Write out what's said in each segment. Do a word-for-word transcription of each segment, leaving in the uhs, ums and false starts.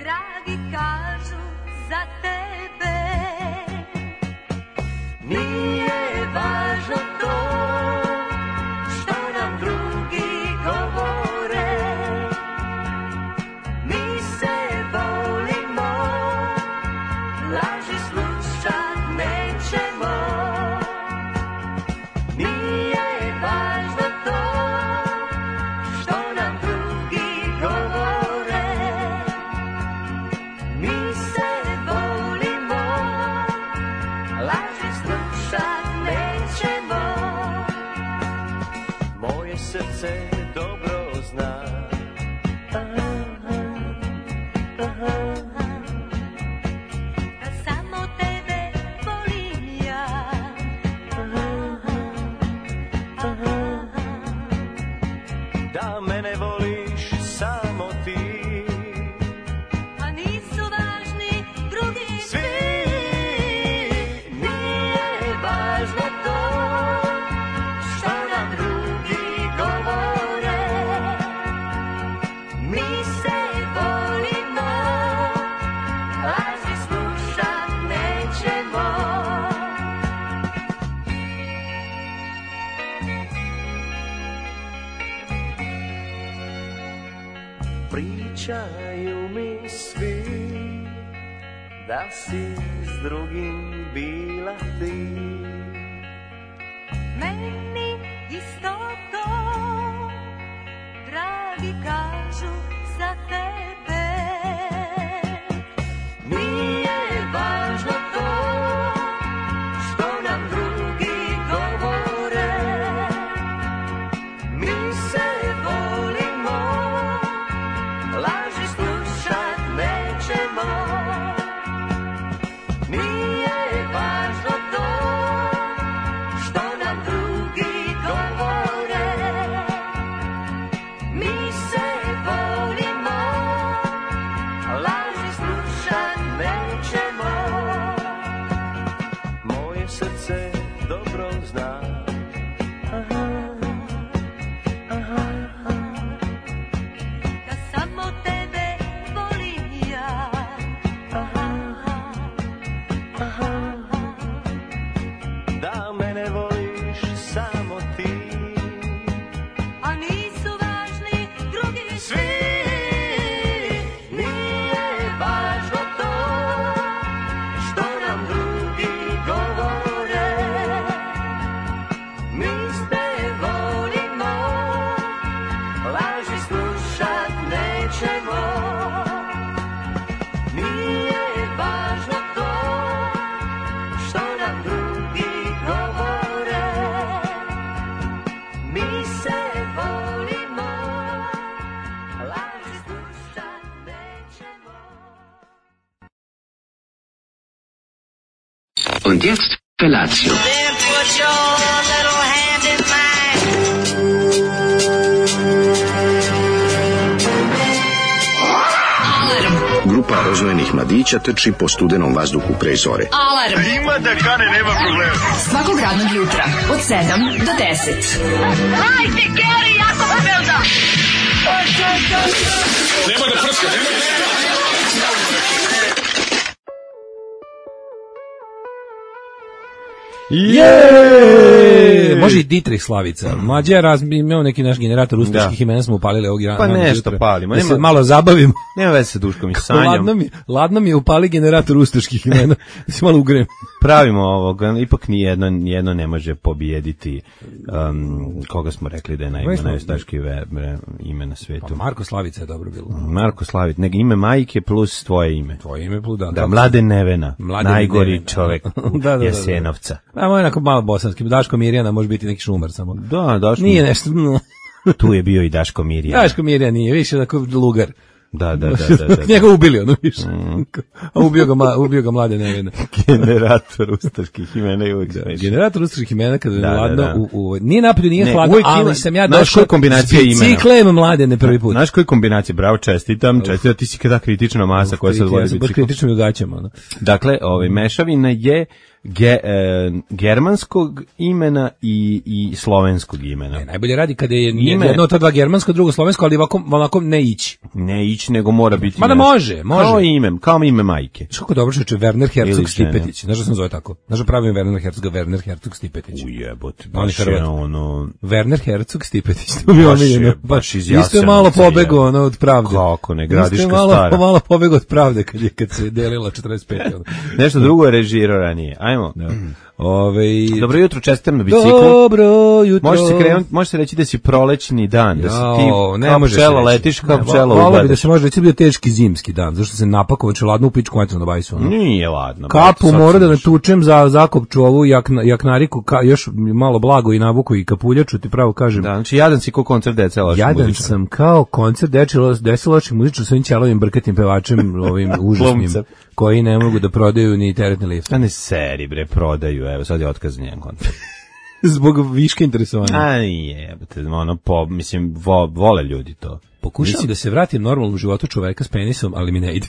dragi kažu za tebe. Nije važno to što nam drugi govore, mi se volimo, laži slušat nećemo. Nije važno to što nam drugi govore, mi se volimo, laži slušat nećemo. Moje srce dobro zna, aha, aha, Da samo tebe volim ja, aha, da mene voliš samo ti. a nisu važni drugi Svi, nije važno to što nam drugi govore, mi se volimo, laži slušat nećemo. Pričaju mi svi da si s drugim bila ti. Meni isto to, dragi kažu za tebe. Nije važno to što nam drugi govore, mi se volimo, laži slušat nećemo. Nije važno to što nam drugi govore, mi se volimo, laži slušat nećemo. Moje srce dobro zna, aha, aha, Da samo tebe volim ja, da mene voliš samo ti. a nisu važni drugi Svi, nije važno to što nam drugi govore, mi se volimo, laži slušat nećemo. Nije važno to što nam drugi govore, mi se volimo, laži slušat nećemo. Und jetzt Felatio. Then put your little hand in mine. Grupa rozvojenih mladića trči po studenom vazduhu pre zore. Alarm. Ima da kane, nema problema. Svakog radnog jutra, od sedam do deset. Hajde, Geri, jako se velda. Nema da prska, nema da prska. Je! Može i Dietrich Slavica. Mlađe raz imao neki naš generator ustaških imena, smo upalili ovog rana. Pa nešto palimo. Da se malo zabavimo. Nema veze sa Duškom i Sanjom. Ladno mi, ladno mi je upali generator ustaških imena. Da se malo ugrem. Pravimo ovog, ipak ni jedno, jedno ne može pobijediti um, koga smo rekli da je najma, najustaški ime na svetu. Pa Marko Slavica je dobro bilo. Marko Slavica, nego ime majke plus tvoje ime. Tvoje ime plus, da. Da, Mladen Nevena, Mladen najgori Nevena. čovek da, da, da, Jasenovca. A moj onako malo bosanski. Daško Mirjana može biti neki šumar samo. Da, Daško. Nije nešto. Tu je bio i Daško Mirjana. Daško Mirjana nije, više tako lugar. Da, da, da, da, da. Njega ubili, ono više. Mm. A ubio ga, ma, ubio ga Mladen Nevena. Generator ustaških imena i uvijek da, generator ustaških imena kada je da, hladno, da, da. U, u, nije napolju, nije ne, hladno, ali ima, sam ja došao s biciklem Mladene prvi put. Znaš koji kombinacija, bravo, čestitam, čestitam, ti si kada kritična masa koja se odvodi bicikl. Baš kritično i ugaćamo. No. Dakle, ovaj, mešavina je ge, e, germanskog imena i, i slovenskog imena. Ne, najbolje radi kada je Ime- jedno od ta dva germansko, drugo slovensko, ali ovako, ovako ne ići. Ne ići, nego mora biti... Mada nešto. može, može. Kao ime, kao ime majke. Znaš kako dobro čoveče, Werner Herzog Ili žene. Stipetić. Znaš da sam zove tako? Znaš da pravim Werner Herzog, Werner Herzog Stipetić. Ujebote, On je baš je Hrvat. ono... Werner Herzog Stipetić, to mi Baš je- omiljeno. baš iz Isto je malo Jasenovca, pobegao je. ono od pravde. Kako ne, Isto Gradiška je malo, stara. malo pobegao od pravde kad, je, kad se delila četrdeset pete. ono. Nešto drugo je režirao ranije. Ajmo. Ove, Dobro jutro, čestitam na biciklu. Dobro jutro. Može se krenuti, može se reći da si prolećni dan, da si ti Jao, ne kao može se pčela reći. letiš, kao Ne, pčela volao bi da ugledaš. se može reći da je bio teški zimski dan, zašto se napakovan ladno u pičku mater na bajsu. ono. Nije ladno. Kapu brate, sad mora da sam još- natučem za zakopču ovu jakna, jaknariku, ka, još malo blago i navuku i kapuljaču, ti pravo kažem. Da, znači jadan si ko koncert dece loših Jadan muzičara. sam kao koncert dečilo desilo muzičar sa ovim ćelovim brkatim pevačem, ovim užasnim, Glumcem. koji ne mogu da prodaju ni teretni lift. A ne seri, bre, prodaju, evo, sad je otkaz njen koncert. Zbog viške interesovanja. A nije, ono, po, mislim, vo, vole ljudi to. Pokušavam da se vratim normalnom životu čoveka s penisom, ali mi ne ide.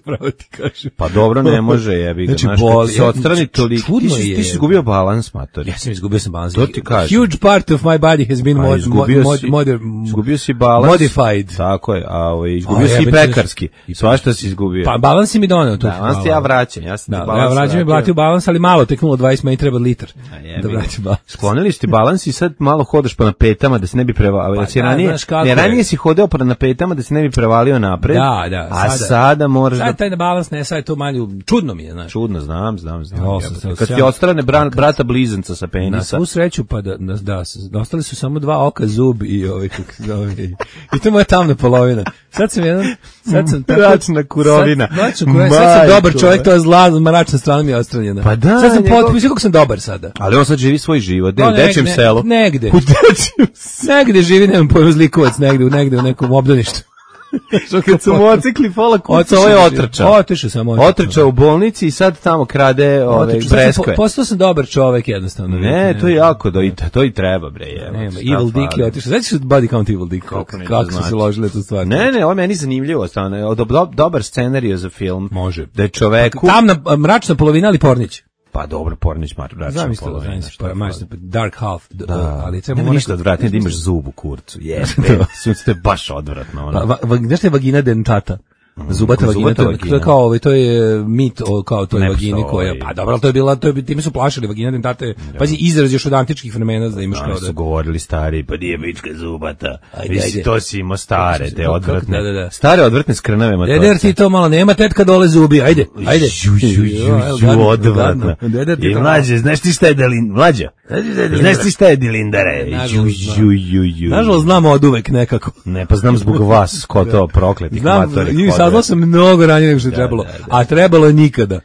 Pravo ti kažem. Pa dobro, ne može, jebi ga. Znači, Znaš, kad boli. ti se odstrani toliko, ti Čudno si, je. ti si izgubio balans, matori. Ja sam izgubio sam balans. To ti kažem. Huge part of my body has been A mod, izgubio mod, si, mod, izgubio si balans. modified. Tako je, a ovaj, izgubio A, si i jebate, prekarski. i- Svašta si izgubio. Pa balans si mi doneo tu. da, balans ti ja vraćam, ja sam Da, ti balans ja vraćam i vratio. blatio balans, ali malo, tek nula zarez dvadeset, meni treba litar. jebi Da ga. vraćam balans. Sklonili ste balans i sad malo hodaš pa na petama da se ne bi prevalio. Pa Pa, da, ranije, znaš kako ne, je. ranije si hodeo pa na petama da se ne bi prevalio napred. Da, da, A sada- sada moraš Sad da... taj balans ne, sad je to malo, čudno mi je, znaš. Čudno, znam, znam, znam. Ja, jebote. sam se Kad ti osjećam- odstrane bra, brata blizanca sa Na penisa. svu sreću, pa da, da, da, da, ostali su samo dva oka, zub i ovaj, kako se zove, i, i to je moja tamna polovina. Sad sam jedan, sad sam tako... Mračna kurovina. Sad, mračna kurovina, sad sam Majko, dobar čovjek, be. to je zla, mračna strana mi je ostranjena. Pa da, Sad sam njegov- potpuno, kako sam dobar sada. Ali on sad živi svoj život, gde, No, u dečjem ne- selu. Negde. U dečjem selu. Negde živi, nemam pojma, zlikovac, negde, u- negde u nekom obdaništu. Kad su mu ocekli pola kuca, Otišao ovo je je, otrčao. otišao sam, otišao. Otrčao u bolnici i sad tamo krade ove Otišao. Sad sam breskve. po- Postao sam dobar čovek jednostavno. Ne, to je jako, do, i, to i treba, bre. Evo, Nema, šta Evil Dick je fali? otišao. Znači su body count Evil Dick, Kako kako, ne, to kako su se znači. ložile tu stvar. Ne, ne, ovo je meni zanimljivo, stvarno. Do, do, dobar scenarij za film. Može. Da je čoveku... Tamna, a, mračna polovina, ali Pornić. Pa dobro, Pornić mar, bračno. Znam isto, znam isto, pa, maš, Dark Half, d- Da, ali treba nema mu ništa neko- odvratnije da imaš zub u kurcu. Jeste, sunce je baš odvratno. Ono. Va, va, va, znaš te vagina dentata? Zubata vagina, Zubata to, je- to vagina. je kao ovaj, to je mit o kao toj Ne vagini postoji. koja, pa dobro, ali to je bila, to je, time su plašili vagina dentata, je, pazi, izraz još od antičkih vremena da imaš Oni kao su da... govorili stari, pa nije bička zubata. Ajde, Mislim, ajde. to si imao stare, Kako se- te kako- odvratne. da, da, da. Stare odvratne skrnave Deder matorce. ti to malo, nema tetka dole zubi, ajde, ajde. Ju, ju, ju, Jo, evo, ju, gadno, odvratno. gadno. Deder ti I to mlađe, znaš ti šta je delin, mlađa? Znaš ti šta je dilindare? Ju, Nažalost, znam. ju, ju, ju. Nažalost, znamo od uvek nekako. Ne, pa znam zbog vas, ko to prokletih Znam, matorih. i saznao sam mnogo ranije nego što je trebalo, a trebalo je nikada.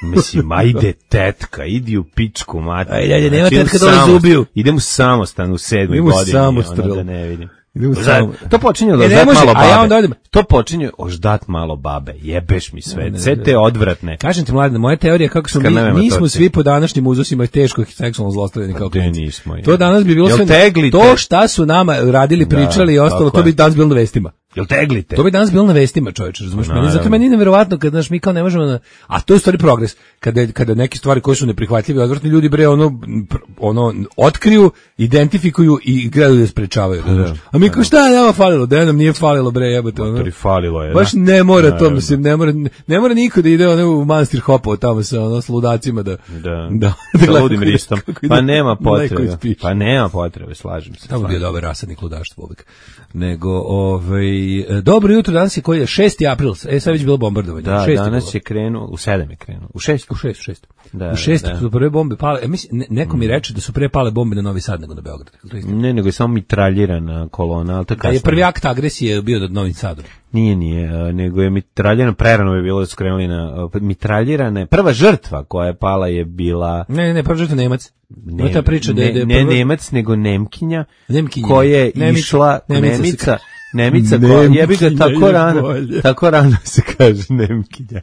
Mislim, ajde tetka, idi u pičku mater. Ajde, ajde, nema Znači, idem tetka dole samostan- zubiju. Idem u samostan u sedmoj Idem u godini. samostrel. Ono da ne vidim. Idem u Za- samo- To počinje od E, ne oždat može, malo a babe. ja onda odem. To počinje oždat malo babe. Jebeš mi sve. Ne, Sve ne, te odvratne. Kažem ti, mladine, moja teorija je kako smo mi, Skrnave mi smo matorci. svi po današnjim uzusima teško seksualno zlostavljani kao Gde klinci. nismo, je. To danas bi bilo Jel sve... teglite? To šta su nama radili, pričali i ostalo, tako to bi je. danas bilo na vestima. Jel teglite? To bi danas bilo na vestima, čoveče, razumeš? Meni, zato Naravno. meni je neverovatno kad znaš mi kao ne možemo na, a to je u stvari progres. Kada kada neke stvari koje su neprihvatljive, i odvratni ljudi bre ono pr- ono otkriju, identifikuju i gledaju da sprečavaju, razumeš? A mi kao šta je nama falilo? Da nam nije falilo bre, jebote, ono. Matori, falilo je, Baš da. ne mora to, Naravno. mislim, ne mora ne mora niko da ide ono u manastir Hopovo tamo sa ono s ludacima da Da, da, sa gleda ludim kako ide- ristom. kako ide Pa nema mleko potrebe. iz piše. Pa nema potrebe, slažem se. Tamo bio slažem. dobar rasadnik ludaštva uvek. Nego, ovaj, e, dobro jutro, danas je koji je šesti april, e sad je već bilo bombardovanje. Da, šesti danas bilo. je krenuo, u sedam je krenuo. U šest? U šest, u šest. Da, u šest da. su prve bombe pale, e, mislim, ne, neko mi reče da su pre pale bombe na Novi Sad nego na Beograd. Je li to istina? Ne, nego je samo mitraljirana kolona, ali to Da kasnije. je prvi akt agresije bio nad Novim Sadom. Nije, nije, a, nego je mitraljirana, prerano je bilo da su krenuli na a, mitraljirane. Prva žrtva koja je pala je bila Ne, ne, ne, prvo žrtva Nemac. ne, Ne, ta priča da je, da je ne, prva- ne Nemac, nego Nemkinja, Nemkinja. koja je Nemica. išla, Nemica se Nemica, kaže. Nemica koja, jebi ga Nemkinja tako je rano, bolje. tako rano se kaže Nemkinja.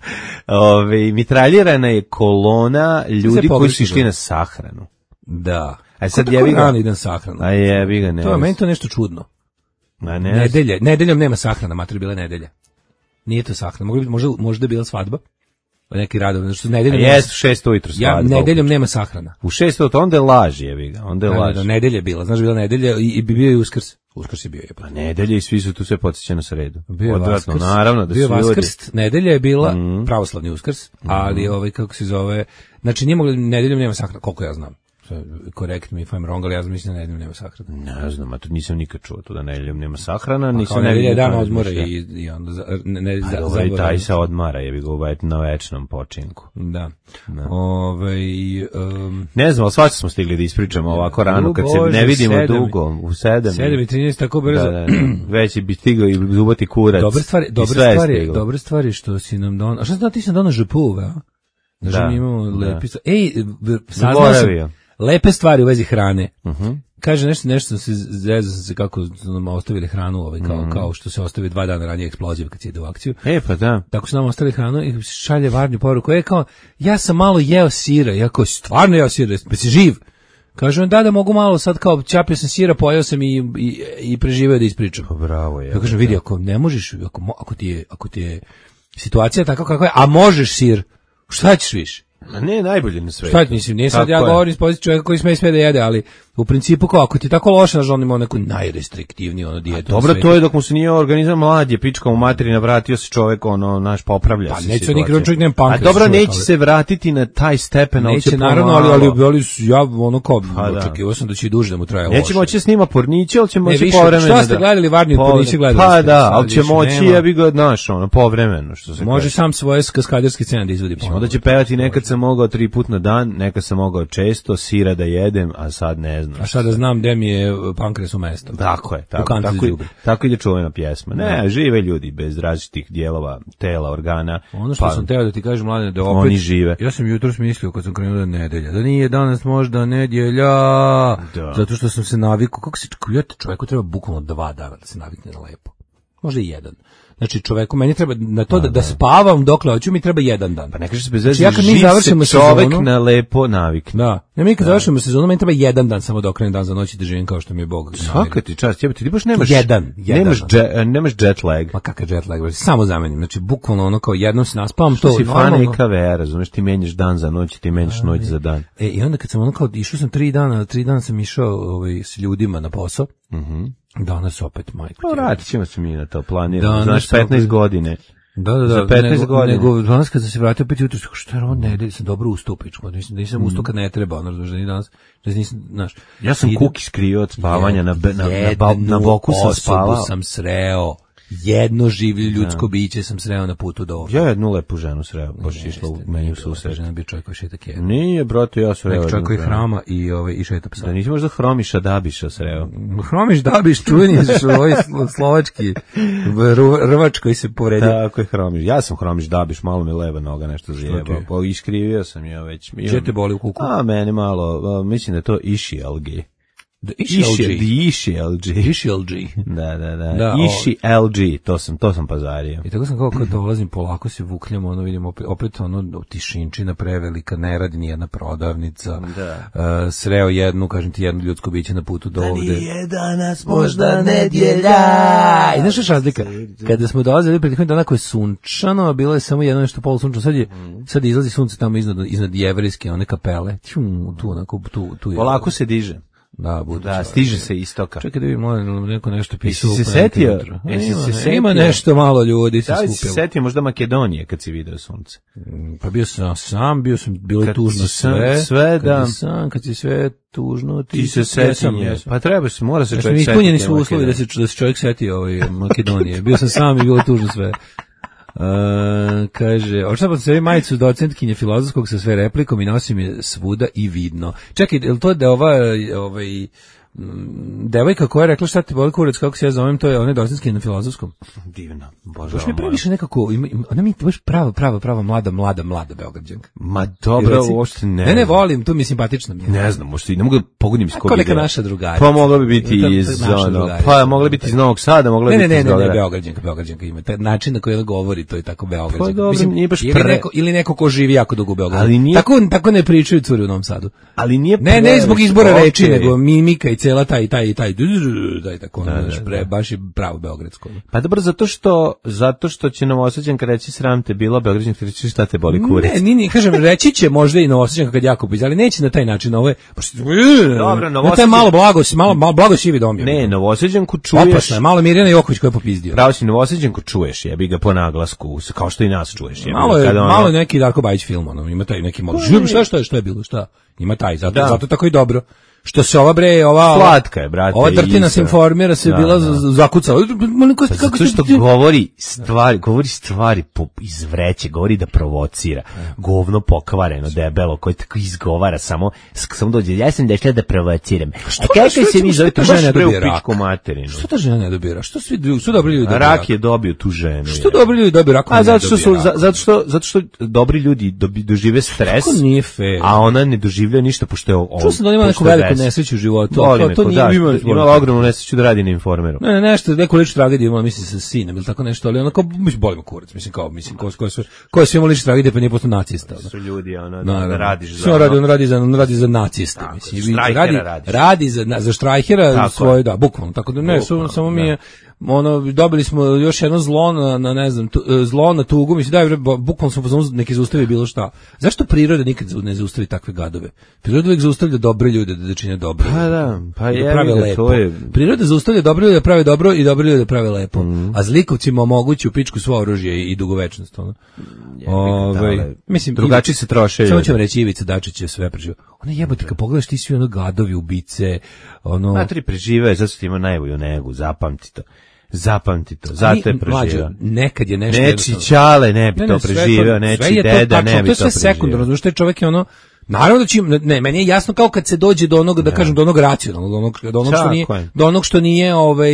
Ove, mitraljirana je kolona ljudi koji su pogrešno išli na sahranu. Da. A sad Ko tako jebi ga- rano ide na sahranu? A jebi ga, ne. To je meni to nešto čudno. Ma ne. Nedelje, nedeljom nema sahrana, mater bila je nedelja. Nije to sahrana, mogla bi, možda, možda je bila svadba. neki radovi, znači što nedeljom Jes, u šest ujutru ja svadba. nedeljom nema sahrana. U šest ujutru, onda je laž, jebi ga, onda je Da, laž. da, nedelja je bila, znaš, bila nedelja i, i bio je Uskrs. Uskrs je bio je. Pa nedelje i svi su tu sve podsjeća na sredu. Bio je Odvratno, Vaskrs, naravno da bio je su ljudi. Vaskrst, nedelja je bila Mhm. pravoslavni Uskrs, ali ovaj kako se zove, znači nije mogli nedeljom nema sahrana, koliko ja znam. Correct me if I'm wrong, ali ja mislim da nedeljom nema sahrana. Ne znam, a to nisam nikad čuo, to da nedeljom nema sahrana, A nisam kao nedelja je dan nikad odmora razmišljao. i, i onda za, ne, ne, A za, dobro, i taj zaboravim. se odmara, jebi ga ovaj na večnom počinku. Da. Ovaj um, Ne znam, ali svašta smo stigli da ispričamo ovako rano, kad se Bože, ne vidimo sedam i- dugo, u sedam. sedam i trinaest tako brzo. Da, da, da. Već bi stigao i zubati kurac. Dobre stvari, i dobre sve je stvari, stiglo. dobre stvari što si nam donao. A šta znači ti si nam donao župuve, a? Znači Da, mi imamo da. lepi stvari. Ej, v- saznao sam Zaboravio. lepe stvari u vezi hrane. Mhm. Kaže nešto, nešto sam se zezao sam se kako su nam ostavili hranu, ovaj, kao, Mhm. kao što se ostavi dva dana ranije eksploziv kad se ide u akciju. E, pa da. Tako su nam ostavili hranu i šalje Varnju poruku. E, kao, ja sam malo jeo sira. Ja kao, stvarno jeo sira, pa si živ? Kaže on, da, da mogu malo sad kao, čapio sam sira, pojeo sam i, i, i preživeo da ispričam. Pa bravo je. Ja kažem, vidi, ako ne možeš, ako, mo- ako, ti je, ako ti je situacija tako kakva je, a možeš sir, šta ćeš više? A ne, najbolje na svetu. Šta ti mislim, nije sad Tako ja je. govorim iz pozicije čovjeka koji sme sve da jede, ali u principu kao, ako ti je tako loše, znaš, on ima neku najrestriktivniju ono dijetu. na Dobro, svetu. to je dok mu se nije organizam mlad, je pička u materina, vratio se čovjek, ono, naš, popravlja Pa se neće situacija. nikad, čovjek nema pankreas, A dobro, čovjek, neće ali- se vratiti na taj stepen, ali će Neće, naravno, ali, ali, ali su- ja ono kao, Pa da. očekivao sam da će i duže da mu traje Neće loše. moći da snima porniće, ali će Ne, moći više, povremeno. šta ste da- gledali Varniju Povre- porniće, gledali Pa ste, da, sad ali će više moći, nema. ja bi ga, znaš, ono, povremeno, što se Može kaže. sam svoje kaskaderske scene da izvodi ponovo. Onda će pevati, nekad sam mogao tri put na dan, nekad sam mogao često, sira da jedem, a sad ne znam. A šta da znam gde mi je pankreas u mesto. Tako je, U tako, kantu za tako, đubre. tako ide čuvena pjesma. Ne, žive ljudi bez različitih dijelova tela, organa. Ono što pa, sam teo da ti kažem, mladine, da opet... Oni žive. Ja sam jutros mislio kad sam krenuo da je nedelja, da nije danas možda nedjelja, Da. zato što sam se navikao, kako se, ljete, čovjeku treba bukvalno dva dana da se navikne na lepo. Možda i jedan. Znači čoveku, meni treba na to da, da spavam dokle hoću, mi treba jedan dan. Pa ne kaže se bez Znači, veze, ja kad mi živ završimo se čovek sezonu- na lepo navikne. Da. Ja mi kad završimo sezonu, meni treba jedan dan samo da okrenem dan za noć i da živim kao što mi je Bog. Svaka ti čast, jebote, ti baš nemaš Jedan, jedan. nemaš dže- nemaš jet lag. Ma kakav jet lag, bre, samo zamenim. Znači bukvalno ono kao jednom se naspavam, To to si fan normalno. E K V, razumeš, ti menjaš dan za noć, ti menjaš noć za dan. E, i onda kad sam ono kao, išao sam tri dana, tri dana sam išao ovaj, s ljudima na posao, Mhm. danas opet, majko. Pa ti. vratit ćemo se mi na to, planiramo. Danas Znaš, opet- petnaest godine. Da, da, da, Za petnaest nego, godina. nego danas kad sam se vratio opet jutro, što je ovo nedelje, sam dobro ustao pičko, mislim da nisam ustao kad ne treba, ono, razumiješ, da ni danas, da nisam, znaš. Ja sam idem- kuki skrio od spavanja, na, be- na, na, ba- na Jednu boku sam osobu spavao. sam sreo, jedno življe ljudsko biće sam sreo na putu do ovdje. Ja jednu lepu ženu sreo, baš je išla u meni u Susret. susret. Žena bi čovjek koji šeta kjeda. Nije, brate, ja sreo. Neki jednu čovjek koji ženu. hrama i, ovaj, i šeta psa. Da nisi možda Hromiša Dabiša sreo. Hromiš Dabiš, čuveni ovaj slo- slovački ru- rvač koji se povredio. Tako je Hromiš. Ja sam Hromiš Dabiš, malo mi leva noga nešto ti zajebao. je? Pa iskrivio sam ja već. Gdje te boli u kuku? A, mene malo, a, mislim da je to Iši L G. Da, Iši, Iši L G. Iši L G. Da, da, da. Da, Iši L G, to sam, to sam pazario. I tako sam kao kad dolazim, polako se vukljam, ono vidim opet, opet ono tišinčina prevelika, ne radi nijedna prodavnica. Da. Uh, sreo jednu, kažem ti, jedno ljudsko biće na putu do ovde. Nije danas Možda nedjelja. I znaš što je razlika? Kada smo dolazili prethodnih dana koje je sunčano, a bilo je samo jedno nešto polusunčano, sad je, sad izlazi sunce tamo iznad, iznad jevrejske one kapele. Ćum, tu, onako, tu, tu je. Polako se diže. Da, budu Da, stiže se istoka. Čekaj da vidim, molim, neko nešto pisao. Jesi se upravo setio? jutro. Jesi Ima, se setio? ima nešto malo ljudi se Da li si se skupilo. setio možda Makedonije kad si vidio sunce? Pa bio sam sam, bio sam, bilo je Kad tužno si sam- sve. sve, kad da. si sam, kad si sve tužno, ti, Ti se jesam, seti, jesam. pa treba se, mora se Znači, čovjek setiti. ispunjeni su uslovi da se, da se čovjek seti ovaj Makedonije. Bio sam sam i bilo je tužno sve. Uh, kaže, očitavam se majicu docentkinje filozofskog sa sve replikom i nosim je svuda i vidno. Čekaj, je li to da je ova, ovaj, mm, devojka koja je rekla šta ti boli kurac, kako se ja zovem, to je ona docentkinja na filozofskom? Divno, bože. Baš mi previše nekako, ima, ima, ona mi je baš prava, prava, prava, mlada, mlada, mlada Beograđanka. Ma dobro, Reci. uopšte ne. Ne, ne, volim, tu mi je simpatična mi je. Ne znam, možda i ne mogu da pogodim iz kog Kao neka je. naša drugarica. Pa mogla bi biti To- to je iz, naša ono, drugarica. pa mogla biti iz Novog Sada, mogla Ne, bi ne, biti ne, iz ne, ne, Beograda. Beograđanka, Beograđanka ima. Taj način na koji ona govori, to je tako Beograđanka. Pa dobro, nije baš ili, pre- neko, ili neko ko živi jako dugo u Beogradu. Ali nije- Tako, tako ne pričaju curi u Novom Sadu. Ali nije Ne, ne previše, zbog izbora okej. reči, nego mimika i cela taj taj taj taj tako da, da, pre, baš je pravo beogradsko. Pa dobro, zato što zato što će Novosađanka reći sram te bilo, Beograđanka reći šta te boli kurac. Ne, ni ni kažem, reći će možda i Novosađanka kad jako pizda, ali neće na taj način, ovo je dobro, Novosađanka. Taj malo blago, malo malo blago sivi dom je. Ne, Novosađanku čuješ. Opasno je, malo Mirjana Joković koja je popizdio. Pravo si, Novosađanku čuješ, jebi ga po naglasku, kao što i nas čuješ, jebi. Malo je, malo je neki Darko Bajić film, ono, ima taj neki malo. Šta šta šta je bilo, šta? Ima taj, zato da. zato tako i dobro. Što se ova bre, ova slatka je, brate. Ova Drtina se informira, se da, bila da. zakucala. Pa kako zato što govori stvari, govori stvari po izvreće, govori da provocira. Govno pokvareno, debelo, koji tako izgovara samo samo dođe. Ja sam došla da provociram. A kako se vi zovete žena da pičku materinu? Što ta žena ne dobira? Što svi su dobri ljudi? Rak je dobio tu ženu. Što dobri ljudi dobiju rak? A zato što su zato što zato što dobri ljudi dožive stres. Kako nije fair. A ona ne doživlja ništa pošto je on. Što se da ima neku veliku nesreću u životu. To, to nije imala ima ogromnu nesreću da radi na Informeru. Ne, ne, nešto, neku ličnu tragediju imala, mislim, sa sinom ili tako nešto, ali onako, mislim, bolimo kurac, mislim, kao, mislim, ko, ko, ko, ko je sve imala ličnu tragediju, pa nije postao nacista. Su ljudi, ono, da, da radiš za... Sve radi, on radi za, on radi za naciste, tako, mislim. Radi, radi, radi za, za Štrajhera svoje, da, bukvalno, tako da ne, bukvalno, samo mi je... ono dobili smo još jedno zlo na, na ne znam tu, zlo na tugu, mislim da je bukvalno smo pozvali neki zaustavi bilo šta. Zašto priroda nikad ne zaustavi takve gadove? Priroda uvijek zaustavlja dobre ljude da, da čine dobro. Pa da, pa je, da prave da, lepo. To je... Priroda zaustavlja dobre ljude da prave dobro i dobre ljude da prave lepo. Mm. A zlikovcima omogući u pičku svo oružje i, i dugovečnost. Ono. Ove, mislim, drugačiji se troše. Samo ću vam reći, Ivica Dačić je sve preživio. Ona jebote, kad pogledaš ti svi ono gadovi, ubice, ono... Matri prežive, zato što ima najbolju negu, zapamti to. Zapamti to, zato je preživio. Nekad je nešto... Neči Ćale ne bi ne, ne, to preživio, neči deda ne bi to preživio. To je sve sekundarno, znaš, taj čovjek je ono... Naravno da će, ne, meni je jasno kao kad se dođe do onog, da kažem, do onog racionalnog, do onog, do onog što nije, do onog što nije, ovaj,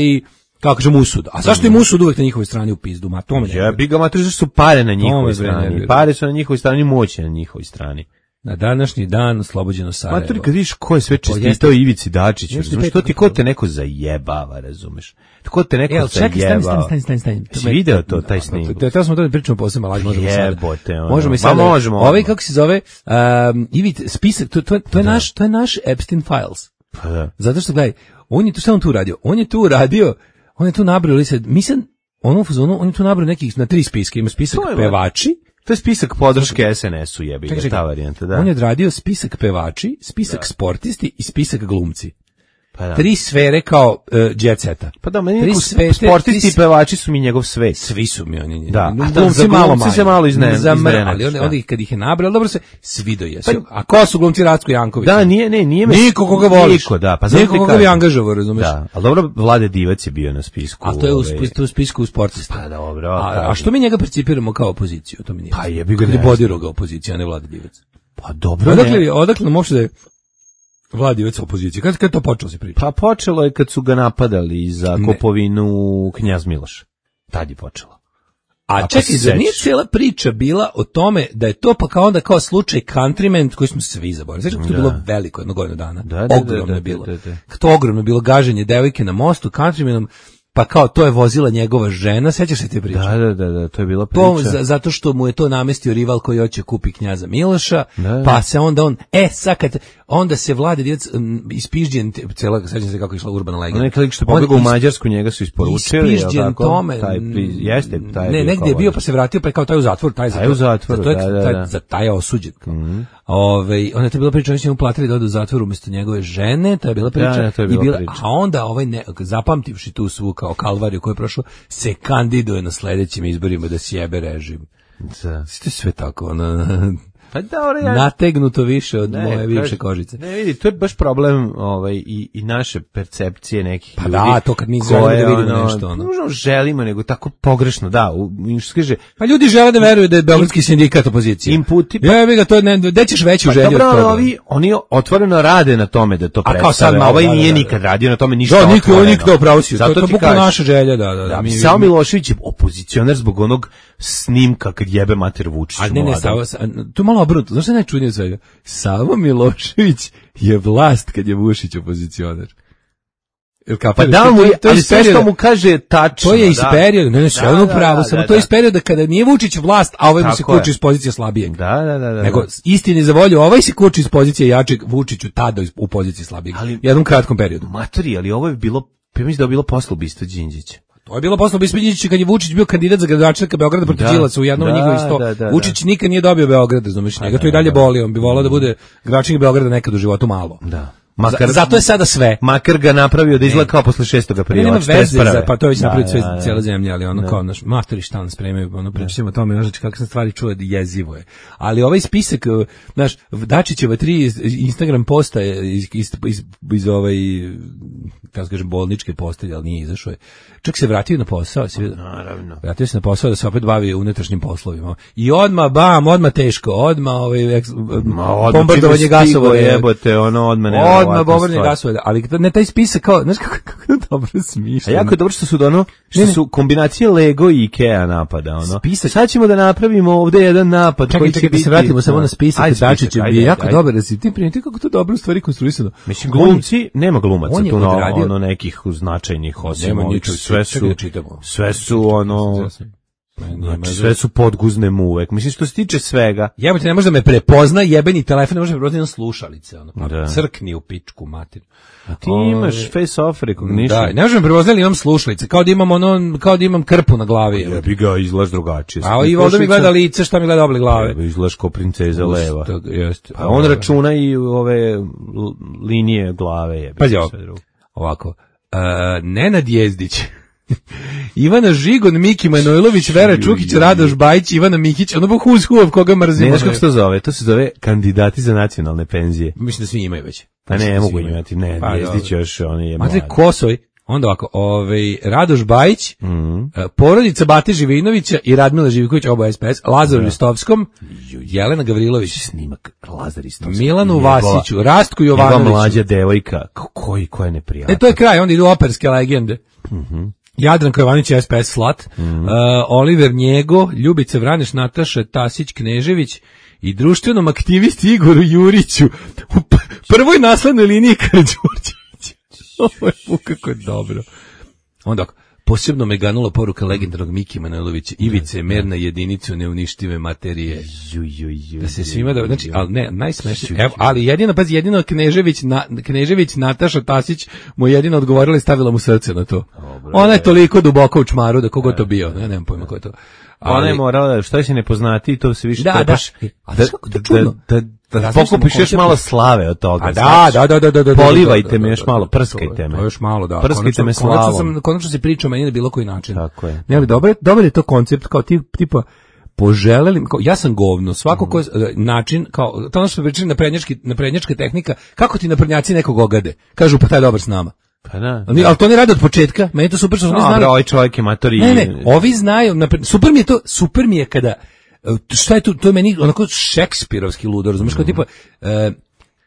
kako kažem, usud. A zašto im usud uvek na njihovoj strani u pizdu? Ma, to me ne... Ja, biga matri, zašto su pare na njihovoj strani? Pare su na njihovoj strani, moć na njihovoj strani. Na današnji dan oslobođeno Sarajevo. Maturi, kad vidiš ko je sve čestitao Ivici Dačiću, razumeš, što ti ko te neko zajebava, razumeš? Ko te neko Jel, čekaj, zajebava? Stani, stani, stani, stani. Si video to, taj snimak? To smo to pričamo posebno, ali možemo sada. Jebote, ono. Možemo i sada. možemo. Ovaj, kako se zove, um, Ivic, spisak, to, to, to, je naš, to je naš Epstein Files. Pa da. Zato što, gledaj, on je tu, šta on tu uradio? On je tu uradio, on je tu nabrao, li se, mislim, ono u fazonu, on je tu nabrao nekih na tri spiske, ima spisak pevači. To je spisak podrške S N S-u, jebi ga, ta varijanta, da. On je odradio spisak pevači, spisak da. sportisti i spisak glumci. Pa da. Tri sfere kao uh, jet seta. Pa da, meni neko sportisti i pevači su mi njegov svet. Svi su mi oni. Da, a glumci malo manje. se malo iznenađeni. Ali onda, onda ih kad ih je nabrao, dobro se, svi do jesu. Pa, a ko su glumci Racko Janković? Da, nije, ne, nije me... Niko koga voliš. Niko, da. Pa niko koga bi angažovao, razumeš? Da, ali dobro, Vlade Divac je bio na spisku. A to je u, ove... u spisku u sportista. Pa dobro. A, a što mi njega percipiramo kao opoziciju? To mi nije. Pa jebi ga. Kad je bodirao ga opozicija, a ne Vlade Divac. Pa dobro, odakle, ne. Odakle nam uopšte da je Vladivac opozicije? Kad, kad to počelo se pričati? Pa počelo je kad su ga napadali za ne. kupovinu Knjaz Miloš. Tad je počelo. A čekaj, zar nije cijela priča bila o tome da je to pa kao onda kao slučaj Countryman koji smo svi zaboravili. Znači, to je bilo veliko jedno godinu dana. Da, da, ogromno da, da, je bilo. Da, da, da. To ogromno je bilo gaženje devojke na mostu Countrymanom, pa kao to je vozila njegova žena, sećaš se te priče? Da, da, da, da, to je bila priča. To, za, zato što mu je to namestio rival koji hoće kupi Knjaza Miloša, da, pa se onda on, e, sad kad, onda se Vlade Divac um, ispižđen, cela, sećam se kako je išla urbana legenda. Neki lik što pobegao u Mađarsku, njega su isporučili, ispižđen tome, taj, jeste, taj ne, negdje je bio pa se vratio, pa je kao taj u zatvor, taj, taj u zatvoru, za, da, da, taj, da. za taj je osuđen. Mm-hmm. Ove, onda je to bila priča, oni su mu platili da ode u zatvor umjesto njegove žene, to je bila priča, da, da, to je bila i bila, priča. a onda ovaj ne, zapamtivši tu svu kao kalvariju koju je prošao, se kandiduje na sledećim izborima da sjebe režim. Da. Sve sve tako, ono, pa dobro, ja... nategnuto više od ne, moje bivše kožice. Ne vidi, to je baš problem ovaj, i, i naše percepcije nekih pa ljudi. Pa da, to kad mi želimo da vidimo ono, nešto. Ono. Možda želimo, nego tako pogrešno, da. U, kaže, pa ljudi žele da veruju da je Beogradski sindikat opozicija. Inputi. Pa, ja, ga, to ne, gde ćeš veću pa, želju dobro, od toga? Ovi, oni otvoreno rade na tome da to predstave. A ovaj da, nije da, da. nikad radio na tome ništa da, otvoreno. Da, niko nikad upravo si. To je bukvalno naša želja, da, da. da da mi, Samo Milošević je opozicioner zbog onog snimka kad jebe mater Vučić. A ne, ne, Savo, tu malo obrnuto. Znaš što je najčudnije svega? Savo Milošević je vlast kad je Vučić opozicioner. Pa da mu, to je sve što mu kaže tačno. To je iz perioda, ne, ne, sve ono pravo, samo to je iz perioda kada nije Vučić vlast, a ovaj mu se kuči iz pozicije slabijeg. Da, da, da. Nego, istini za volju, ovaj se kuči iz pozicije jačeg, Vučiću tada u poziciji slabijeg. U jednom kratkom periodu. Matori, ali ovo je bilo, pa mislim da je bilo posle ubistva Đinđića. To je bilo posle ubistva Đinđića kad je Vučić bio kandidat za gradonačelnika Beograda protiv Đilasa u jednom od njihovih sto. Da, da, Vučić da. nikad nije dobio Beograd, razumeš, njega to i dalje boli, on bi voleo da bude gradonačelnik Beograda nekad u životu malo. Da. Makar, zato je sada sve. Makar ga napravio da izgleda kao posle šestog aprila. Nema veze, za, pa to je već napravio sve cijela zemlja, ali ono da. kao naš matori šta nas spremaju, ono pričamo o tome, znaš kakve sam stvari čuo, jezivo je. Ali ovaj spisak, znaš, Dačićeva tri Instagram posta iz, iz, iz, iz ovaj, kako kažem, bolničke postelje, ali nije izašao je. Čak se vratio na posao, se vidio. Naravno. Vratio se na posao da se opet bavi unutrašnjim poslovima. I odma bam, odma teško, odma ovaj eks, bombardovanje gasova, jebote, ono odma ne. Odma bombardovanje gasova, ali ne taj spisak kao, znaš kako, kako dobro smišljeno. A jako je dobro što su ono, što ne, ne. su kombinacije Lego i Ikea napada, ono. Spisak. Sad ćemo da napravimo ovde jedan napad čekaj, koji čekaj, će biti. Da se vratimo samo na spisak, Dačić je bio jako dobar, da si ti primiti kako to dobro stvari konstruisano. Mislim glumci, nema glumaca tu na ono nekih značajnih osim sve su sve su ono znači, sve su podguzne mu uvek. Mislim što se tiče svega. Jebote, ne može da me prepozna, jebeni telefon, ne može da me prepozna na slušalice, ono. Pa da. Crkni u pičku mater. A ti o, imaš face off recognition. Da, ne može da me prepozna, ali imam slušalice, kao da imam ono, kao da imam krpu na glavi. Ja bi ga izgledaš drugačije. A i ovdje mi gleda lice, šta mi gleda oblik glave. Ja, izgledaš kao princeza Ust, leva. To, jest, a on računa i ove linije glave je. Pazi ovako. Uh, Nenad Jezdić, Ivana Žigon, Miki Manojlović, Vera Čukić, Radoš Bajić, Ivana Mihić, ono bo who's who of koga mrzimo. Ne znaš kako se to zove, to se zove kandidati za nacionalne penzije. Mislim da svi imaju već. Pa ne, ne mogu imati, ne, pa, Jezdić još, on je mlad. Mate Kosoj, onda ovako, ovaj, Radoš Bajić, mm -hmm. porodica Bate Živinovića i Radmila Živiković, oba S P S, Lazaru da. Ristovskom, Jelena Gavrilović, snimak Lazar Ristovski, Milanu Vasiću, Rastku Jovanoviću. Njegova mlađa devojka, koji, koja je neprijatna. E, to je kraj, onda idu operske legende. Mhm. Mm Jadranko Jovanović, S P S Slat, mm -hmm. uh, Oliver Njego, Ljubica Vraneš, Nataša Tasić Knežević i društvenom aktivisti Igoru Juriću u prvoj naslednoj liniji Karađorđevića. Ovo je kako je dobro. Onda posebno me ganula poruka legendarnog Miki Manojlovića, Ivice, merna jedinicu neuništive materije. Ju, ju, ju, da se svima da, znači, ali ne, najsmešnije, evo, ali jedino, pazi, jedino Knežević, na, Knežević, Nataša Tasić mu jedino odgovorila i stavila mu srce na to. Dobre, ona je toliko duboko u čmaru da kogo to bio, ne, nemam pojma ko je to. Ali, ona je morala, što će ne poznati, to se više da, trebaš, da, a da, da, da, da, da, da pokupiš još malo slave od toga. A da, da, da, da, da, da, polivajte da, da, me još malo, prskajte me. Još malo, da. Prskajte me slavom. Konačno, konačno se priča o meni na bilo koji način. Tako je. Ne, ali dobro, dobro je to koncept, kao tip, tipa, poželeli, kao, ja sam govno, svako ko, način, kao, to ono što pričali naprednjački, naprednjačka tehnika, kako ti naprednjaci nekog ogade? Kažu, pa taj je dobar s nama. Pa da. Oni, ali to ne rade od početka, meni to super što oni znaju. Ovaj čovjek je matori. Ne, ne, ovi znaju, napred, super mi je to, super mi je kada, šta je to, to je meni onako šekspirovski ludo, razumiješ, kao tipa, uh,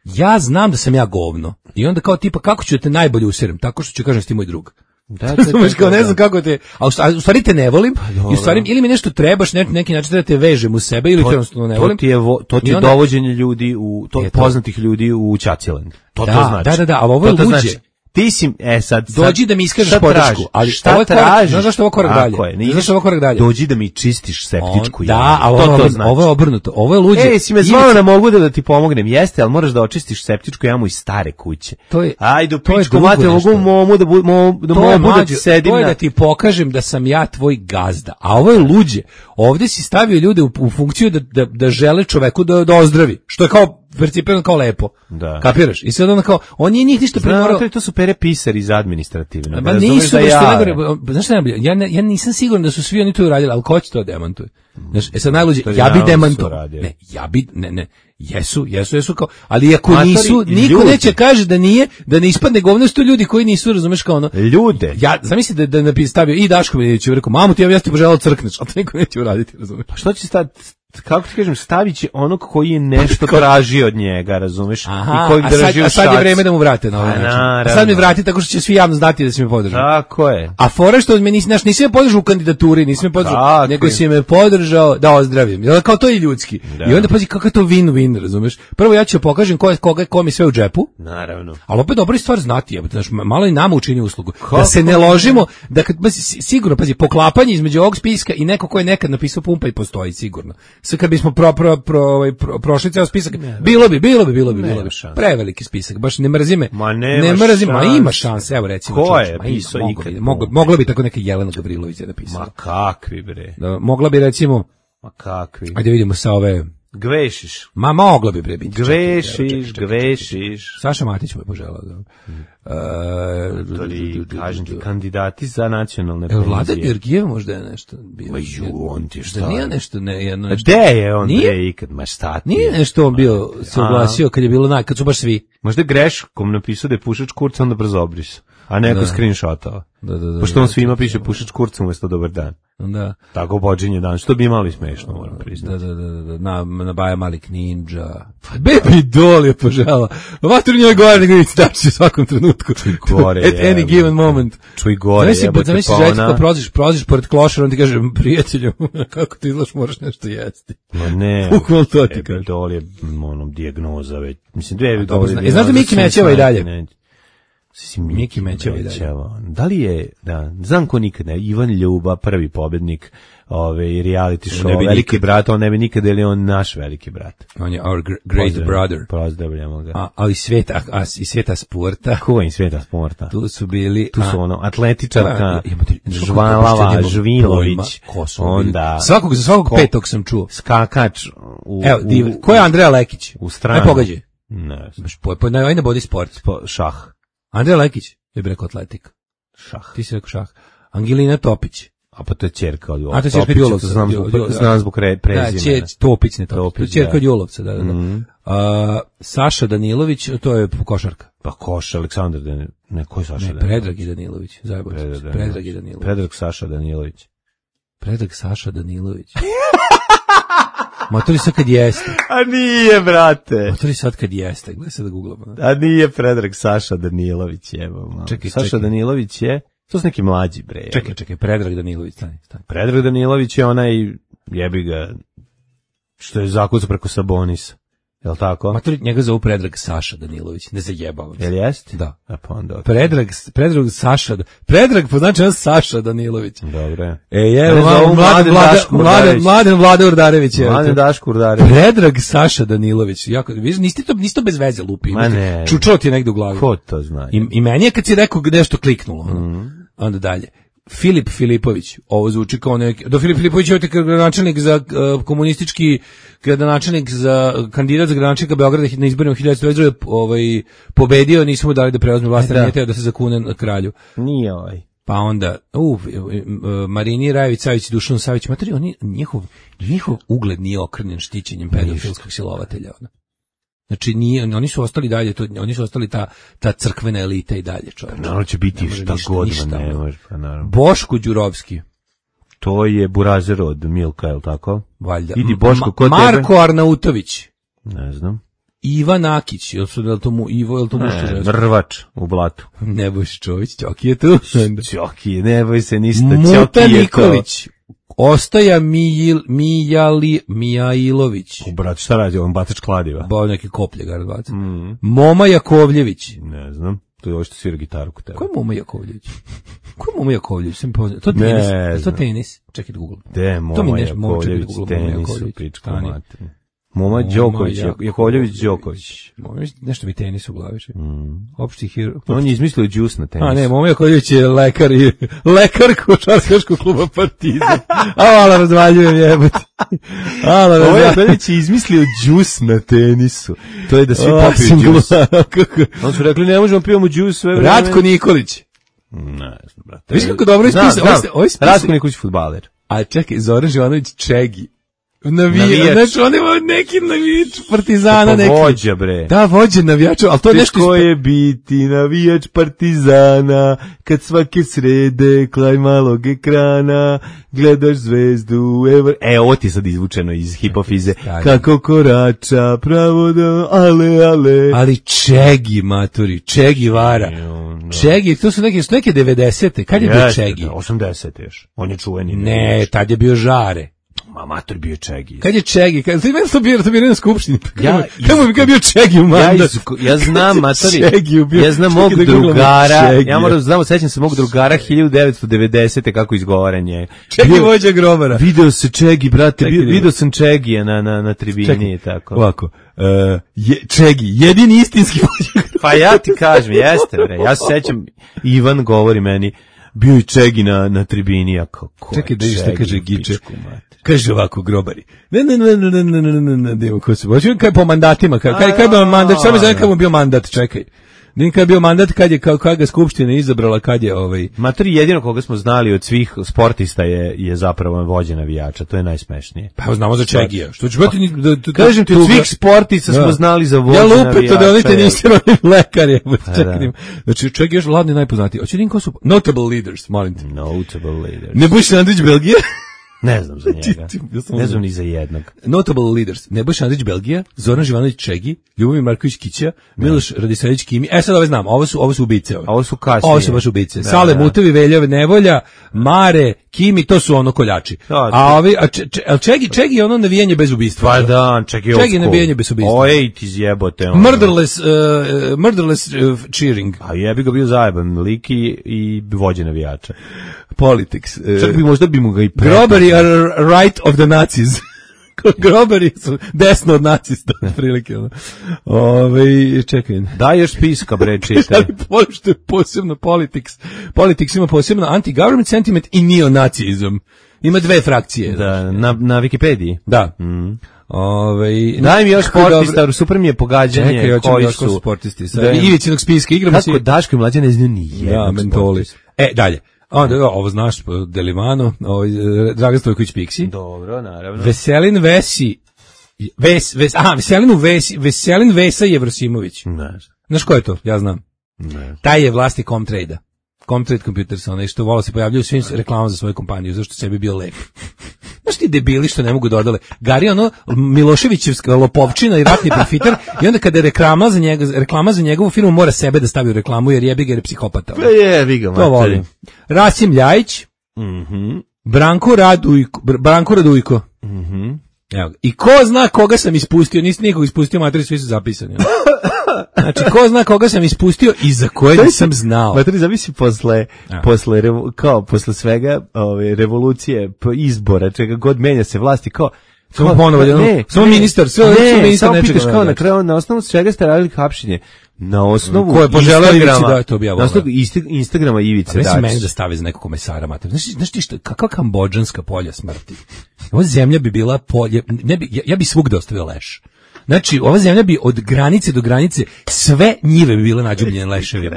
ja znam da sam ja govno, i onda kao tipa, kako ću da te najbolje userem, tako što ću kažem ti moj drug. Da, da, da, kao ne znam kako te, a u stvari te ne volim, pa, i u stvari ili mi nešto trebaš, ne, neki način da te vežem u sebe, ili to, te jednostavno ne volim. To ti je, vo, to ti je onda, dovođenje ljudi, u, to, je poznatih to. ljudi u Ćaćiland. To da, to znači. Da, da, da, ali ovo je luđe. Znači, ti si, e sad, dođi da mi iskažeš podršku, ali šta tražiš? Znaš zašto ovo korak dalje? Znaš zašto ovo korak dalje? Dođi da mi čistiš septičku jamu. Da, ali ovo, to znači. Ovo je obrnuto, ovo je luđe. Ej, si me zvao da mogu da, da ti pomognem, jeste, ali moraš da očistiš septičku jamu iz stare kuće. To je, ajde, u pičku mater, mogu momu da, bu, momu, da momu da ti sedim na... To je da ti pokažem da sam ja tvoj gazda, a ovo je luđe. Ovdje si stavio ljude u, u funkciju da, da, da žele čoveku da, da ozdravi, što je kao percipirano kao lepo. Da. Kapiraš? I sad onda kao, on nije njih ništa premorao. To, to su pere pisari iz administrativno. Ma nisu, da ja, najgore, znaš šta najbolje? Ja, ne, ja nisam siguran da su svi oni to uradili, ali ko će to demantuje? Znaš, e sad najluđe, ja bi demantovao. Ne, ja bi, ne, ne, jesu, jesu, jesu kao, ali ako matori, nisu, niko ljudi. Neće kaže da nije, da ne ispadne govno, sto ljudi koji nisu, razumeš kao ono. Ljude. Ja, zamisli da, da napi stavio i Daško Milinović, rekao, mamu ti ja, ja ti poželao crkneš, ali to niko neće uraditi, razumeš. Pa što će stati? kako ti kažem, stavit će onog koji je nešto tražio od njega, razumeš? Aha, i koji drži a, sad, a sad je vreme da mu vrate na ovaj način. A sad mi vrati tako što će svi javno znati da si me podržao. Tako je. A fora što me nisi, nisi me podržao u kandidaturi, nisi me podržao, nego si me podržao da ozdravim. Jel, kao to je ljudski. Da. I onda pazi kako je to win-win, razumeš? Prvo ja ću pokažem ko je, koga, ko mi sve u džepu. Naravno. Ali opet dobra stvar znati, jebote, znaš, malo i nama učini uslugu. Kako? Da se ne ložimo, da kad, pazi, sigurno, pazi, poklapanje između ovog spiska i neko ko je nekad napisao pumpa i postoji, sigurno. Sve kad bismo pro, pro, pro, ovaj, pro, prošli ceo spisak, ne, bilo bi, bilo bi, bilo bi, bilo bi. Preveliki spisak, baš ne mrzi me. Ma ne mrzi, ma ima šanse, evo recimo. Ko je pisao ikad? Mogla, mogla bi tako neka Jelena Gavrilović je napisala. Ma kakvi bre. Da, mogla bi recimo, ma kakvi. Ajde vidimo sa ove... Gvešiš. Ma mogla bi bre biti. Gvešiš, gvešiš. Saša Matić mu je poželao da. Uh, Tori, kažem ti, kandidati za nacionalne penzije. Vlada Georgijev možda je nešto bio. Ma ju, on ti šta? Da nije nešto, ne, jedno nešto. Gde je on bre ikad, ma šta ti? Nije nešto on bio, se oglasio kad je bilo naj, kad su baš svi. Možda je greškom napisao da je pušač kurca, onda brzo obrisao. A neko screenshotao. Da, da, da. Pošto on svima piše pušač kurca umjesto dobar dan. Da. Tako bođenje dan, što bi imali smešno, moram priznati. Da, da, da, da, na, na Baja Malik Ninja. Baby Doll je požela. Vatru njoj gore nego vidite da će u svakom trenutku. Čuj gore, at any given moment. Čuj gore, jebote, zamisli, pa ona. Proziš, proziš pored klošara, on ti kaže, prijatelju, kako ti izlaš, moraš nešto jesti. Ma ne. Bukval to ti kaže. Baby Doll je onom dijagnoza već. Mislim, dve Doll je. I znaš da Miki Mećeva i dalje? Miki Mećeva i dalje. Da li je, da, znam ko nikad ne, Ivan Ljuba, prvi pobednik ove reality show, veliki nikad. Brat, on ne bi nikad, ili on naš veliki brat. On je our great Pozdravljamo. brother. Pozdravljamo ga. A, ali sveta, a, i sveta sporta. Ko je sveta sporta? Tu su bili... Tu su ono, atletičarka, Žvalava, Žvilović, onda... Svakog, za svakog ko, petog sam čuo. Skakač. U, Evo, div, u, ko je Andreja Lekić? U stranu. Aj pogađaj. Ne znam. Po, po, na, na body sport. Po, šah. Andreja Lekić, je bi rekao atletik. Šah. Ti si rekao šah. Angelina Topić. A pa to je ćerka od Julovca. A to je ćerka od Julovca. Znam zbog, znam zbog prezimena. Da, će, Topić, ne Topić. To je ćerka od Julovca, da, da, da. Mm. A, Saša Danilović, to je košarka. Pa Koša, Aleksandar Danilović. Ne, ko je Saša ne, Danilović? Predrag i Danilović. Zajebao Predrag, se. Predrag i Danilović. Predrag Saša Danilović. Predrag Saša Danilović. Motori sad kad jeste. A nije, brate. Motori sad kad jeste. Gledaj sad da googlamo. A nije Predrag Saša Danilović, evo. Čekaj, Saša čekaj. Danilović je, to su neki mlađi, bre. Čekaj, čekaj, Predrag Danilović, stani, stani. Predrag Danilović je onaj, jebi ga, što je zakucao preko Sabonisa. Jel tako? Matori, njega zovu Predrag Saša Danilović, ne zajebavam se. Jel jest? Da. A pa onda... Predrag, Predrag Saša, Predrag poznači on Saša Danilović. Dobre. E, je, mladen, mladen, mladen, mladen Vlada Urdarević. Mladen Daško Urdarević. Predrag Saša Danilović. Jako, viš, niste to, niste to bez veze lupi. Ma ne. Čučao ti je negde u glavi. Ko to zna? I, i meni je kad si rekao nešto kliknulo. Mm. Onda dalje. Filip Filipović, ovo zvuči kao neki, do Filip Filipović je gradonačelnik za uh, komunistički gradonačelnik za kandidat za gradonačelnika Beograda na izborima hiljadu devetsto devedeset druge ovaj pobedio, nismo mu dali da preuzme vlast, nije teo da se zakune na kralju. Nije ovaj. Pa onda, u, Marini Rajević, Savić i Dušan Savić, materi, oni, njihov, njihov ugled nije okrnjen štićenjem pedofilskog silovatelja. Ona. Znači nije, oni su ostali dalje, to, oni su ostali ta ta crkvena elita i dalje, čovjek. Naravno će biti šta god, ne može, pa naravno. Boško Đurovski. To je burazer od Milka, je li tako? Valjda. Idi Boško, ko tebe? Marko Arnautović. Ne znam. Ivan Akić, jel su da to mu Ivo, jel to muško žensko? Mrvač u blatu. Nebojš Čović, Ćoki je tu. Ćoki, ne boj se ništa, Muta Ćoki je Nikolić. To. Ostaja Mijil, Mijali, Mijailović. U brat, šta radi, on batač kladiva? Bao neki koplje ga razbaca. Mm. Moma Jakovljević. Ne znam, to je ovo što svira gitaru kod tebe. Ko je Moma Jakovljević? Ko je Moma Jakovljević? Sam poznao. To tenis. Ne, to tenis. Čekaj da googlam. De, Moma Jakovljević, tenisu, pičko mater. Moma Đoković, Jakovljević Đoković. Nešto mi tenis u glavi. Mm. Opšti hero. On je izmislio džus na tenisu. A ne, Moma Jakovljević je lekar i lekar košarkaškog kluba Partizan. A vala razvaljujem jebote. Vala Moma Jakovljević je izmislio džus na tenisu. To je da svi popiju džus. On su rekli ne možemo pijemo džus sve vreme. Ratko Nikolić. Ne znam, brate. Viš kako dobro ispisao. Ratko Nikolić fudbaler. A čekaj, Zoran Živanović Čegi. Navijač. Znači, on ima neki navijač Partizana. Pa vođa, bre. Da, vođa navijača, ali to je nešto... Teško je biti navijač Partizana, kad svake srede, klaj malog ekrana, gledaš zvezdu, ever... E, ovo ti je sad izvučeno iz hipofize. Kako korača, pravo da, ale, ale. Ali Čegi, maturi, Čegi vara. Čegi, to su neke, su neke devedesete. Kad je bio Čegi? osamdesete još. On je čuveni. Ne, tad je bio Žare. Ma mator bio Čegi. Kad je Čegi? Kad ti meni to bio, to bio na skupštini. Ja, kako bi bio Čegi u mandat? Ja, ja znam, matori. Ja znam mog drugara. Ja moram znamo, sećam se mog drugara hiljadu devetsto devedesete kako izgovaran je. Čegi vođa grobara. Video se Čegi, brate, video sam Čegija na na na tribini i tako. Ovako. Uh, je, Čegi, jedini istinski vođa. Pa ja ti kažem, jeste bre. Ja se sećam, Ivan govori meni, bio i Čegi na na tribini, a kako. Čekaj da vidiš šta kaže Giče. Kaže ovako grobari. Ne, ne, ne, ne, ne, ne, ne, ne, ne, ko se hoće, kaj po mandatima, kaj, kaj, kaj bio mandat, šta mi zove kad mu bio mandat, čekaj. Nin kad je bio mandat, kad je, kad, kad ga skupština izabrala, kad je ovaj... Matri, jedino koga smo znali od svih sportista je, je zapravo vođa navijača, to je najsmešnije. Pa znamo za Čegija. Što ću biti... Da, da, kažem ti, od svih sportista smo znali za vođa navijača. Ja lupeto da oni te niste rodni lekar, je, čekaj. Znači, Čegi još ladni najpoznatiji. Oće Nin ko su... Notable leaders, molim te. Notable leaders. Nebojša Andrić, Belgija. Ne znam za njega. Ne znam ni za jednog. Notable leaders. Nebojša Andrić, Belgija, Zoran Živanović, Čegi, Ljubomir Marković, Kića, Miloš Radisavljević, Kimi. E sad ove znam, ovo su ovo su ubice ove. Ovo su kasnije. Ovo su baš ubice. Da, Sale, da. Mutovi, Veljave, Nevolja, Mare, Kimi, to su ono koljači. Da, a ovi a če, če, Čegi, Čegi je ono navijanje bez ubistva. Pa da, Čegi je Čegi navijanje bez ubistva. Oj, ti zjebote. Ono. Murderless, uh, murderless uh, cheering. A jebi ga bio zajeban lik i, i vođa navijača. Politics. Uh, Čak bi možda bi mu ga i pretao. Grobari are right of the Nazis. Grobari su desno od nacista, prilike. Ove, čekaj. Daj još spiska, bre, čite. Ali pošto je posebno politics. Politics ima posebno anti-government sentiment i neonacizam. Ima dve frakcije. Da, na, na Wikipediji. Da. Mm. Ove, daj mi još sportista, super mi je pogađanje. Čekaj, koji su sportisti. Sa Ivicinog spiska igramo kako si... Kako Daško i mlađe ne znaju ni jednog ja, mentoli. E, dalje. Onda, ovo znaš, Delimano, ovaj, Dragan Stojković Piksi. Dobro, naravno. Veselin Vesi, Ves, Ves, aha, Veselinu Vesi, Veselin Vesa Jevrosimović. Ne. Znaš ko je to? Ja znam. Ne. Taj je vlasnik Comtrade-a. Comtrade Computers, onaj što vola se pojavljaju svim reklamama za svoju kompaniju, zašto sebi bio lep. Znaš ti debili što ne mogu dodale. Gari ono Miloševićevska lopovčina i ratni profiter i onda kada je reklama za, njega, reklama za njegovu firmu mora sebe da stavi u reklamu jer jebi ga jer je psihopata. Pa jebi ga, to volim. Rasim Ljajić, mm-hmm. Branko Radujko, Branko Radujko. Mm-hmm. Evo, i ko zna koga sam ispustio, nisi nikog ispustio, materi svi su zapisani. Znači, ko zna koga sam ispustio i za koje nisam znao. Materi, zavisi posle, posle, kao, posle svega ove, revolucije, izbora, čega god menja se vlasti, kao, samo ponovo, ne, samo ministar, sve, ne, ministar samo pitaš kao na kraju, na osnovu svega ste radili hapšenje. Na osnovu ko je poželeo Instagrama, da, to na osnovu Instagrama Ivice Dačić. Mislim meni da stave za nekog komesara, mater. Znaš, znaš ti što, kakva kambodžanska polja smrti? Ova zemlja bi bila polje, ne bi, ja, ja bi svugde ostavio leš. Znači, ova zemlja bi od granice do granice, sve njive bi bile nađubljene leševima.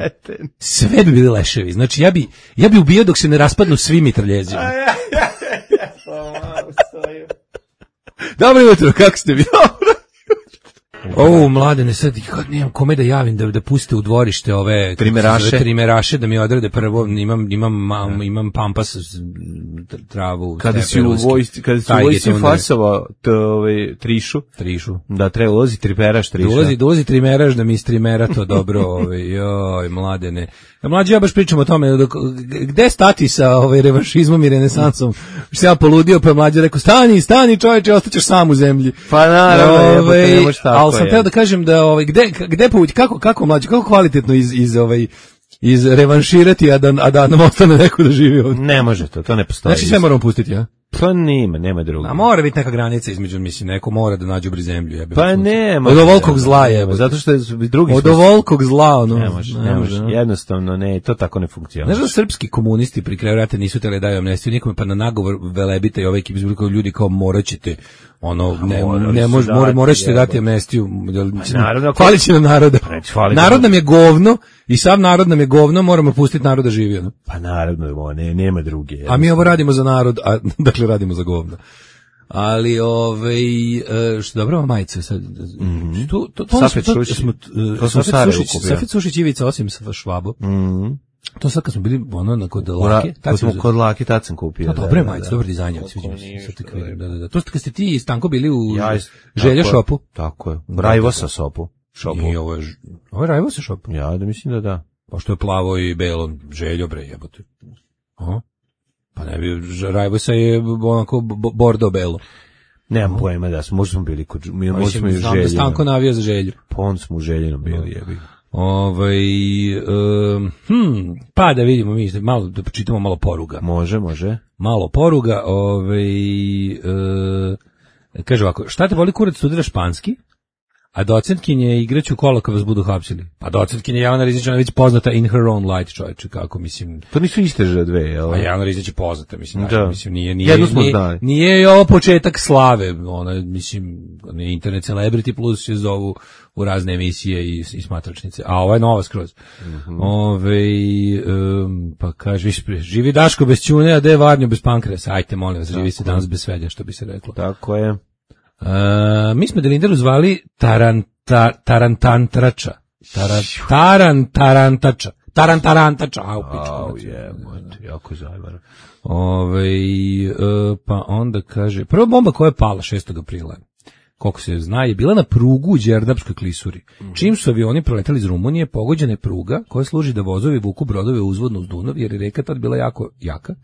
Sve bi bili leševi. Znači, ja bi, ja bi ubio dok se ne raspadnu svi mitraljezima. Dobro jutro, kako ste vi? Dobro. O, mladene, sad kad nemam kome da javim da da puste u dvorište ove trimeraše, trimeraše da mi odrade prvo, imam imam mam, imam pampas travu. Kada si u vojsci, kada si u vojsci fasova to ovaj trišu, trišu. Da treba ulazi trimeraš triša. Dolazi, dolazi trimeraš da mi istrimera to dobro, ovaj joj mladene. Ja mlađi ja baš pričam o tome dok, gde stati sa ovaj revanšizmom i renesansom. Što ja poludio pa mlađi rekao stani, stani čoveče, ostaćeš sam u zemlji. Pa naravno, ovaj, ne možeš tako. Ali sam teo da kažem da ovaj gde gde povući kako kako mlađi, kako kvalitetno iz iz ovaj iz revanširati a da a da nam ostane neko da živi ovdje. Ne može to, to ne postoji. Znači sve moramo pustiti, ja. Pa nema, nema drugo. A mora biti neka granica između, mislim, neko mora da nađe bri zemlju, jebe. Pa nema. Od ovolkog zla je, zato što je drugi. Od ovolkog zla, ono. Ne može, ne može. Jednostavno ne, to tako ne funkcioniše. Znaš da srpski komunisti pri kraju rata nisu tele daju amnestiju nikome, pa na nagovor Velebita i ove ekipe izbili kao ljudi kao moraćete ono ne ne može mora moraćete dati amnestiju. Hvali će nam naroda. Narod nam je govno i sav narod nam je govno, moramo pustiti narod da živi, ono. Pa naravno, ne, nema druge. A mi ovo radimo za narod, a dakle radimo za govno. Ali ovaj uh, što dobro majice sad. Mm-hmm. Tu to to Safet smo to smo to smo Safet Sušić Ivica osim sa Švabo. Mhm. To sad kad smo bili ono na kod Lake, tad smo kod Lake, tad sam kupio. To dobre majice, dobar dizajn, sviđa mi se. Da, da, da. To ste kad ste ti i Stanko bili u ja, Želja shopu. Tako je. Rajvosa shopu. Shopu. I ovo je ovo je Rajvosa shop. Ja da mislim da da. Pa što je plavo i belo, Željo bre, jebote. Aha. Pa ne bi, Rajvosa je onako bordo belo. Nemam pojma da smo, možda smo bili kod, mi možda smo i Znam da Stanko navio za Želju. Pon smo u Željinom bili, jebi. Ovaj, um, hm, pa da vidimo mi, malo, da počitamo malo poruga. Može, može. Malo poruga, ovaj, uh, kaže ovako, šta te boli kurac, studiraš španski? A docentkinje igraću kola kad vas budu hapsili. Pa docentkinje Jelena Rizić, ona je već poznata in her own light, čovječe, kako mislim. To nisu iste že dve, jel? A Jelena Rizić je poznata, mislim, da. mislim nije nije Jednu smo nije, znali. nije ovo početak slave, ona mislim, internet celebrity plus se zovu u razne emisije i, i smatračnice. A ovo je nova skroz. Mm-hmm. Ove, um, pa kaže, viš, živi Daško bez ćune, a de Varnjo bez pankresa. Ajte, molim vas, živi se danas bez svega, što bi se reklo. Tako je. Uh, mi smo Delindaru zvali taranta, tarantantrača. Taran, tarantarantača. Tarantarantača. Au, pička. Au, je, jako zajvar. Ove, uh, pa onda kaže, prva bomba koja je pala šestog aprila, koliko se zna, je bila na prugu u Đerdapskoj klisuri. Mm-hmm. Čim su avioni preletali iz Rumunije, pogođena je pruga koja služi da vozovi vuku brodove uzvodno uz Dunav, jer je reka tad bila jako jaka,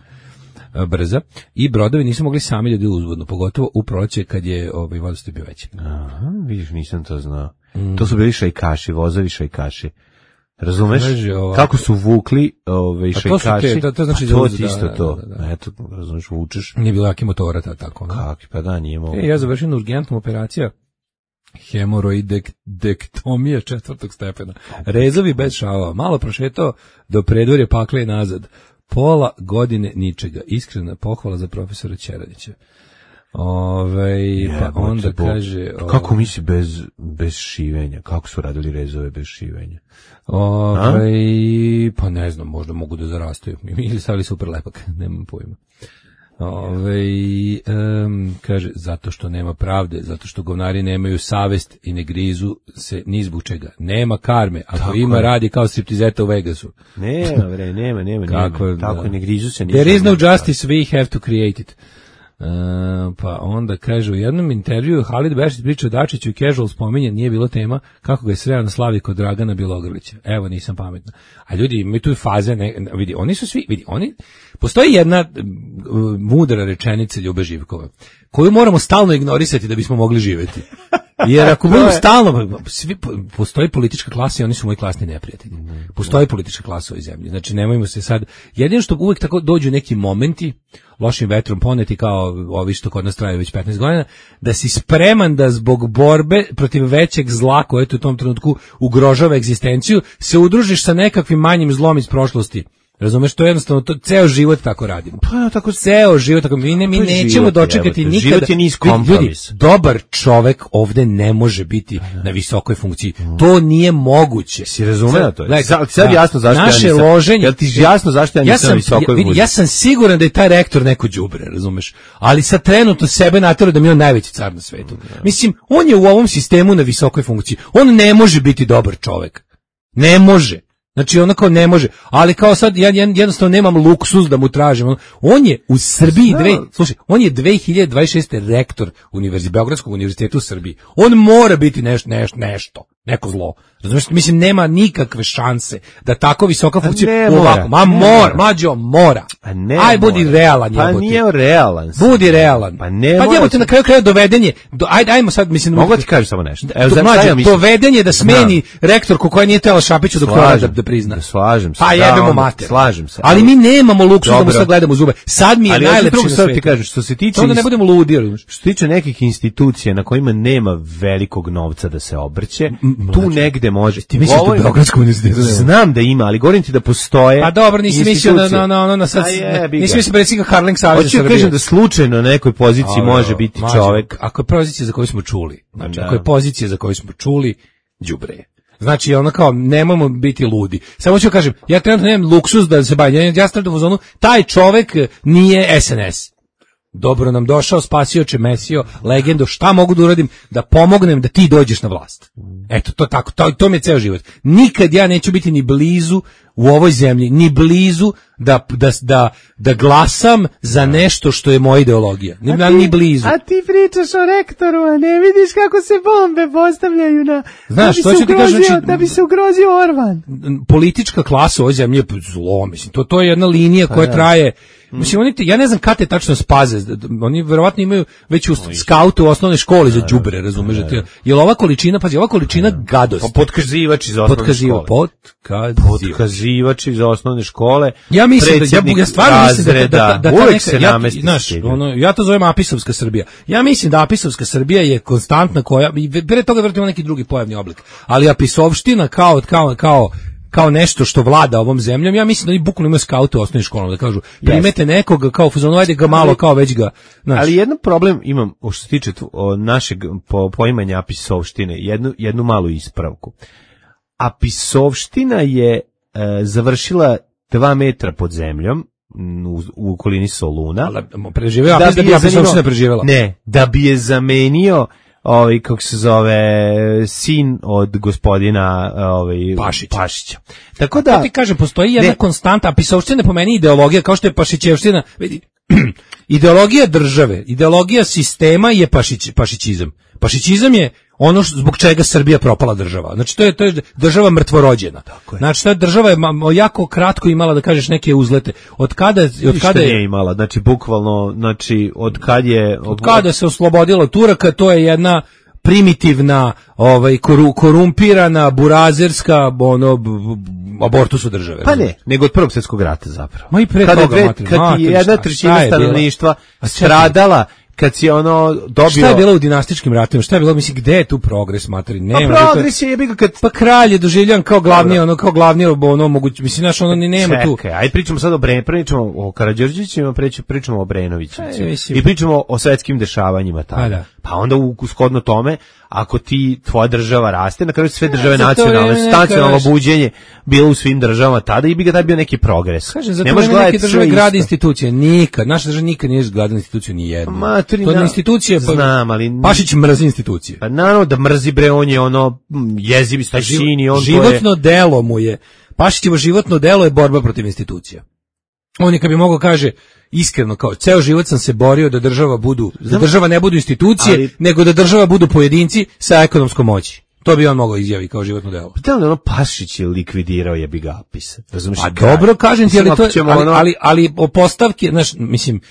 brza, i brodovi nisu mogli sami ljudi uzvodno, pogotovo u proleće kad je ovaj vodostaj bio veći. Aha, vidiš, nisam to znao. Mm. To su bili šajkaši, vozovi šajkaši. Razumeš? Kako su vukli ove šajkaši? Te, to, to znači pa to da, isto da, to. Da, da. Eto, razumeš, vučeš. Nije bilo jaki motora ta, tako. Kakvi, pa da, nije mogo. E, ja završim urgentnom operacija hemoroidektomija četvrtog stepena. Rezovi bez šava. Malo prošetao do predvorja pakle i nazad. Pola godine ničega. Iskrena pohvala za profesora Ćeradića. Ove, pa onda kaže... Ove, kako misli bez, bez šivenja? Kako su radili rezove bez šivenja? Ove, pa ne znam, možda mogu da zarastaju. Ili stavili super lepak, nemam pojma. Ove, um, kaže, zato što nema pravde, zato što govnari nemaju savest i ne grizu se ni zbog čega. Nema karme, ako tako ima je. Radi kao striptizeta u Vegasu. Nema, bre, nema, nema, kako, nema. Tako da. Ne grizu se ni. There is no justice, we have to create it. Uh, pa onda kaže u jednom intervjuu Halid Bešić priča o Dačiću i Casual spominje, nije bilo tema kako ga je sreo na slavi kod Dragana Bjelogrlića. Evo, nisam pametna. A ljudi imaju tu faze, ne, vidi, oni su svi, vidi, oni, postoji jedna uh, mudra rečenica Ljube Živkova, koju moramo stalno ignorisati da bismo mogli živjeti. Jer ako budemo stalno, svi, postoji politička klasa i oni su moji klasni neprijatelji. Postoji politička klasa u ovoj zemlji. Znači, nemojmo se sad, jedino što uvijek tako dođu neki momenti, lošim vetrom poneti kao ovi što kod nas traju već petnaest godina, da si spreman da zbog borbe protiv većeg zla koje u tom trenutku ugrožava egzistenciju, se udružiš sa nekakvim manjim zlom iz prošlosti. Razumeš, to je jednostavno, to ceo život tako radimo. Pa tako ceo život tako mi ne mi nećemo život, dočekati jebate. nikada. Život je niz kompromis. Ljudi, dobar čovek ovde ne može biti na visokoj funkciji. To nije moguće. Si razumeo to? Like, sad, sad jasno zašto naše ja nisam. Loženje, jel ti jasno zašto ja nisam ja sam, na visokoj vidi, funkciji? ja sam siguran da je taj rektor neko đubre, razumeš? Ali sad trenutno sebe natera da mi je on najveći car na svetu. No. Mislim, on je u ovom sistemu na visokoj funkciji. On ne može biti dobar čovek. Ne može. Znači onako ne može, ali kao sad ja jednostavno nemam luksuz da mu tražim. On je u Srbiji, dve, slušaj, on je dve hiljade dvadeset šeste rektor univerziteta, Beogradskog univerziteta u Srbiji. On mora biti nešto, nešto, nešto, neko zlo. Razumiješ, mislim, nema nikakve šanse da tako visoka funkcija ovako. Ma mora, mlađo, mora. Aj, budi realan. Pa jebote. Nije realan. Budi realan. Pa ne pa jebote, na kraju kraja dovedenje. Do, ajde, ajmo sad, mislim... Mogu ti kažem samo nešto. Evo, do, mlađo, dovedenje da smeni rektorku koja nije tela Šapiću dok koja da, da prizna. Da slažem se. Pa jebemo mater. Slažem se. Ali mi nemamo luksuz da mu sad gledamo u zube. Sad mi je najlepše na svetu. Ti kažem, što se tiče... Onda ne budemo ludi. Što se tiče nekih institucija na kojima nema velikog novca da se obrće, tu negde može. Ti misliš da Beogradskom univerzitetu? Znam da ima, ali govorim ti da postoje. Pa dobro, nisi mislio na na na na sad. Nisi mislio predsjednika Harling Saveza Srbije. Hoću kažem da slučajno na nekoj poziciji može biti čovjek. Ako je pozicija za koju smo čuli, znači ako je pozicija za koju smo čuli, đubre. Znači, ono kao, nemojmo biti ludi. Samo ću kažem, ja trenutno nemam luksuz da se bavim. Ja stavljam u zonu, taj čovek nije S N S. dobro nam došao, spasioče, mesio, legendo, šta mogu da uradim da pomognem da ti dođeš na vlast. Eto, to tako, to, to mi je ceo život. Nikad ja neću biti ni blizu u ovoj zemlji, ni blizu da, da, da, da glasam za nešto što je moja ideologija. Ni, ti, ni blizu. A ti pričaš o rektoru, a ne vidiš kako se bombe postavljaju na... Znaš, da, bi to ću ti ugrozio, kažem, da bi se ugrozio Orban. Politička klasa u ovoj zemlji je zlo, mislim. To, to je jedna linija koja traje... Mislim, oni te, ja ne znam kada te tačno spaze, oni verovatno imaju već u skautu u osnovnoj školi za đubre, razumeš? Je li ova količina, pazi, ova količina gadosti. Podkazivač iz osnovne škole. Podkazivač iz osnovne škole. Ja mislim da, ja, ja stvarno mislim da, da, da, da uvek neka, se ja, namesti. Znaš, ono, ja to zovem Apisovska Srbija. Ja mislim da Apisovska Srbija je konstantna koja, i pre toga vjerojatno ima neki drugi pojavni oblik, ali Apisovština kao, kao, kao, kao nešto što vlada ovom zemljom, ja mislim da oni bukvalno imaju skaute u osnovnim školama, da kažu, primete nekoga kao fuzonu, ajde ga malo, kao već ga, znaš. Ali jedan problem imam, što se tiče našeg po, poimanja Apisovštine, jednu, jednu malu ispravku. Apisovština je e, završila dva metra pod zemljom, u, u okolini Soluna. Ali preživeo, Apis da bi Apisovština preživela. Ne, da bi je zamenio ovaj, kako se zove, sin od gospodina ovaj, Pašića. Pašića. Tako da, to ti kažem, postoji jedna ne, konstanta, Apisovština po meni ideologija, kao što je Pašićevština, vidi, ideologija države, ideologija sistema je pašić, pašićizam. Pašićizam je ono što, zbog čega Srbija propala država. Znači to je to je država mrtvorođena. Znači ta država je jako kratko imala, da kažeš, neke uzlete. Od kada od kada je imala, znači bukvalno, znači od kad je od, od kada se oslobodila Turaka, to je jedna primitivna, ovaj koru, korumpirana, burazerska, ono abortusu države. Pa ne, nego od Prvog svjetskog rata zapravo. Ma i pre kada toga, dve, mater, kad mater, je jedna trećina stanovništva stradala, kad si ono dobio... Šta je bilo u dinastičkim ratovima? Šta je bilo, mislim, gde je tu progres, materi? Nema. Pa progres je jebi ga kad... Pa kralj je doživljan kao glavni, ono, kao glavni, ono, moguće, mislim, znaš, ono, ni nema tu. Čekaj, ajde pričamo sad o Bren, pričamo o Karađorđevićima, pričamo o Brenovićima. I pričamo o svetskim dešavanjima tada. Pa, da. Pa onda u shodno tome, ako ti, tvoja država raste, na kraju sve države nacionalne, nacionalno buđenje bilo u svim državama tada i bi ga tad bio neki progres. Kaže, zato nema neke države grade institucije, nikad, naša država nikad nije gradila instituciju ni jednu. Maturi, to je institucije, pa, znam, ali... Pašić mrzi institucije. Pa naravno da mrzi, bre, on je ono jezivi stašini, on životno je... delo mu je, Pašićevo životno delo je borba protiv institucija. On je, kad bi mogao kaže, iskreno, kao ceo život sam se borio da država budu, da država ne budu institucije, ali, nego da država budu pojedinci sa ekonomskom moći. To bi on mogao izjaviti kao životno delo. Pa da li ono Pašić je likvidirao jebi ga Apis? Razumiješ? A dobro, kažem ti, ali, to, ali, ono... ali, ali o postavke, znaš, mislim,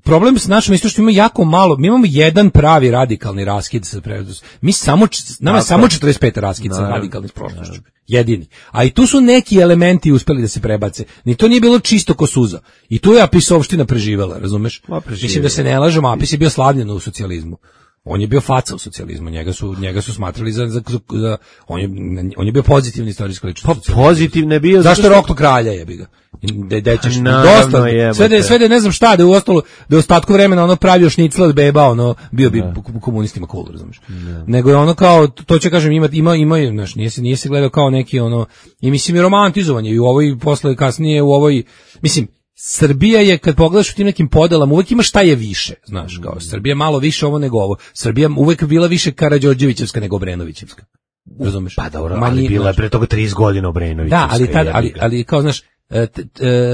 problem s našom isto što ima jako malo, mi imamo jedan pravi radikalni raskid sa prevodom. Mi samo, nama je samo četrdeset pet raskid sa radikalnim s prošlošću. Jedini. A i tu su neki elementi uspeli da se prebace. Ni to nije bilo čisto ko suza. I tu je Apisovština preživela, razumeš? Mislim da se ne lažemo, Apis je bio slavljen u socijalizmu. On je bio faca u socijalizmu, njega su njega su smatrali za, za, za on je on je bio pozitivni istorijski ličnost. Pa pozitivno je bio. Zašto Roklo kralja jebi ga? Da dećeš dosta. Je, sve da sve da ne znam šta, da u ostalo da u ostatku vremena ono pravio šnicl od beba, ono bio bi komunistima cool, razumeš. Nego je ono kao to će kažem ima ima ima, znaš, nije se nije se gledao kao neki ono i mislim i romantizovanje i u ovoj posle kasnije u ovoj mislim Srbija je, kad pogledaš u tim nekim podelama, uvek ima šta je više, znaš, kao Srbija malo više ovo nego ovo. Srbija uvek bila više Karađorđevićevska nego Obrenovićevska. Razumeš? Pa dobro, ali bila je pre toga trideset godina Obrenovićevska. Da, ali tad, ali ali kao znaš,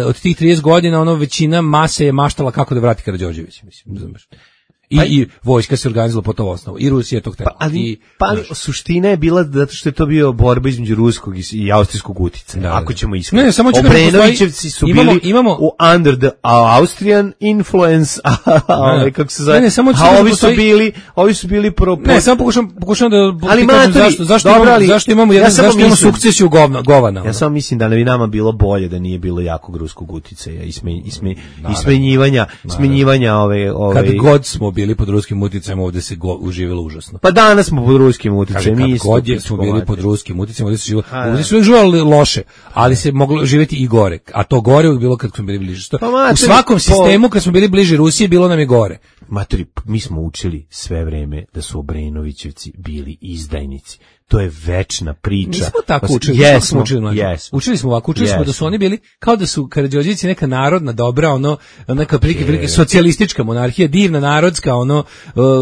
od tih trideset godina ono većina mase je maštala kako da vrati Karađorđević, mislim, razumeš? I, pa, i vojska se organizovala po to osnovu. I Rusija je to htjela. Pa, ali, I, pa, ali suština je bila zato što je to bio borba između ruskog i, i austrijskog uticaja. Da, ako ćemo iskreno. Ne, ne, samo Obrenovićevci su imamo, bili imamo, u under the Austrian influence, a, a, ne, kako se zove, ne, ne, samo a ovi su bili, ovi su bili pro... pro... Ne, samo pokušam, pokušam da ali kažem zašto, zašto, dobro, imamo, ali, zašto imamo, jedan, ja zašto imamo sukcesiju govna, govana. Ja samo mislim da ne bi nama bilo bolje da nije bilo jakog ruskog uticaja i, sme, i, sme, i smenjivanja, smenjivanja ove... ove kad god smo bili pod ruskim uticajem, ovde se go, uživelo užasno. Pa danas smo pod ruskim uticajem, mi isto. God je smo bili pod ruskim uticajem, ovde se živelo, ovde se živelo loše, ali se moglo živjeti i gore. A to gore je bilo kad smo bili bliže. Pa, materi, u svakom sistemu kad smo bili bliže Rusiji bilo nam je gore. Materi, mi smo učili sve vreme da su Obrenovićevci bili izdajnici. To je večna priča. Nismo tako učili, yes, smo učili, yes. učili smo ovako, učili yes. smo da su oni bili kao da su Karađorđevići neka narodna dobra, ono neka prilike, prilike socijalistička monarhija, divna narodska, ono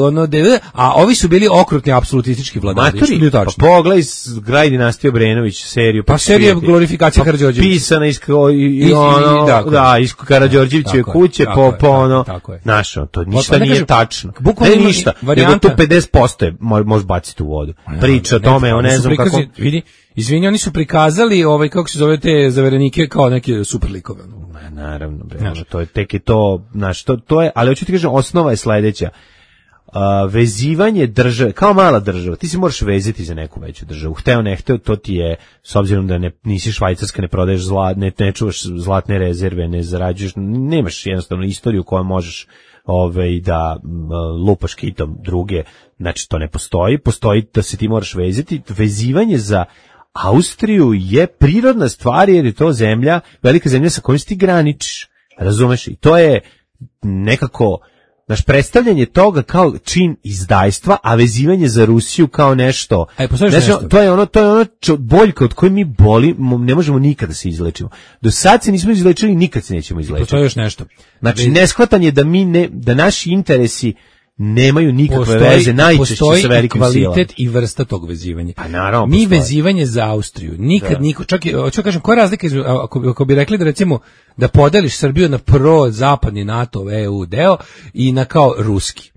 ono de, a ovi su bili okrutni apsolutistički vladari. Maturi, pa pogledaj Graj dinastije Obrenović seriju, pa, pa serija glorifikacija pa, Karađorđevića. Pisana iz i, i, i ono, da, da, iz Karađorđevićeve kuće po po ono našo, to ništa pa, pa, nije kažem, tačno. Bukvalno ništa. Nego to pedeset posto je može baciti u vodu. Priča tome, on ne znam kako vidi, izvini, oni su prikazali ovaj kako se zove te zaverenike kao neke super likove. Ma naravno, bre, ono, to je tek i to, znaš, to to je, ali hoću ti kažem, osnova je sledeća. Uh, vezivanje države, kao mala država, ti se možeš vezati za neku veću državu. Hteo ne hteo, to ti je, s obzirom da ne, nisi Švajcarska, ne prodaješ zlat, ne, ne čuvaš zlatne rezerve, ne zarađuješ, nemaš jednostavno istoriju koju možeš ovaj da lupaš kitom druge, znači to ne postoji, postoji da se ti moraš vezati. Vezivanje za Austriju je prirodna stvar jer je to zemlja, velika zemlja sa kojom ti graničiš, razumeš, i to je nekako naš predstavljanje toga kao čin izdajstva, a vezivanje za Rusiju kao nešto. Aj, znači, nešto. To je ono, to je ono čo, boljka od koje mi boli, ne možemo nikada da se izlečimo. Do sad se nismo izlečili, nikad se nećemo izlečiti. To je još nešto. Znači, neshvatanje da mi ne, da naši interesi nemaju nikakve postoji, veze, najčešće sa velikim silama. Postoji kvalitet i vrsta tog vezivanja. Pa naravno, mi postoji. Vezivanje za Austriju, nikad da. niko, čak i, ću kažem, koja je razlika, ako, ako bi rekli da recimo, da podeliš Srbiju na pro-zapadni NATO, E U deo i na kao ruski.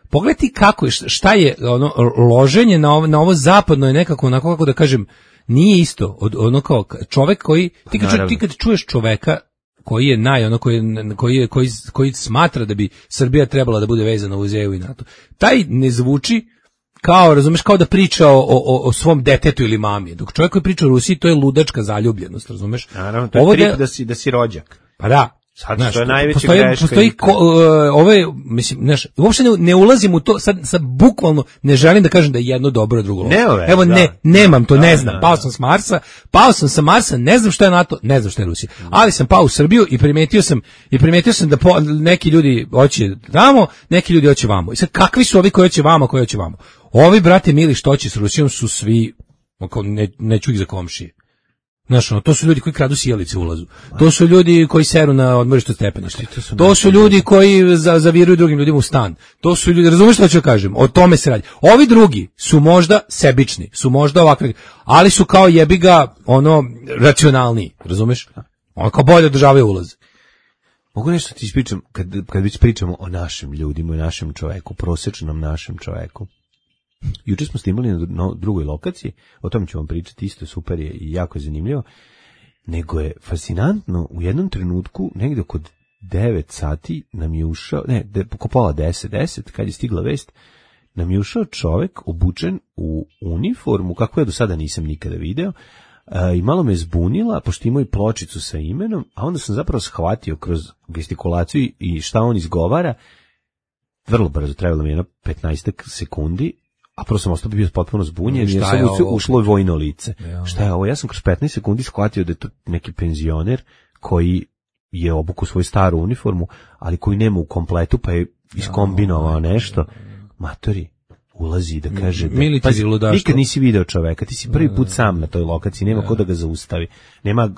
Pogledaj kako je, šta je ono, loženje na ovo, na ovo zapadno je nekako, onako kako da kažem, nije isto, od, ono kao čovek koji, ti kad, ti kad čuješ čoveka, koji je naj ono koji koji je koji koji smatra da bi Srbija trebala da bude vezana uz E U i NATO. Taj ne zvuči kao, razumeš, kao da priča o, o, o svom detetu ili mami. Dok čovjek koji priča o Rusiji, to je ludačka zaljubljenost, razumeš? Naravno, to je ovo trip da, da si da si rođak. Pa da. Sad, znaš, to je najveća postoji, greška. Postoji ko, uh, ove, mislim, znaš, uopšte ne, ne ulazim u to, sad, sad bukvalno ne želim da kažem da je jedno dobro, drugo loše. Ne, Evo, da. ne, nemam to, da, ne znam. Da, da. Pao sam s Marsa, pao sam sa Marsa, ne znam šta je NATO, ne znam šta je Rusija. Ali sam pao u Srbiju i primetio sam, i primetio sam da po, neki ljudi hoće tamo, neki ljudi hoće vamo. I sad, kakvi su ovi koji hoće vamo, koji hoće vamo? Ovi, brate mili, što će s Rusijom su svi, ne, neću ih za komšije. Znaš, ono, to su ljudi koji kradu sjelice u ulazu. To su ljudi koji seru na odmorištu stepeništa. To su ljudi koji za, zaviruju drugim ljudima u stan. To su ljudi, razumiješ što ću kažem? O tome se radi. Ovi drugi su možda sebični, su možda ovakvi, ali su kao jebiga, ono, racionalniji, razumiješ? Ono kao bolje održavaju ulaz. Mogu nešto ti ispričam, kad, kad već pričamo o našim ljudima, o našem čoveku, prosječnom našem čoveku. Juče smo snimali na, na drugoj lokaciji, o tom ću vam pričati, isto super je i jako je zanimljivo, nego je fascinantno, u jednom trenutku, negde kod devet sati nam je ušao, ne, de, oko pola deset, deset, kad je stigla vest, nam je ušao čovek obučen u uniformu, kako ja do sada nisam nikada video, a, i malo me zbunila, pošto imao i pločicu sa imenom, a onda sam zapravo shvatio kroz gestikulaciju i šta on izgovara, vrlo brzo, trebalo mi jedno petnaest sekundi, a prvo sam ostao bio potpuno zbunjen, jer sam ušlo, ušlo vojno lice. Ja. Šta je ovo? Ja sam kroz petnaest sekundi shvatio da je to neki penzioner koji je obukao svoju staru uniformu, ali koji nema u kompletu, pa je iskombinovao nešto. Matori, ulazi da kaže da, pazi, nikad nisi video čoveka, ti si prvi put sam na toj lokaciji, nema ko da ga zaustavi, nema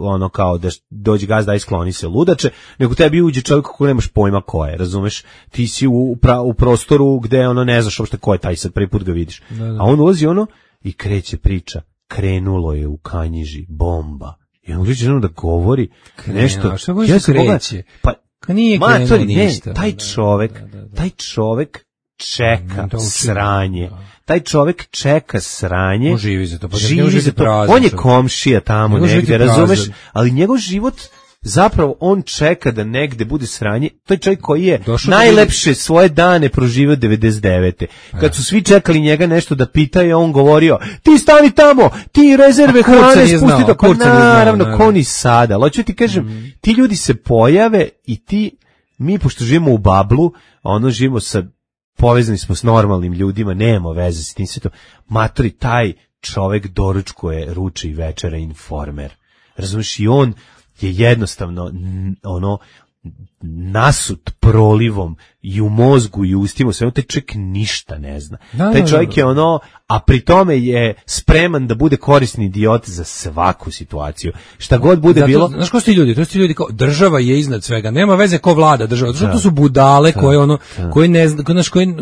ono kao da dođe gazda i skloni se ludače, nego tebi uđe čovjek koji nemaš pojma ko je, razumeš, ti si u, pra, u prostoru gde ono ne znaš uopšte ko je taj, sad prvi put ga vidiš, da, da. A on ulazi ono i kreće priča, krenulo je u Kanjiži bomba, i on uđe ono da govori Krenu, nešto, a šta ja se kreće? Pa, nije matori, ne, ništa, taj čovek, da, da, da. taj čovek čeka mm, sranje. Da. Taj čovjek čeka sranje. On živi za to. Pa živi za to. Prazan, on je komšija tamo negde, razumeš? Ali njegov život, zapravo on čeka da negde bude sranje. To je čovjek koji je došao najlepše da svoje dane proživio devedeset devete. Kad su svi čekali njega nešto da pitaju, on govorio, ti stani tamo, ti rezerve hrane spusti do... Pa naravno, ko ni sada. Ali hoću ti kažem, mm. ti ljudi se pojave i ti mi pošto živimo u bablu, ono živimo sa, povezani smo s normalnim ljudima, nemamo veze s tim svetom, matori, taj čovek doručkuje, ruče i večera Informer. Razumiješ, i on je jednostavno ono nasut prolivom i u mozgu i u ustima, sve taj čovjek ništa ne zna. Da, taj čovjek je ono, a pri tome je spreman da bude korisni idiot za svaku situaciju. Šta god bude zato, bilo. Znaš ko su ti ljudi? To su ti ljudi kao država je iznad svega. Nema veze ko vlada država. Zato što to su budale da, koje ono da. koje ne zna, znaš koji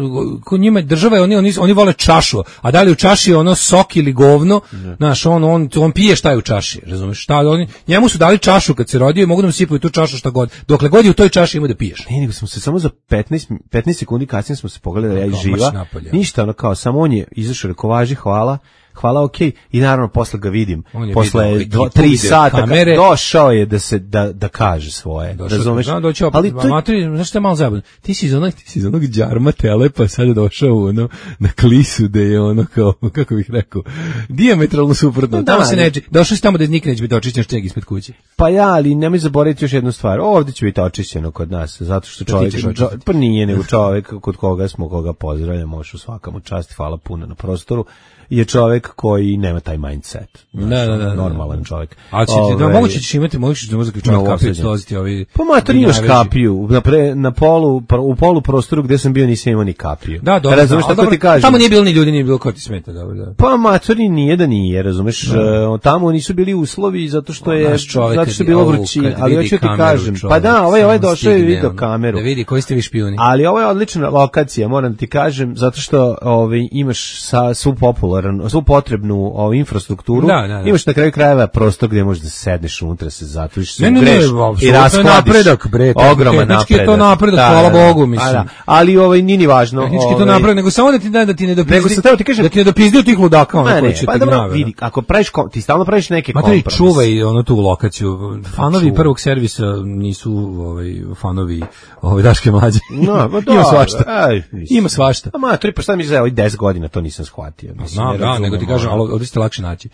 ko njima država je oni oni oni vole čašu. A da li u čaši je ono sok ili govno? Da. Znaš, on on on pije šta je u čaši, razumeš? Šta oni njemu su dali čašu kad se rodio i mogu da mu sipaju tu čašu šta god. Dokle god je u toj čaši ima da piješ. Ne, nego smo se samo za petnaest sekundi kasnije smo se pogledali, ja i živa. Ništa, ono kao, samo on je izašao, rekao, važi, hvala, hvala, okej, okay. I naravno posle ga vidim, posle dva, tri sata, kamere, došao je da se, da, da kaže svoje, došao, razumeš? Da, doći opet, ali to... materi, znaš što je malo zabavno, ti si iz onog, ti si iz onog džarma telepa, sad je došao ono, na klisu, da je ono kao, kako bih rekao, dijametralno suprotno, no, tamo da, se neće, došao si tamo da nikad neće biti očišćen šteg ispred kuće. Pa ja, ali nemoj zaboraviti još jednu stvar, ovdje će biti očišćeno kod nas, zato što čovjek, čo, pa nije nego čovjek kod koga smo, koga pozdravljamo, možeš u svakamu čast, hvala puno na prostoru, je čovjek koji nema taj mindset. Znaš, da, da, da, normalan čovjek. A će ti, da, moguće ćeš imati, moguće ćeš možda čovjek kapiju dolaziti ovi... Pa mater, imaš kapiju. Na, pre, na polu, u polu prostoru gdje sam bio nisam imao ni kapiju. Da, dobro. Razumeš šta ti kažem? Tamo nije bilo ni ljudi, nije bilo ko ti smeta, dobro, da. Pa mater, nije da nije, razumeš? Da. Tamo nisu bili uslovi zato što je, zato što je bilo vrućine. Ali hoću ti kažem, pa da, ovaj, ovaj došao i vidio kameru. Da vidi koji ste vi špijuni. Ali ovo je odlična lokacija, moram ti kažem, zato što ovaj, imaš sa, svu popularan, svu potrebnu o infrastrukturu, da, da, da. Imaš na kraju krajeva prostor gdje možeš da sedneš unutra, se zatvoriš, se ugreš i raskladiš. Napredak, bre, ogroman napredak. Tehnički je to napredak, da, hvala da, Bogu, mislim. Da, ali ovaj nije ni važno. Tehnički je to napredak, nego samo da ti da, da ti ne dopizdi, ti kažem, da ti ne dopizdi od tih ludaka, ono koji će pa te gnjave. Vidi, ako praviš, ti stalno praviš neke kompromise. Matri, čuvaj ono tu lokaciju. Fanovi prvog servisa nisu ovaj fanovi ovaj Daške mlađe. No, pa ima svašta. Ima svašta. A matri, pa šta mi za ovih deset godina to nisam shvatio. Znam, da, nego ti kažem, ali ovdje ste lakše naći.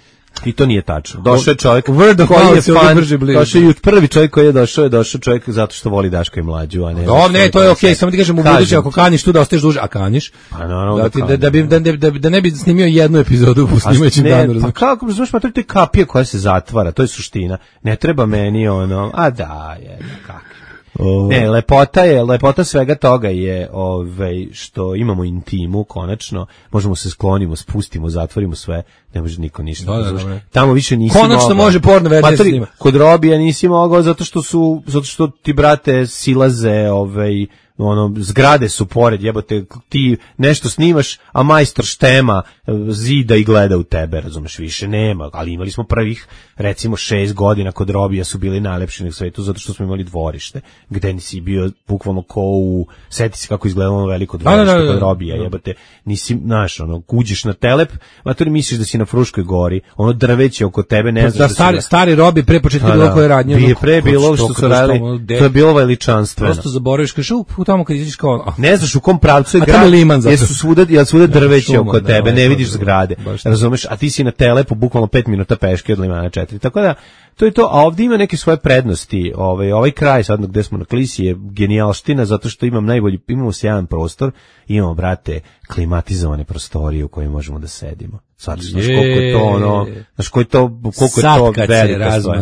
I to nije tačno. Došao je čovjek koji je fan, došao je prvi čovjek koji je došao, je došao čovjek zato što voli Daška i mlađu, a ne. No, ne, to je okej, samo ti kažem u buduće ako kaniš tu da ostaješ duže, a kaniš. Pa naravno da ti da, da bi da, da, da ne bi snimio jednu epizodu u snimajućem danu. Pa kako, znaš, pa to je kapija koja se zatvara, to je suština. Ne treba meni ono, a da, je kako. Oh. Ne, lepota je, lepota svega toga je ovaj, što imamo intimu, konačno, možemo se sklonimo, spustimo, zatvorimo sve, ne može niko ništa. Da, da, da. Tamo više nisi konačno mogao. Može porno verzija snima. Kod Robija nisi mogao zato što su, zato što ti brate silaze, ovaj, ono, zgrade su pored, jebote, ti nešto snimaš, a majstor štema zida i gleda u tebe, razumeš, više nema, ali imali smo prvih, recimo, šest godina kod Robija su bili najlepši na svetu, zato što smo imali dvorište, gde nisi bio bukvalno ko u, seti se kako izgledalo veliko dvorište da, da, da, kod Robija, jebote, nisi, znaš, ono, uđeš na telep, a to misliš da si na Fruškoj gori, ono drveće oko tebe, ne znaš da, da stari, da... stari Robi pre početka bilo koje radnje, ono, pre bilo što su radili, to je bilo veličanstveno. Prosto zaboraviš, kažeš, tamo kad izađeš kao ne znaš u kom pravcu je grad, jesu svuda, jel svuda drveće oko tebe, ne vidiš zgrade, razumeš, a ti si na telepu bukvalno pet minuta peške od Limana četiri, tako da to je to, a ovdje ima neke svoje prednosti, ovaj, ovaj kraj sad gde smo na Klisi je genijalština, zato što imam najbolji, imamo sjajan prostor, imamo, brate, klimatizovane prostorije u kojima možemo da sedimo. Sad, znaš koliko je to ono, znaš koliko je to, koliko je to velika stvar.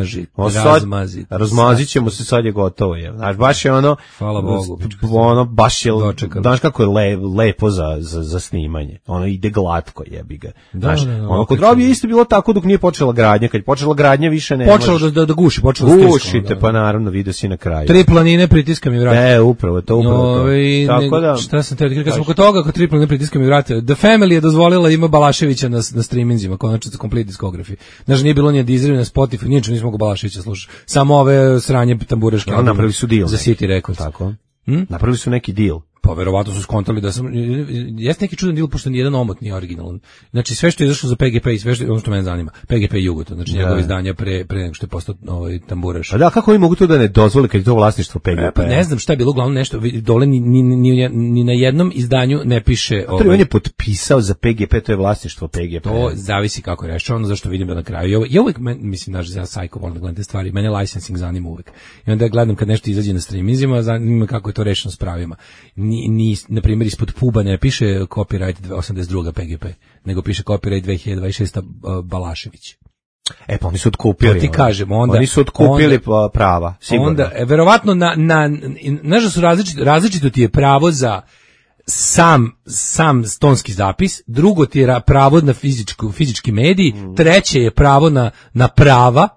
Razmazi, razmazit ćemo se, sad je gotovo. Je. Znaš, baš je ono, hvala Bogu, ono, baš je, znaš kako je le, lepo za, za, za snimanje. Ono ide glatko, jebi ga. Znaš, da, da, da, ono, kod Robi je isto bilo tako dok nije počela gradnja. Kad je počela gradnja, više ne počelo da, da, da guši, počelo da gušite, da, pa naravno, vidio si na kraju. Tri planine pritiska mi vrata. E, upravo, to upravo no, to. I, tako da, šta sam te, kad smo kod toga, kod tri planine pritiska mi vrata, The Family je dozvolila ima Balaševića na, na streaminzima, konačno za komplet diskografi. Znači nije bilo ni Deezer, ni Spotify, ničemu nismo ga Balaševića slušati. Samo ove sranje tambureške. Ja, napravili su deal. Za City Records. Tako. Hm? Napravili su neki deal. Pa verovatno su skontali da sam, jeste neki čudan deal, pošto nijedan omot nije originalan. Znači sve što je izašlo za P G P i sve što, ono što mene zanima, P G P Jugoton, znači da. Njegove izdanja pre, pre nego što je postao ovaj, tamburaš. A da, kako oni mogu to da ne dozvole kad je to vlasništvo P G P? Pa ne znam šta je bilo, uglavnom nešto, dole ni, ni, ni, ni na jednom izdanju ne piše... Ovaj, on je potpisao za P G P, to je vlasništvo P G P. To zavisi kako je rešeno, zašto vidim da na kraju. I, ovo, i uvek, men, mislim, znaš, ja sajko volim da gledam te stvari, mene licensing zanima uvek. I onda gledam kad nešto izađe na streamingima, zanima kako je to rešeno s pravima. Ni, ni, na primjer, ispod puba ne piše copyright osamdeset druga P G P, nego piše copyright dve hiljade dvadeset šesta Balašević. E pa oni su otkupili. To ti kažem, onda oni su otkupili onda, prava, sigurno. Onda verovatno na na znaš da su različito različito ti je pravo za sam sam tonski zapis, drugo ti je pravo na fizičku fizički medij, mm. treće je pravo na na prava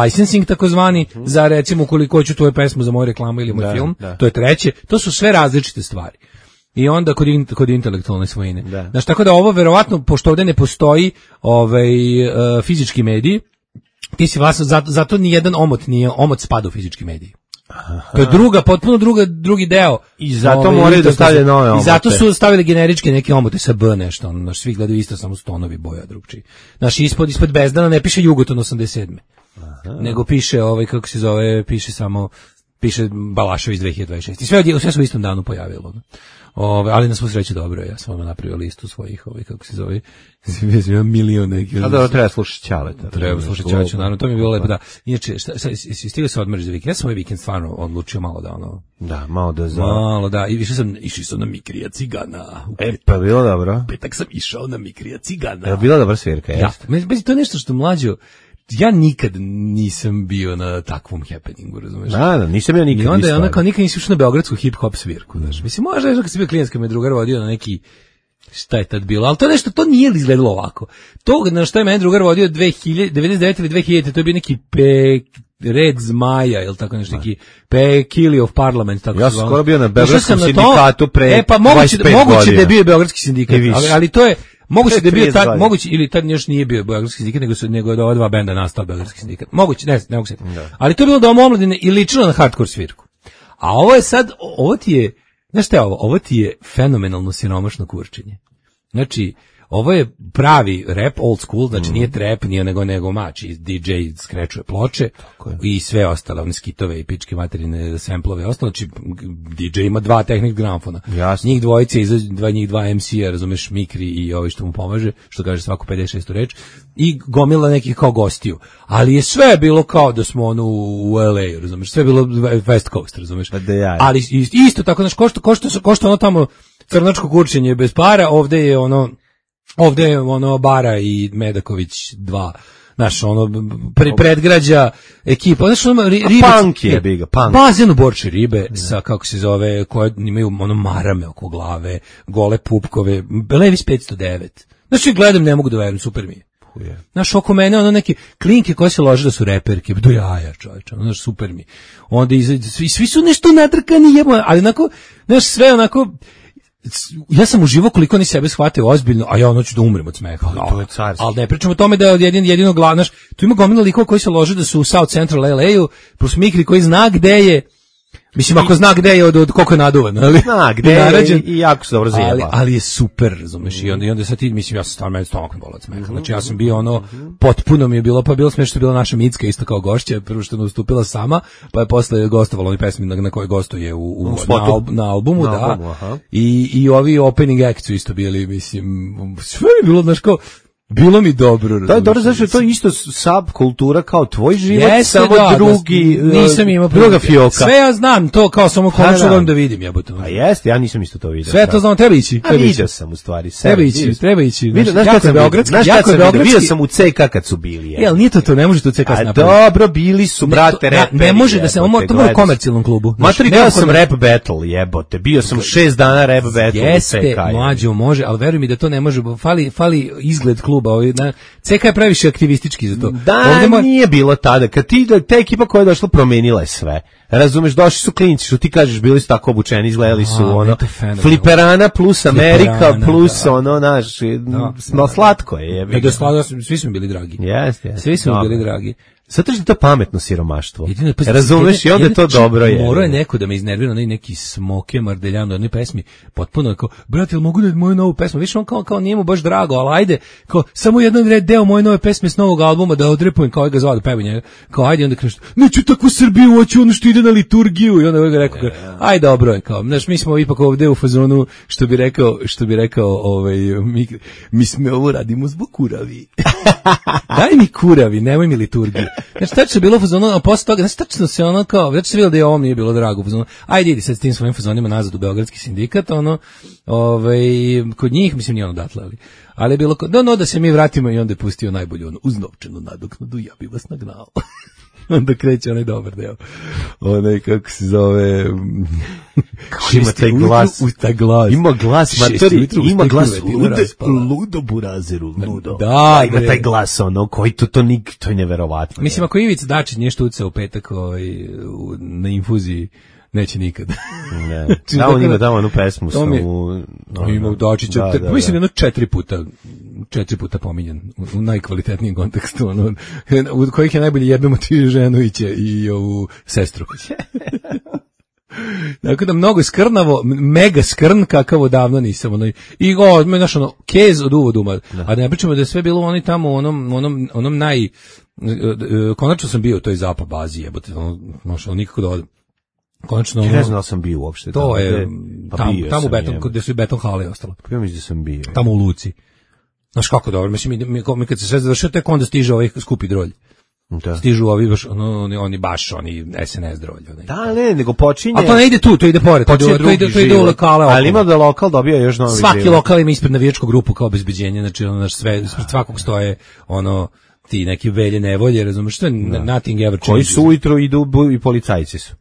licensing takozvani mm. za recimo koliko hoću tvoju pesmu za moju reklamu ili moj da, film, da. To je treće, to su sve različite stvari. I onda kod, in, kod intelektualne svojine. Da. Znači, tako da ovo verovatno, pošto ovdje ne postoji ovaj, uh, fizički medij, ti si vlasno, zato, zato ni jedan omot nije, omot spada u fizički medij. Aha. To je druga, potpuno druga, drugi deo. I zato ove, moraju da stavljaju nove omote. I zato su stavili generičke neke omote sa B nešto, ono, naš, svi gledaju isto, samo stonovi boja drugčiji. Naš ispod, ispod Bezdana ne piše Jugoton osamdeset sedme Aha. Nego piše, ovaj, kako se zove, piše samo, piše Balašević dve hiljade dvadeset šeste I sve, sve su u istom danu pojavilo. Ove, ali na svu sreću dobro, ja sam vam napravio listu svojih, ovaj, kako se zove, imam milion nekih. A da, treba slušati Ćaleta. Treba slušati Ćaleta, naravno, to mi je bilo lepo, da. Inače, šta, šta, stigli se odmoriš za vikend? Ja sam ovaj vikend stvarno odlučio malo da, ono... Da, malo da za... Malo da, i išao sam, išao sam na Mikrija Cigana. E, pa bilo dobro. Petak sam išao na Mikrija Cigana. Je bila dobra svirka, jeste? Ja, bez, to je nešto što mlađo, ja nikad nisam bio na takvom happeningu, razumeš? Da, da, nisam bio nikad. I onda je ona kao nikad nisi ušao na beogradsku hip-hop svirku, znaš. Mislim, možda je kad si bio klijenska me drugar vodio na neki, šta je tad bilo, ali to nešto, to nije izgledalo ovako. To na što je mene drugar vodio dve hiljade, devedeset devete ili dve hiljade to je bio neki pe, red zmaja, ili tako nešto, neki pe Kili of Parliament, tako ja sam skoro bio na beogradskom sindikatu pre e, pa moguće, moguće da je bio beogradski sindikat, ali, ali to je, moguće da je bio tad, moguće, ili tad još nije bio beogradski sindikat, nego su, nego da ova dva benda nastao beogradski sindikat. Moguće, ne, ne mogu se. Ali to je bilo Dom omladine i ličilo na hardcore svirku. A ovo je sad, ovo ti je, znaš šta je ovo? Ovo ti je fenomenalno siromašno kurčenje. Znači, ovo je pravi rap, old school, znači mm. nije trap, nije nego nego mači, D J skrečuje ploče i sve ostale, one skitove i pičke materine samplove i ostalo, znači D J ima dva tehnik gramofona. Jasne. Njih dvojice, dva, njih dva M C-a, razumeš, Mikri i ovi što mu pomaže, što kaže svaku pedeset šestu reč, i gomila nekih kao gostiju. Ali je sve bilo kao da smo ono u L A, razumeš, sve bilo West Coast, razumeš. Ali isto tako, znaš, ko što, ko što, ko što ono tamo crnačko kurčenje bez para, ovde je ono ovde je ono Bara i Medaković dva, znaš, ono pre, predgrađa ekipa, znaš, ono ribe, punk je biga, punk. Bazen u Borči ribe sa, kako se zove, koje imaju ono marame oko glave, gole pupkove, Levis petsto devet. Znači, gledam, ne mogu da verujem, super mi je. Znaš, oko mene ono neke klinke koje se lože da su reperke, do jaja, čovječe, ono, znaš, super mi. Onda izađe, svi, svi su nešto nadrkani, jebo, ali onako, znaš, sve onako, ja sam uživo koliko oni sebe shvate ozbiljno, a ja ono ću da umrem od smeha. To je carski. Ali ne pričamo o tome da je jedin, jedino glavnaš, tu ima gomila likova koji se lože da su u South Central L A-u, plus Mikri koji zna gde je, mislim, ako zna gde je od, od koliko je naduvan, ali zna gde je i, i jako se dobro zjeba. Ali, ali je super, razumeš, mm. i onda, i onda sad ti, mislim, ja sam stvarno meni stomak ne bolac smeha, znači ja sam bio ono, potpuno mi je bilo, pa bilo smešno, bila naša Micka isto kao gošća, prvo što je nastupila sama, pa je posle gostovala ovi pesmi na, na kojoj gostuje u, u, na, al, na albumu, na da, albumu, i, i ovi opening acts su isto bili, mislim, sve je bilo, znaš, kao, bilo mi dobro. To je dobro, znači to je isto subkultura kao tvoj život, jeste, samo da, drugi, da, nisam imao druga fioka. Sve ja znam, to kao samo konačno da vidim, jebote. A jeste, ja nisam isto to vidio. Sve to znam, treba ići. A vidio sam u stvari. Treba ići, treba ići. Vidio, znaš kad sam beogradski, jako je beogradski. Vidio sam u C K kad su bili. Jel, nije to to, ne može to C K napraviti. A dobro, bili su, brate, reperi. Ne može da se, to mora u komercijalnom klubu. Matori, bio sam rap battle, jebote. Bio sam šest dana rap battle u C K. Jeste, mlađo, može, ali veruj mi da to ne može, fali, fali izgled kluba. C K je previše aktivistički za to. Da, mo... nije bilo tada. Kad ti, ta ekipa koja je došla promenila je sve. Razumeš, došli su klinci, što ti kažeš, bili su tako obučeni, izgledali su, a, ono, Fliperana plus Amerika Fliperana, plus, da. ono, naš, da, no, slatko je. Da, da, slatko, svi smo bili dragi. Jeste, jeste. Svi smo bili dragi. Zato što je to pametno siromaštvo. Jedino, pa, razumeš i onda je to dobro je. Morao je neko da me iznervira na neki Smoke Mardeljano, onoj pesmi, potpuno kao, brate, jel mogu da moju novu pesmu? Viš on kao, kao nije mu baš drago, ali ajde, kao, samo jedan red deo moje nove pesme s novog albuma da odrepujem, kao ga zvao da pevam njega. Kao, ajde, onda kaže, neću takvu Srbiju, hoću ono što ide na liturgiju. I onda ga rekao, aj dobro je, kao, znaš, mi smo ipak ovde u fazonu, što bi rekao, što bi rekao, ovaj, mi, mi smo ovo radimo zbog kuravi. Daj mi kuravi, nemoj mi liturgiju. Znači, tačno je bilo u fazonu, a posle toga, znači, tačno se ono kao, znači se bilo da je ovom nije bilo drago u fazonu, ajde, idi sad s tim svojim fazonima nazad u Beogradski sindikat, ono, ovaj, kod njih, mislim, nije ono datle, ali, ali je bilo, no, no, da se mi vratimo i onda je pustio najbolju, ono, uz novčanu nadoknadu, ja bi vas nagnao. Onda kreće onaj dobar deo. Onaj, kako se zove... Kako ima taj glas. U taj glas. Ima glas, matori, ima glas. Lude, ludo burazeru, ludo. Da, ima taj glas, ono, koji to, to, nik, to je neverovatno. Mislim, ako Ivica Dačić nije štuca u petak ovaj, u, na infuziji, neće nikad. Ne. Da, on ima tamo onu pesmu. To mi je, no, ima u Dačića, da, da, mislim, jedno četiri puta, četiri puta pominjen, u, u najkvalitetnijem kontekstu, ono, u kojih je najbolje jednom motivi Ženovića i ovu sestru. Dakle, da mnogo skrnavo, mega skrn, kakav odavno nisam, ono, i o, znaš, ono, kez od uvoduma, da. A da ne pričamo da je sve bilo oni tamo, onom, onom, onom naj, konačno sam bio u toj Zapa bazi, jebote, ono, znaš, ono, nikako da odem. Konačno, ja ne znam da sam bio uopšte. To je, tamo, tamo u beton, gde su i beton hale ostalo. Pa ja mislim da sam bio. Tamo u Luci. Znaš kako dobro, mislim, mi, mi, mi kad se sve završio, tek onda stiže ovaj skupi drolj. Da. Stižu ovi baš, ono, oni, oni baš, oni S N S drolj. Oni. Da, ne, nego počinje... A to ne ide tu, to ide pored, to ide, to ide, to ide u lokale. Ali ima da lokal dobija još novi Svaki život. lokal ima ispred navijačku grupu kao obezbeđenje, znači ono, sve, ispred svakog stoje, ono, ti neki velje nevolje, razumeš, što je nothing ever changes. Koji su ujutro idu i policajci su.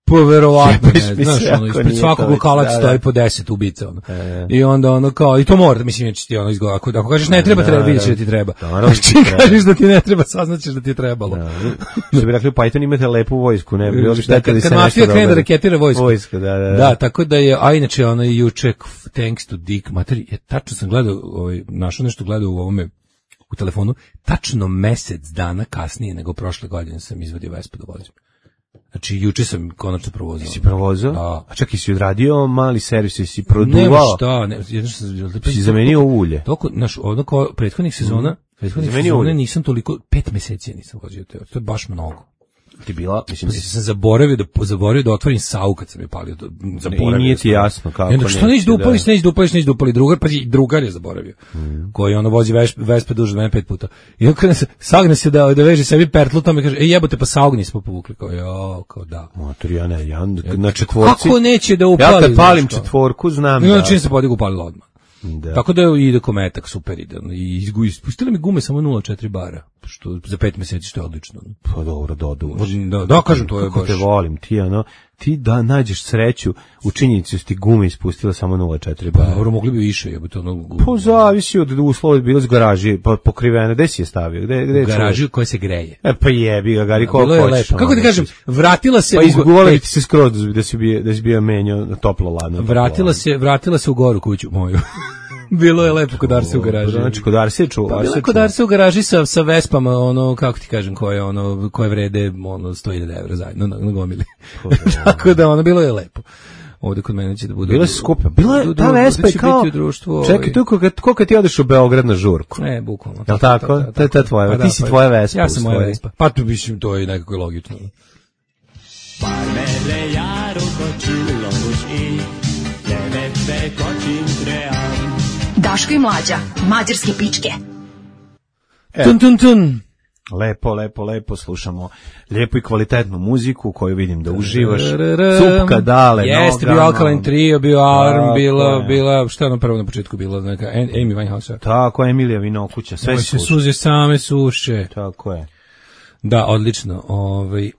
Poverovatno, ne, znaš, ono, ispred svakog lokala da, stoji da. Po deset ubica, ono. E. I onda ono kao, i to mora, mislim, će ti ono izgleda, ako, ako kažeš ne treba, treba, vidiš da ti treba. Znači, kažeš da ti ne treba, saznaćeš da ti je trebalo. Što bi rekli, Python imate lepu vojsku, ne, bilo bi šteta da se nešto dobro. Kad mafija krene da raketira vojsku. Vojska, da, da, da. Da, tako da je, a inače, ono, juče, thanks to Dick, materi, je, tačno sam gledao, ovaj, našao nešto gledao u ovome, u telefonu, tačno mesec dana kasnije nego prošle godine sam izvadio Vespu da vozim. Znači, juče sam konačno provozao. Si provozao? Da. A čak i si odradio mali servis, si produvao? Nema šta, ne, jedno što sam... Si zamenio ulje? Toko, znaš, ono kao prethodnih sezona, mm. prethodnih sezona nisam toliko, pet meseci nisam vozio te, to je baš mnogo. Ti bila, mislim, mislim sam zaboravio da zaboravio da otvorim sau kad sam je palio, zaboravio. I nije ti jasno kako. Ne, što neće da upališ, neće da upališ, neće da upali drugar, pa i drugar je zaboravio. Mm. Koji ono vozi Vespe duže od mene pet puta. I onda se sagne se da da veže sebi pertlu, tamo kaže: "Ej, jebote, pa saugni smo povukli." Kao, jo, kao da. Motor ja ne, ja na četvorci. Kako neće da upali? Ja kad palim četvorku, znam da. I onda čim se podigao upalila odmah. Da. Tako da ide kometak, super ide. I ispustili mi gume samo nula četiri bara, što za pet meseci što je odlično. Pa dobro, dodu. Da, da, kažem, to je kako baš. Te volim, ti ono, ti da nađeš sreću u činjenici ti gume ispustila samo nula četiri bara. Dobro, mogli bi više, jebote, ono. Pa zavisi od uslova, bilo iz garaži, pa pokriveno, gde si je stavio? Gde, gde je garaži koja se greje. E pa jebi ga, gari koliko hoćeš. Kako ti kažem, vratila se pa izguvali ti se skroz da si bio da si bio menjao toplo ladno. Vratila se, vratila se u goru kuću moju. Bilo je lepo kod Arse u garaži. Znači kod Arse čuva. Pa bilo je kod Arse u garaži sa, sa Vespama, ono, kako ti kažem, koje, ono, koje vrede ono, sto hiljada evra zajedno na, na gomili. Tako da, ono, bilo je lepo. Ovde kod mene će da bude... Bilo je skupa. Bilo je, ta Vespa je kao... Čekaj, tu koliko ti odeš u Beograd na žurku? Ne, bukvalno. Jel' tako? To je ta tvoja, ti si tvoja Vespa. Ja sam moja Vespa. Pa tu mislim, to je nekako logično. Parmele jaru kočilo už i levete kočim tream. Daško i Mlađa, mađarske pičke. E, tun, tun, tun. Lepo, lepo, lepo slušamo lijepu i kvalitetnu muziku koju vidim da uživaš. Cupka, dale, jeste, bio Alkaline Trio, bio Arm, bila, bila, šta je ono prvo na početku bilo, neka Amy Winehouse. Tako, Emilija Vinokuća, sve se suze same suše. Tako je. Da, odlično. Ovaj...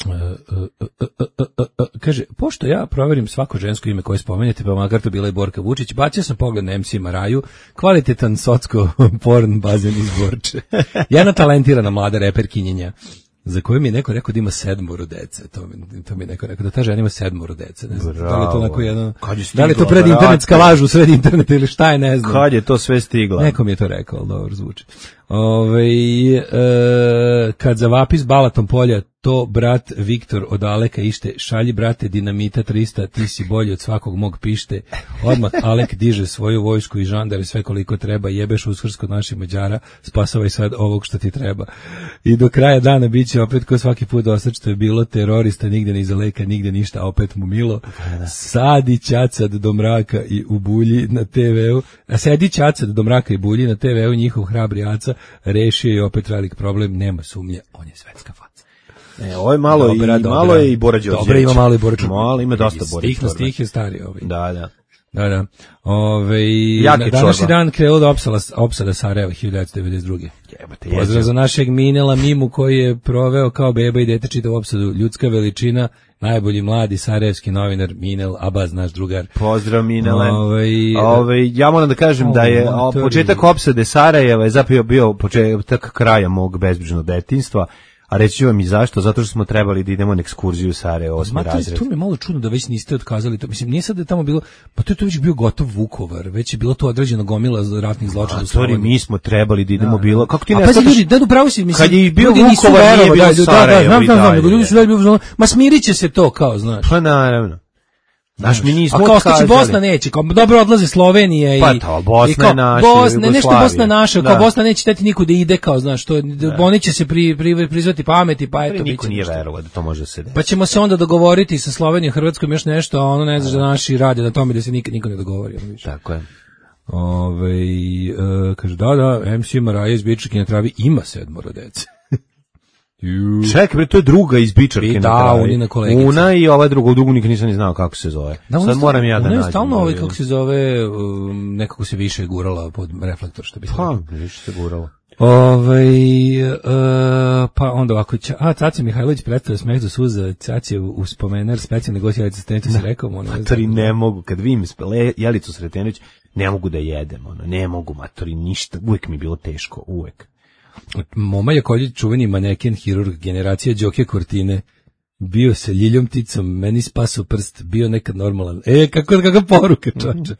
Uh, uh, uh, uh, uh, uh, uh, kaže, pošto ja proverim svako žensko ime koje spomenete, pa makar to bila i Borka Vučić, bacio sam pogled na em ce Maraju, kvalitetan socko porn bazen iz Borče. Jedna talentirana mlada reperkinjenja za koje mi je neko rekao da ima sedmoro dece. To mi, to mi je neko rekao da ta žena ima sedmoro dece. Ne znam, da li je to onako jedno, da li je to pred internetska laž u sred interneta ili šta je, ne znam. Kad je to sve stigla? Neko mi je to rekao, ali dobro zvuči. Ove, e, kad zavapi s Balatom polja, to brat Viktor od Aleka ište, šalji brate dinamita trista, ti si bolji od svakog mog pište. Odmah Alek diže svoju vojsku i žandare sve koliko treba, jebeš Uskrs kod naših Mađara, spasavaj sad ovog što ti treba. I do kraja dana bit će opet ko svaki put dosad što je bilo terorista, nigde ni iza leka, nigde ništa, opet mu milo. Sadi ćacad do mraka i u bulji na te veu, a sedi ćacad do mraka i bulji na te veu, njihov hrabri aca rešio je opet velik problem, nema sumnje, on je svetska faca. E, ovo je malo, dobra, i, dobra, malo je i Bora Đorđević. Dobro, ima malo i Bora Đorđević. Malo, ima dosta Bora Đorđević. Stih na stih je stari ovaj. Da, da. Da, da. Ove, na današnji dan krenuo da opsala, opsada Sarajeva hiljadu devetsto devedeset druge. Jebate, pozdrav za našeg Minela Mimu koji je proveo kao beba i dete čitav opsadu Ljudska veličina, najbolji mladi sarajevski novinar Minel Abaz, naš drugar. Pozdrav Minele. Ove, Ove, ja moram da kažem o, da je o, početak opsade Sarajeva je zapravo bio početak kraja mog bezbrižnog detinjstva. A reći ću vam i zašto, zato što smo trebali da idemo na ekskurziju u Sarajevo, osmi razred. To mi je malo čudno da već niste otkazali to. Mislim, nije sad da je tamo bilo, pa to je to već bio gotov Vukovar, već je bilo to određeno gomila ratnih zločina. A sorry, mi smo trebali da idemo, da, bilo. Kako ti ne? A pazi ljudi, da upravo si, mislim. Kad je bio Vukovar, nije bilo Sarajevo. Da, znam, znam, ljudi su da bilo, ma smiriće se to kao, znaš. Pa naravno. Znaš, mi nismo a kao što će Bosna neće, kao dobro odlaze Slovenija i... Pa to, Bosna je naša, Bosna, nešto Bosna naša, kao Bosna neće teti niko da ide, kao, znaš, to, oni će se pri, pri, prizvati pameti, pa eto... Niko nije verovao da to može se desiti. Pa ćemo se onda dogovoriti sa Slovenijom, Hrvatskom još nešto, a ono ne znaš da naši rade na tome da se nikad niko ne dogovori. Tako je. Ove, uh, kaže, da, da, em ce Maraja iz Bičarke na travi ima sedmoro dece. Čekaj, bre, to je druga iz Bičarke na travi. Da, kolegica. Una i ova druga, drugu nikad nisam ni znao kako se zove. Da, sad moram ja da nađem. Ona je stalno ovaj, kako se zove, um, nekako se više gurala pod reflektor, što bi se pa, više se gurala. Ove, uh, pa onda ovako, ča, a Caca Mihajlović predstavlja Smeh do suza, Caca je uspomenar specijalne gosti Jelicu Sretenović, se rekao, ono, matori ne mogu, kad vidim Jelicu Sretenović, ne mogu da jedem, ono, ne mogu, matori, ništa, uvek mi je bilo teško, uvek. Moma Jakoljić, čuveni maneken, hirurg, generacija Đoke Kortine, bio se ljiljom ticom, meni spasao prst, bio nekad normalan. E, kako kakva poruka, čoče.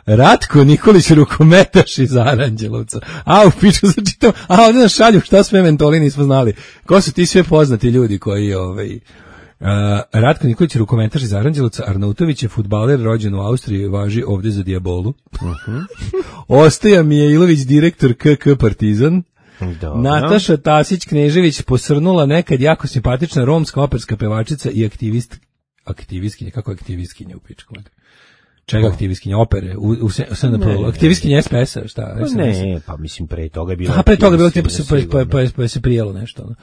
Ratko Nikolić, rukometaš iz Aranđelovca. A, u piču se čitam, a ovdje nas šalju, šta sve mentoli nismo znali. Ko su ti sve poznati ljudi koji, ovaj... Uh, Ratko Nikolić, rukometaš iz Aranđelovca, Arnautović je fudbaler, rođen u Austriji, važi ovdje za Diabolu. Uh-huh. Ostaja Mijailović, direktor K K Partizan. Dobro. Nataša Tasić Knežević, posrnula nekad jako simpatična romska operska pevačica i aktivist, aktivistkinja, kako je aktivistkinja u pičku? Čega aktivistkinja? Opere? U, u, u aktivistkinja S P S-a? Šta? Pa ne, pa mislim pre toga je bilo... A pre toga je bilo tipa se, pa, pa, pa, pa se prijelo nešto, ono.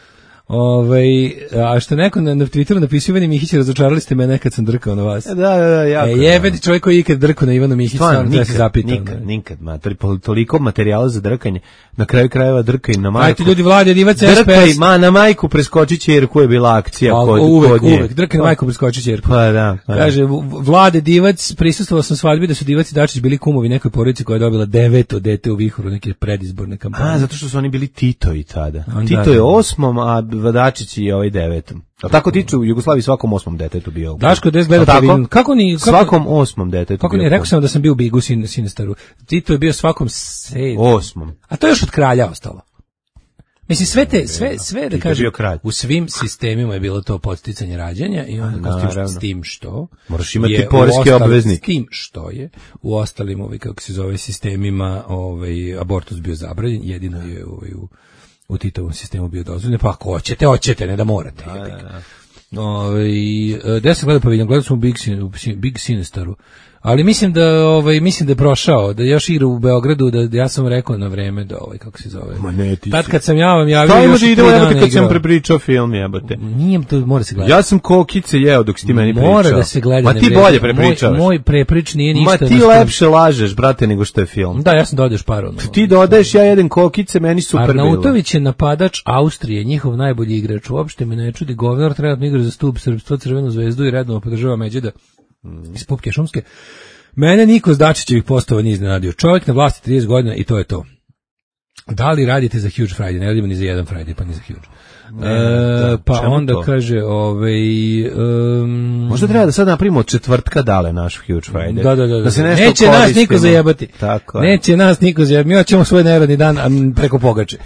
Ove, a što neko na, na Twitteru napisao Ivani Mihić, razočarali ste me nekad sam drkao na vas. Da, da, da, jako. E, jebeti čovjek koji je ikad drkao na Ivanu Mihić, stvarno da se zapita. Nikad, nikad, ma, toliko materijala za drkanje, na kraju krajeva drkaj na majku. Ajte ljudi, Vlade, divac S P S. Drkaj, ma, na majku preskoči ćerku je bila akcija a, kod, uvek, kod nje. Uvek, drkaj na majku preskoči ćerku. Pa da, pa da. Kaže, Vlade, divac, prisustvovao sam svadbi da su Divac i Dačić bili kumovi nekoj porodici koja je dobila deveto dete u vihoru neke predizborne kampanje. A, zato što su oni bili Titovi tada. On Tito da, je osmom, a Dačić je ovaj devetom. A tako tiču u Jugoslaviji svakom osmom detetu bio. Daško des gleda pravilno. Kako ni kako, svakom osmom detetu. Kako ni rekao sam da sam bio u Bigu sin Sinestaru. Tito je bio svakom sedmom. Osmom. A to je još od kralja ostalo. Mislim sve te sve sve da kažem u svim sistemima je bilo to podsticanje rađanja i onda kao s tim što moraš imati poreski obveznik. S tim što je u ostalim ovaj kako se zove sistemima ovaj abortus bio zabranjen, jedino je ovaj u u Titovom sistemu bio dozvoljen, pa ako hoćete, hoćete, ne da morate. Da, da, da. Ove, da sam gledao paviljon, gledao sam u Big, Sin, u Big Sinestaru, ali mislim da ovaj mislim da je prošao, da još igra u Beogradu, da, da ja sam rekao na vreme da ovaj kako se zove. Ma ne, ti tad kad sam ja vam javio, još da idemo jebote kad sam prepričao film, jebote. Nije to mora se gledati. Ja sam kokice jeo dok si ti meni pričao. Mora da se gleda. Ma ti bolje prepričavaš. Moj, moj preprič nije ništa. Ma ti lepše lažeš, brate, nego što je film. Da, ja sam dodaješ par ono. Ti dodaješ, ja jedem kokice, meni super bilo. Arnautović je napadač Austrije, njihov najbolji igrač. Uopšte me ne čudi, govnar trenutno igra za stub srpstva, Crvenu zvezdu i redovno podržava Međeda mm. iz Pupke Šumske. Mene niko s Dačićevih postova nije iznenadio. Čovjek na vlasti trideset godina i to je to. Da li radite za Huge Friday? Ne radimo ni za jedan Friday, pa ni za Huge. Ne, da, pa onda to? Kaže ovaj um, možda treba da sad napravimo od četvrtka dale naš Huge Friday. Da, da, da, da se nešto neće koristimo. Nas niko zajebati. Tako neće nas niko zajebati. Mi hoćemo svoj neradni dan preko pogače.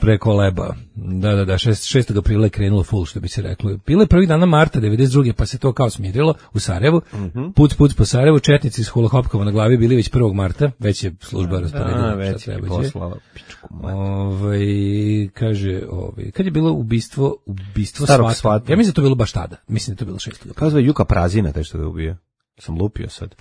Preko leba. Da, da, da, šestog aprila je krenulo full, što bi se reklo. Bilo je prvih dana marta devedeset druge pa se to kao smirilo u Sarajevu. Mm-hmm. Puc, puc po Sarajevu, četnici s hulohopkama na glavi bili već prvog marta, već je služba rasporedila. Već je poslala pičku. Ovaj kaže, ovaj kad je bilo ubistvo, ubistvo Starog Svata. Ja mislim da to bilo baš tada. Mislim da to bilo šestog aprila. Kazva Juka Prazina, taj što ga ubio. Sam lupio sad.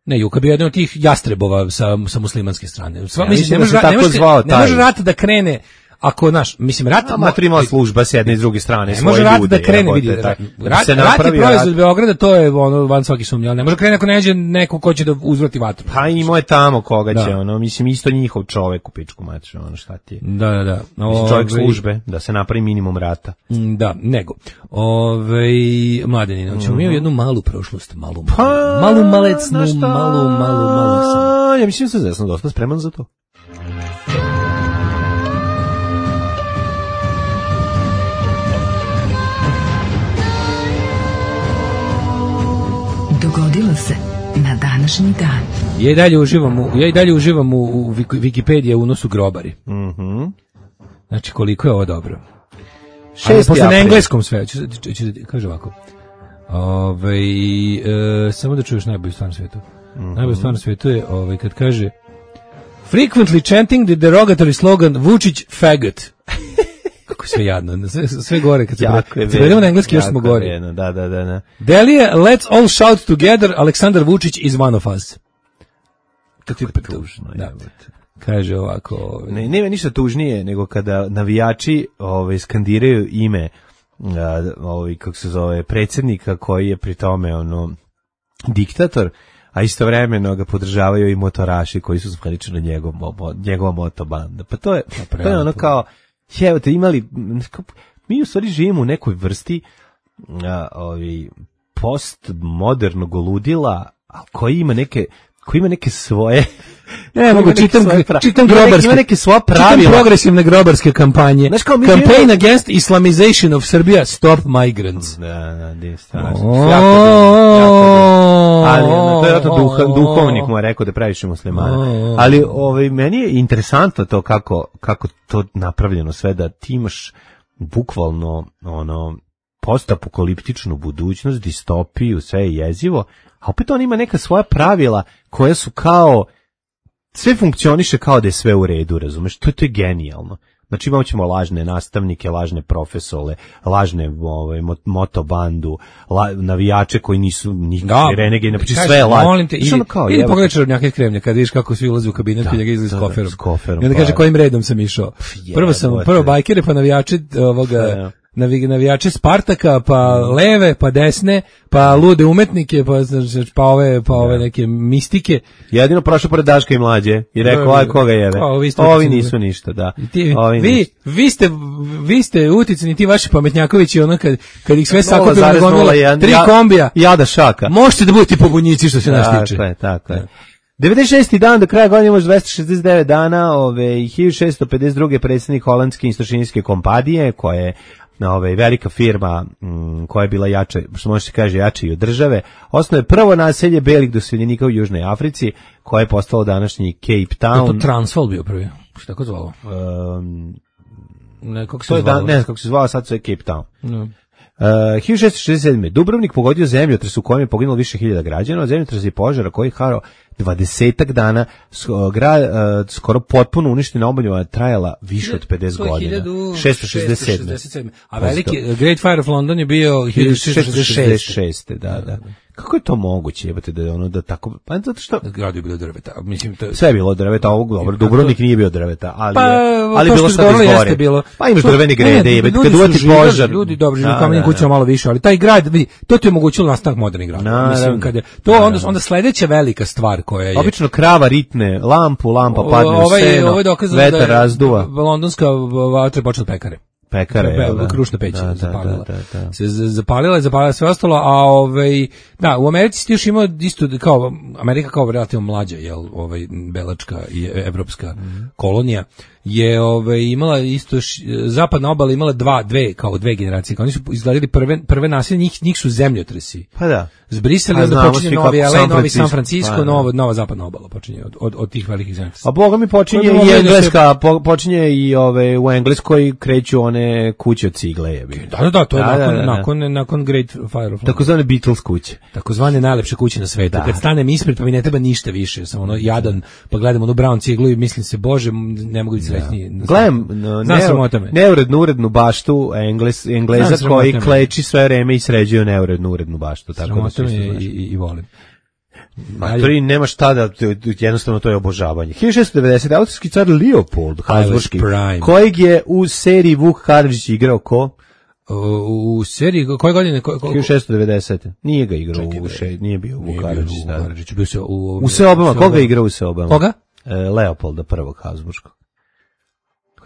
Ne, Juka bio jedan od tih jastrebova sa, sa muslimanske strane. Sva, ja, mislim, ne može, ne može, ne može rat da krene, ako, naš, mislim, rat... Amator ima služba s jedne i s druge strane, ne može rat da krene, vidi, rat, rat, rat je proizvod Beograda, to je ono, van svaki sumnje, ali ne može krene ako ne nađe neko ko će da uzvrati vatru. Pa imao je tamo koga će, da. ono, mislim, isto njihov čovek u pičku mač, ono, šta ti je. Da, da, da. Mislim, čovek službe, da se napravi minimum rata. Da, nego. Ove, Mladenina, ćemo mi u jednu malu prošlost, malu, malu, malu malecnu, malu, malu, malu sam. Ja mislim da sam dosta spreman za to. Dogodilo se na današnji dan. Ja i dalje uživam u, ja i dalje uživam u, u Wikipediji unosu grobari. Mhm. Znači koliko je ovo dobro. šesti posle april. Na engleskom sve, ću, ću, ću, kaže ovako. Ove, e, samo da čuješ najbolju stvar na svijetu. Mm-hmm. Najbolju stvar na svijetu je ovaj, kad kaže frequently chanting the derogatory slogan Vučić faggot. Kako sve jadno, sve, sve gore kad se prevedemo na engleski još smo gore. Vjerno, da, da, da, da. Delije, let's all shout together, Aleksandar Vučić is one of us. Kako je tužno, da. Kaže ovako... Ovaj. Ne, nema ništa tužnije nego kada navijači ovaj, skandiraju ime ovaj, kako se zove, predsjednika koji je pri tome ono, diktator, a istovremeno ga podržavaju i motoraši koji su zvanično njegov, njegova motobanda. Pa to je, pa to je ono kao... Evo te imali, mi u stvari živimo u nekoj vrsti a, ovi, postmodernog ludila, a koji ima neke, koji ima neke svoje... Ne, mogu, čitam, pra... čitam grobarske, ima neke svoje pravila. Čitam progresivne grobarske kampanje. Znaš, kao Campaign živimo... against Islamization of Serbia, stop migrants. Da, da, di, strašno. Ali to je to duha, duhovnik mu je rekao da praviš muslimana. Ali ovaj, meni je interesantno to kako, kako to napravljeno sve, da ti imaš bukvalno ono, postapokaliptičnu budućnost, distopiju, sve je jezivo, a opet on ima neka svoja pravila koja su kao, sve funkcioniše kao da je sve u redu, razumeš? To, to je genijalno. Znači imamo ćemo lažne nastavnike, lažne profesore, lažne ovaj, motobandu, la, navijače koji nisu nikakvi renegeni, znači sve je lažno. Molim te, idi, idi pogledaj Čarobnjake Kremlja, kad vidiš kako svi ulaze u kabinet, da, njega izlazi s koferom. S koferom. I onda kaže kojim redom sam išao. Prvo sam, prvo bajkere, pa navijače ovoga... Ja. navijače Spartaka, pa leve, pa desne, pa lude umetnike, pa, pa, ove, pa ove neke mistike. Jedino prošao pored Daška i Mlađe i rekao, aj koga jebe. Ovi nisu ništa, da. Ti, vi, vi ste, vi ste uticani, ti vaši pametnjakovići, ono kad, kad ih sve sakupimo na gonule, tri kombija. Jada šaka. Možete da budete pobunjici što se nas tiče. Tako je, tako je. devedeset šesti dan, do kraja godine imaš dvesta šezdeset devet dana, ove, hiljadu šessto pedeset druge predsjednik holandske istočinijske kompanije, koja je ove, velika firma m, koja je bila jača, što može se kaže jača i od države, osnovno je prvo naselje belih doseljenika u Južnoj Africi, koje je postalo današnji Cape Town. Je to Transvaal bio prvi? Što tako zvalo? Um, ne, kako se to je zvalo? Da, ne znam kako se zvalo, sad se je Cape Town. No. Uh, hiljadu šessto šezdeset sedme. Dubrovnik pogodio zemljotres u kojem je poginulo više hiljada građana, zemljotres i požara koji je harao dvadesetak dana, grad uh, skoro potpuno uništen, obnova trajala više od pedeset godina. šessto šezdeset sedme. A veliki Great Fire of London je bio hiljadu šessto šezdeset šeste. Da, da. Kako je to moguće, jebate, da je ono da tako, pa zato što grad je bilo drveta, mislim to sve je bilo drveta, ovog dobro, Dubrovnik nije bio drveta, ali pa, je, ali bilo sve izgore. Bilo. Pa imaš drvene grede, jebate, kad uvati požar. Ljudi dobro žive u kamenim kućama malo više, ali taj grad, vidi, to ti je omogućilo nastanak modernih gradova. Mislim kad je to onda onda sledeća velika stvar koja je obično krava ritne lampu, lampa padne u seno, vetar razduva. Londonska vatra počela pekare. pekara, krušna peć da, zapalila. Da, da, da. Se zapalila je, zapalila sve ostalo, a ovaj da, u Americi ti još imao isto kao Amerika kao relativno mlađa, jel, ovaj belačka i evropska mm. kolonija je ovaj imala isto š, zapadna obala imala dva dve kao dve generacije, kao oni su izgledali prve prve naselje, njih njih su zemljotresi. Pa da. Zbrisali, onda počinje novi L A, novi San Francisco, pa, nova nova zapadna obala počinje od od, od tih velikih zemljotresa. A boga mi počinje i engleska, po, počinje i ove u Engleskoj kreću one kuće od cigle, jebi. Da, da, da, to je da, nakon, da, da, da. nakon nakon Great Fire of takozvane Beatles kuće. Takozvane najlepše kuće na svetu. Da. Kad stanem ispred pa mi ne treba ništa više, samo ono jadan, pa gledam onu brown ciglu i mislim se bože, ne mogu biti srećniji. Gledam no, neurednu urednu baštu Engles, Engleza koji kleči sve vreme i sređuje neurednu urednu baštu, tako da se i, i, i volim. Maturi, nema šta da, jednostavno to je obožavanje. hiljadu šessto devedesete. austrijski car Leopold Habsburški, kojeg je u seriji Vuk Karadžić igrao ko? U, u seriji, koje godine? Ko, ko, hiljadu šessto devedesete. Nije ga igrao u še, nije bio u Vuk Karadžić. Da. Bio se u, u Seobama, koga je igrao u Seobama? Koga? E, Leopolda prvog Habsburškog.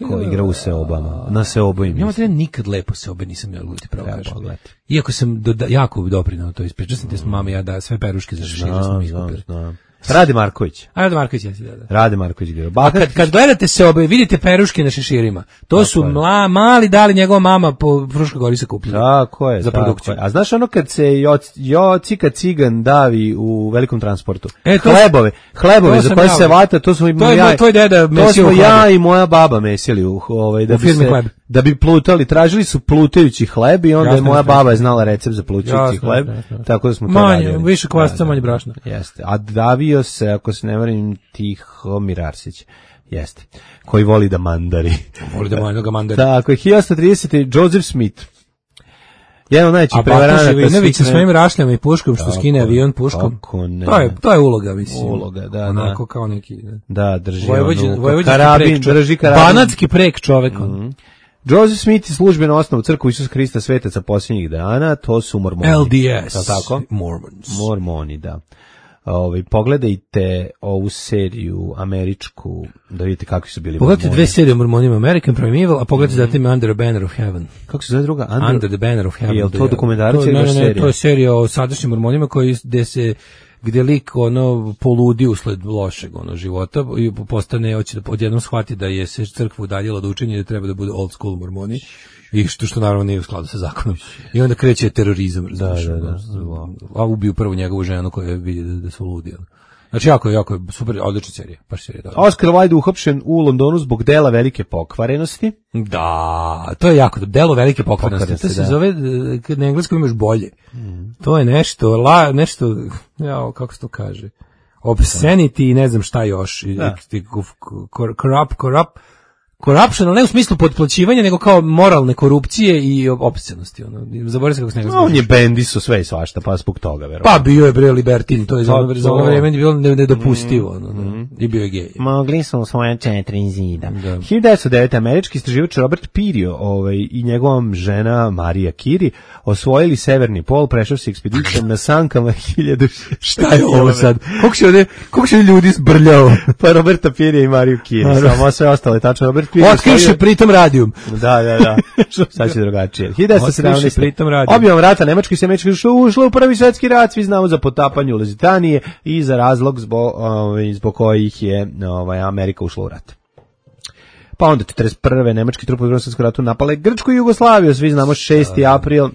Ko igra u Seobama, na Seobu im. Ja materi nikad lepo Seobe nisam ja luti pravo kažem. Iako sam do, jako doprinao to ispričao sam te smo mama ja da sve peruške za šešire smo iskupili. Rade Marković. A Rade Marković jesi da. da. Rade Marković igra. A kad kad gledate Seobe vidite peruške na šeširima. To tako su mla, mali dali njegova mama po Fruškoj gori se kupili. Tako je, za produkciju. A znaš ono kad se jo, jo cika cigan davi u velikom transportu. E, to, hlebove, hlebove za koje se vata, to smo i to je ja, tvoj deda mesio. To smo ja i moja baba mesili u ovaj da u bi se hleb. Da bi plutali, tražili su plutajući hleb i onda jasne, je moja baba je znala recept za plutajući hleb, jasne, tako da smo to manje, radili. Više kvasca, manje brašna. Jeste. A davio se, ako se ne varim, Tihomir Arsić. Jeste. Koji voli da mandari. Voli da mandari. mandari. Tako je, hiljadu osamsto tridesete. Joseph Smith. Jedan od najvećih prevaranata. A Bata Živinović sa svojim rašljama i puškom, što skine avion puškom. To je, to je uloga, mislim. Uloga, da, onako da. kao neki. Da, da drži Vojvođin, onu karabin, drži karabin. Banatski prek čovek. Mm. Joseph Smith je službeno osnovu crkvu Isusa Hrista svetaca posljednjih dana, to su mormoni. L D S. Tako? Mormons. Mormoni, da. Ovaj pogledajte ovu seriju američku da vidite kakvi su bili. Pogledajte dve serije o mormonima, American Primeval, a pogledajte mm-hmm. zatim Under the Banner of Heaven. Kako se zove druga? Under, Under the Banner of Heaven. Je to dokumentarac ili baš serija? To je serija o sadašnjim mormonima koji gde se gde lik ono poludi usled lošeg ono života i postane hoće da odjednom shvati da je se crkva udaljila od učenja i da treba da bude old school mormoni i što što naravno nije u skladu sa zakonom. I onda kreće terorizam, da, da, da. A ubiju prvo njegovu ženu koja vidi da, da su ludi. Znači jako jako super, odlična serija, baš serija. Dobra. Oscar Wilde uhapšen u Londonu zbog dela velike pokvarenosti. Da, to je jako dobro. Delo velike pokvarenosti. To se da. zove kad na engleskom imaš bolje. Mm. To je nešto, la, nešto, ja, kako se to kaže? Obscenity i ne znam šta još. Da. Corrupt, corrupt. Corruption, ali ne u smislu podplaćivanja, nego kao moralne korupcije i opscenosti. Ono. Zaboravim se kako se njega no, on je bendiso sve i svašta, pa zbog toga, verovatno. Pa bio je bre libertin, to je za ono, za ono vreme bilo nedopustivo. Mm, ono, mm. I bio je gej. Mogli su svoje četiri zida. Da. hiljadu devetsto devete. američki istraživač Robert Pirio ovaj, i njegova žena Marija Curie osvojili severni pol, prešao se ekspedicijom na sankama hiljadu. Šta je ovo sad? Koliko se ovdje, koliko se ljudi zbrljao? Pa Roberta Pirio i Mariju Curie, samo sve ostalo je tačno. Robert otkriše pritom radijum. Da, da, da. Sad će drugačije. hiljadu devetsto sedamnaeste. pritom radijum. Objavom rata Nemačka i se Američka ušla u prvi svjetski rat, svi znamo za potapanje u Luzitanije i za razlog zbog, ovaj, zbog kojih je ovaj, Amerika ušla u rat. Pa onda četrdeset prve. nemački trupovi u Drugom svjetskom ratu napale Grčku i Jugoslaviju, svi znamo šesti april.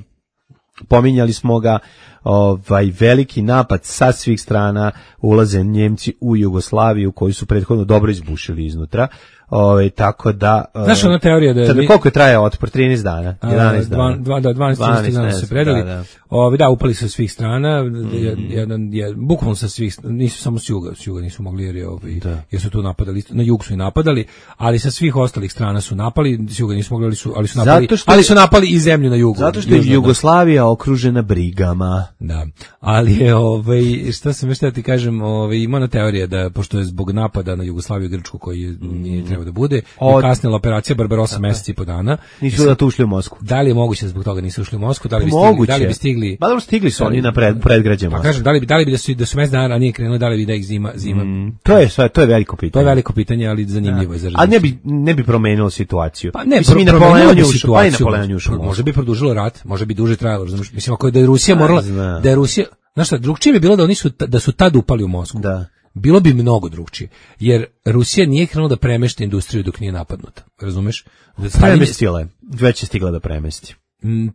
Pominjali smo ga, ovaj veliki napad sa svih strana, ulaze Njemci u Jugoslaviju koji su prethodno dobro izbušili iznutra. Ove, tako da znaš ona teorija da je koliko je trajao otpor trinaest dana, jedanaest dana. dva da dvanaest dana se predali. Da, da. Ove, da, upali sa svih strana, mm. jedan je bukvalno sa svih, nisu samo s juga, s juga nisu mogli jer je ovaj jer su tu napadali, na jug su i napadali, ali sa svih ostalih strana su napali, s juga nisu mogli, ali su ali su napali, što, ali su napali i zemlju na jugu. Zato što je Jugoslavija okružena brigama. Da. Ali je ovaj šta sam još da ti kažem, ovaj ima ona teorija da pošto je zbog napada na Jugoslaviju i Grčku koji nije treba da bude. Od... kasnila operacija Barbarossa meseci i po dana. Nisu da tu ušli u Moskvu. Da li je moguće zbog toga nisu ušli u Moskvu? Da li bi stigli? Da li bi stigli? Pa dobro stigli su oni na pred, predgrađe Moskve. Pa kažem, da li bi da li bi da su da su mesec dana ranije krenuli, da li bi da ih zima zima. Mm, to je sve, to je veliko pitanje. To je veliko pitanje, ali zanimljivo je za razumjeti. A ne bi ne bi promenilo situaciju. Pa ne, mislim pro, promenilo bi situaciju. Pa može bi produžilo rat, može bi duže trajalo, razumiješ? Mislim ako je da je Rusija morala, da je Rusija, znaš šta, drugčije bi bilo da oni su da su tad upali u Moskvu. Da. Bilo bi mnogo drugčije, jer Rusija nije krenula da premešta industriju dok nije napadnuta, razumeš? Premestila je, već je stigla da premesti.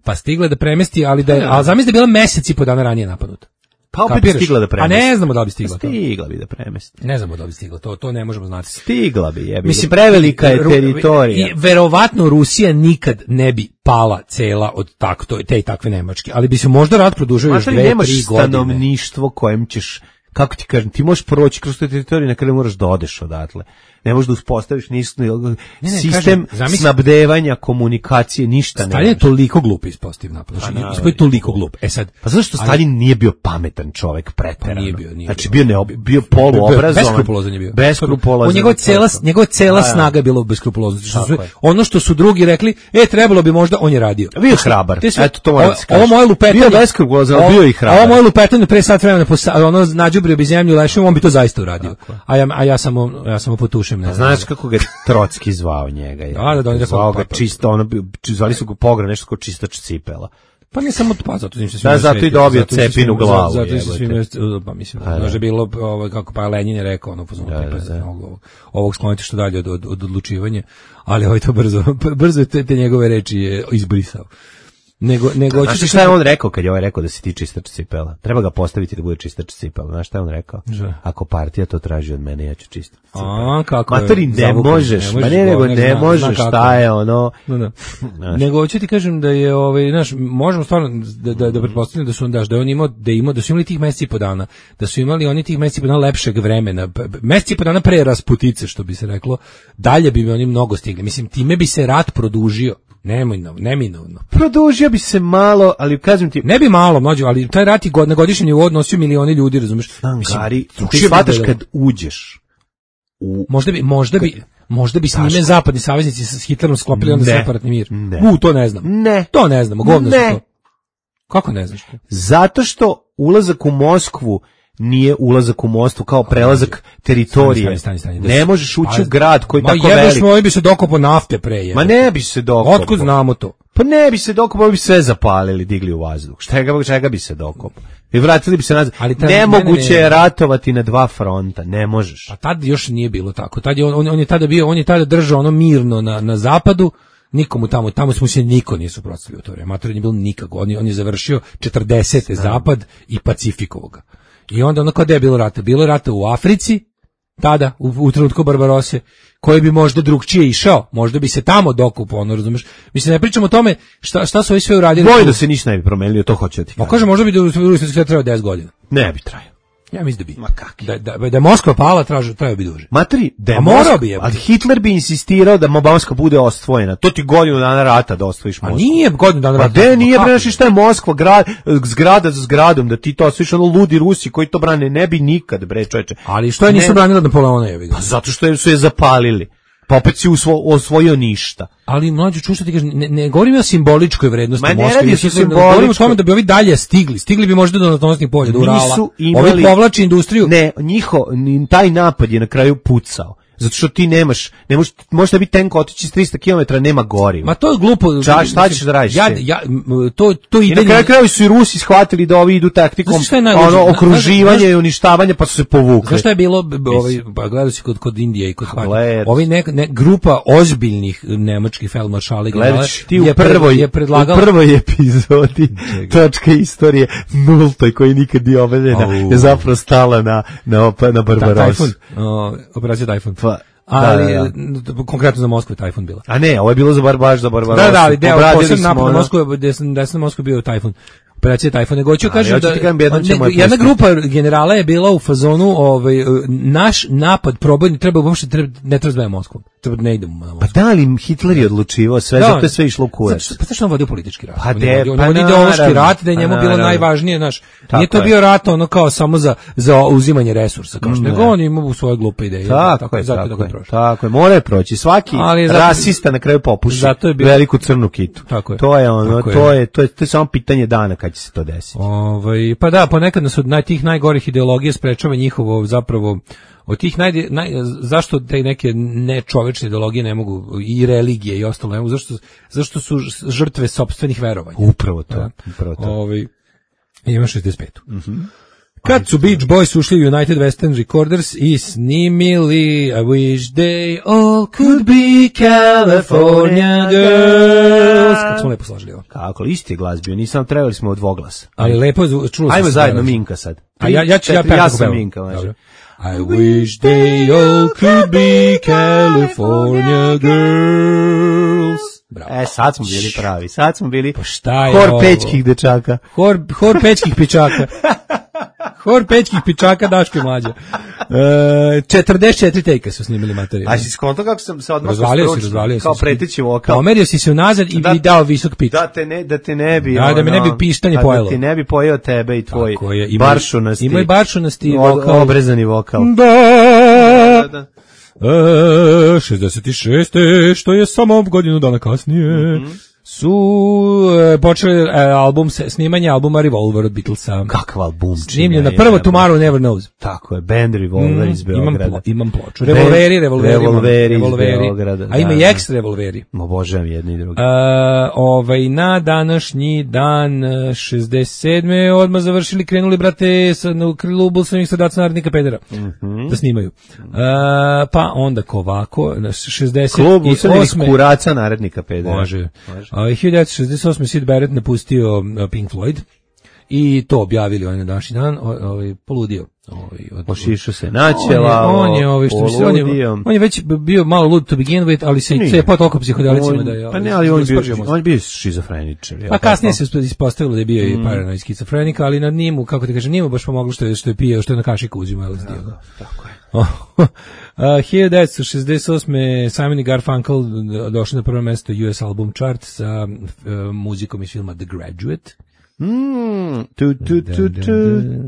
Pa stigla da premesti, ali da je, a zamisli da je bila mesec i po dana ranije napadnuta. Pa opet Kapiraš? Stigla da premesti. A ne znamo da li bi stigla. Stigla bi da premesti. Ne znamo da li bi stigla, to, to ne možemo znati. Stigla bi, je. Mislim, prevelika je teritorija. I verovatno Rusija nikad ne bi pala cela od tak, to, te i takve Nemačke, ali bi se možda rat produžio još dve, tri godine. Nemaš stanovništvo kojem ćeš, kako ti kažem, ti možeš proći kroz tu teritoriju, na kraju moraš da odeš odatle. Ne možeš da uspostaviš ništa, sistem kažem, snabdevanja, komunikacije, ništa ne. Stalin je toliko glup ispostavio napad. Znači, pa, je toliko glup. E sad, pa zašto Stalin ali, nije bio pametan čovjek preterano? Pa nije bio, nije znači bio, bio, ne, bio poluobrazovan. Beskrupulozan je bio. Beskrupulozan. Njegova cela, njegova cela snaga je bila u beskrupuloznosti. Ono što su drugi rekli, e, trebalo bi možda, on je radio. Bio je hrabar. Eto, to moram ovo, ovo moje lupetanje. Bio beskrupulozan, bio i hrabar. Ovo moje lupetanje pre sat vremena, ono, nađubrio bi zemlju lešom, on bi to zaista uradio. A ja, a ja samo, ja samo potušem, ne znam. Znaš kako ga Trotski zvao njega. Je. Da, da, da, zvao ga čisto, ono, zvali su ga pogra, nešto kao čistač cipela. Pa ne samo pa zato im se da, zato i dobio cepin u glavu. Zato se svima, pa mislim, može bilo, ovaj, kako pa Lenin je rekao, ono, pozvano, da, tipa, da, da. Ovog, ovog skloniti što dalje od, od, od odlučivanja, ali ovaj to brzo, brzo te, te njegove reči je izbrisao. Nego, nego znaš šta je on rekao kad je ovaj rekao da si ti čistač cipela? Treba ga postaviti da bude čistač cipela. Znaš šta je on rekao? Že? Ako partija to traži od mene, ja ću čistiti cipela. A, kako Matori, ne zavukom, možeš, ma ne, nego ne, ne možeš, šta je ono... No, no. Nego, hoću ti kažem da je, ovaj, znaš, možemo stvarno da, da, da pretpostavljamo da su daš, da je on imao, da je imao, da su imali tih meseci i po dana, da su imali oni tih meseci i po dana lepšeg vremena, meseci i po dana pre rasputice, što bi se reklo, dalje bi mi oni mnogo stigli. Mislim, time bi se rat produžio. Neminovno, neminovno. Produžio bi se malo, ali kažem ti... Ne bi malo, mlađo, ali taj rat i god, na godišnjem nivou odnosio milioni ljudi, razumeš? Gari, ti shvataš kad uđeš u... Možda bi, možda bi, možda bi s njime zapadni saveznici s Hitlerom sklopili onda separatni mir. Ne. U, to ne znam. Ne. To ne znamo, govno su to. Kako ne znaš? Zato što ulazak u Moskvu nije ulazak u Moskvu kao prelazak teritorije. Stani, stani, stani, ne možeš ući u grad koji je tako velik. Ma jebeš moj bi se dokopao nafte pre. Jebe. Ma ne bi se dokopao. Otkud znamo to? Pa ne bi se dokopao, bi sve zapalili, digli u vazduh. Čega, čega bi se dokopao? I vratili bi se nazad. Nemoguće je ratovati na dva fronta, ne možeš. A tad još nije bilo tako. Tad je on, on, on je tada bio, on je tada držao ono mirno na, na zapadu. Nikomu tamo, tamo smo se niko nije suprotstavio u to vreme. Mator nije bilo nikako. On je, on je završio četrdesete zapad i Pacifikovo ga. I onda ono kada je bilo rata? Bilo je rata u Africi, tada, u, u trenutku Barbarose, koji bi možda drugčije išao, možda bi se tamo dokupao, ono, razumeš? Mislim, ne pričamo o tome šta, šta su ovi sve uradili. Boj da se ništa ne bi promenilo, to hoće da ti kažem. Ma kaže, možda bi da trebao deset godina. Ne bi trajao. Ja mislim da bi. Ma kaki. Da, da, da je Moskva pala, traži, trajao bi duže. Matri, da je Moskva, bi je. Ali Hitler bi insistirao da Moskva bude osvojena. To ti godinu dana rata da osvojiš Moskvu. A nije godinu dana rata. Pa de, nije, bre, znaš šta je Moskva, grad, zgrada za zgradom, da ti to osvojiš, ono ludi Rusi koji to brane, ne bi nikad, bre, čoveče. Ali što je nisu ne... branili od Napoleona, je vidio. Pa zato što su je zapalili. Pa opet si usvo, osvojio ništa. Ali mlađu čuš što ti kažeš, ne, ne govorim o simboličkoj vrednosti Moskve. Ma ne radi se simboličko. Govorim o tome da bi ovi dalje stigli. Stigli bi možda do naftnih polja, do Urala. Imali, ovi povlači industriju. Ne, njiho, taj napad je na kraju pucao. Zato što ti nemaš, ne možeš, možeš biti tank otići s tristo kilometara, nema goriva. Ma to je glupo. Ča, šta ćeš da radiš? Ja, ja, to, to ide... I na kraju kraju su i Rusi shvatili da ovi idu taktikom ono, okruživanja i uništavanja, pa su se povukli. Znaš šta je bilo, ovaj, pa gledao si kod, kod Indije i kod Pakistana. Ovi ne, ne, grupa ozbiljnih nemačkih feldmaršala i generala ti u prvoj, je predlagala... u prvoj epizodi točka istorije nultoj koji nikad nije obeljena oh. je zapravo stala na, na, na Barbarosu. Operacija Tajfun. Pa, ali da, da, da. Konkretno za Moskvu je Tajfun bila. A ne, ovo je bilo za bar baš za Barbarosu. Da, da, ali deo posebno napad na Moskvu, gde sam na Moskvu bio Tajfun. Operacija Tajfun. Nego ću kažem da ne, jedna grupa generala je bila u fazonu, ovaj naš napad probojni treba uopšte treba, ne treba zbaviti Moskvom. ne idemo na Pa da li Hitler je odlučivao sve, da, zato je sve išlo u kurac. Pa zašto on vodio politički rat? Pa on de, on pa on ideološki rat, da je njemu pa bilo najvažnije, znaš. Nije to je. bio rat ono kao samo za, za uzimanje resursa, kao što nego on ima svoje glupe ideje. Tako, tako je, zato tako, tako, je, tako je, mora je proći. Svaki ali rasista na kraju popuši zato je bilo, veliku crnu kitu. Tako je. To je ono, to je, to je, to je, to je samo pitanje dana kad će se to desiti. Ovaj, pa da, ponekad nas od naj, tih najgorih ideologija sprečava njihovo zapravo od tih naj, naj zašto te neke nečovečne ideologije ne mogu i religije i ostalo ne mogu, zašto zašto su žrtve sopstvenih verovanja. Upravo to, da? Upravo to. Ovaj ima šezdeset pet. Mhm. Mm Kad su Beach Boys ušli u United Western Recorders i snimili I wish they all could be California girls. Kako smo lepo složili ovo. Kako, isti je glas bio, nisam trebali smo od dvoglasa. Ali lepo je čulo se. Ajmo zajedno Minka sad. A ja, ja ću ja ja sam Minka. Dobro. I wish they all could be California girls. Bravo. E, sad smo bili pravi, sad smo bili pa šta je hor ovo? Pećkih dečaka. Hor, hor pećkih pičaka. Hor pećkih pičaka Daško i Mlađa. E, četrdeset četiri tejka su snimili materijal. A si skonto kako sam se odmah razvalio si, razvalio kao preteći vokal. Pomerio si se unazad i da, dao visok pitch. Da te ne, da te ne bi. Da, ono, da me ne bi pištanje pojelo. Da ti ne bi pojeo tebe i tvoj baršunasti. Ima i baršunasti vokal. Obrezani vokal. Da. Da, da. E, šezdeset šest što je samo godinu dana kasnije. Mm-hmm. su e, počeli e, album se, snimanje albuma Revolver od Beatlesa. Kakav album? Snimljen na prvo Tomorrow Never Knows. Tako je, band Revolver mm, iz Beograda. Imam, plo, imam ploču. Revolveri, revolveri, revolveri, revolveri iz Beograda. A ima da, i ekstra revolveri. Obožavam jedni i drugi. E, ovaj, na današnji dan šezdeset sedme odmah završili, krenuli, brate, sa, u klubu samih sadaca narodnika pedera. Mm-hmm. Da snimaju. E, pa onda kovako, šezdeset osme Klub usamih kuraca narodnika pedera. Može. Može. Uh, hiljadu devetsto šezdeset osme Syd Barrett napustio uh, Pink Floyd i to objavili on na današnji dan, ovaj poludio, ovaj od pošišao se načela, on je ovaj što se on je, on je već bio malo lud to begin with, ali se se pa toliko psihodelicima da je. Pa ne, ali on je bio, on je bio šizofreničar. Pa kasnije se ispostavilo da je bio i paranoid skizofrenik, ali nad njim, kako ti kažem, njemu baš pomoglo što je što je pio, što je na kašiku uzimao el es de. Tako je. Uh, hiljadu devetsto šezdeset osme Simon i Garfunkel došli na prvo mesto U S album chart sa uh, muzikom iz filma The Graduate. Mm, tu, tu, tu, tu,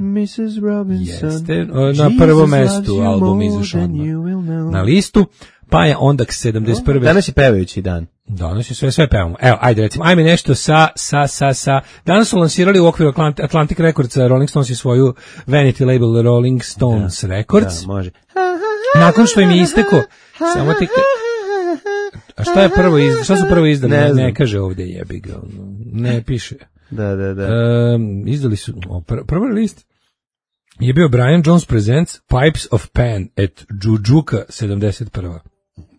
missus Robinson. Jeste, na prvo mesto album izašao na listu, pa je onda k sedamdeset prve Danas je pevajući dan. Danas je sve, sve pevamo. Evo, ajde recimo, ajme nešto sa, sa, sa, sa. Danas su lansirali u okviru Atlantic, Atlantic Records, Rolling Stones i svoju vanity label Rolling Stones da, Records. Da, može. Nakon što im je isteko, samo ti... A šta je prvo izdali? Šta su prvo izdali? Ne, ne kaže ovdje jebi ga. Ne piše. Da, da, da. E, izdali su, o, pr prvi list je bio Brian Jones Presents Pipes of Pan at Jujuka sedamdeset prva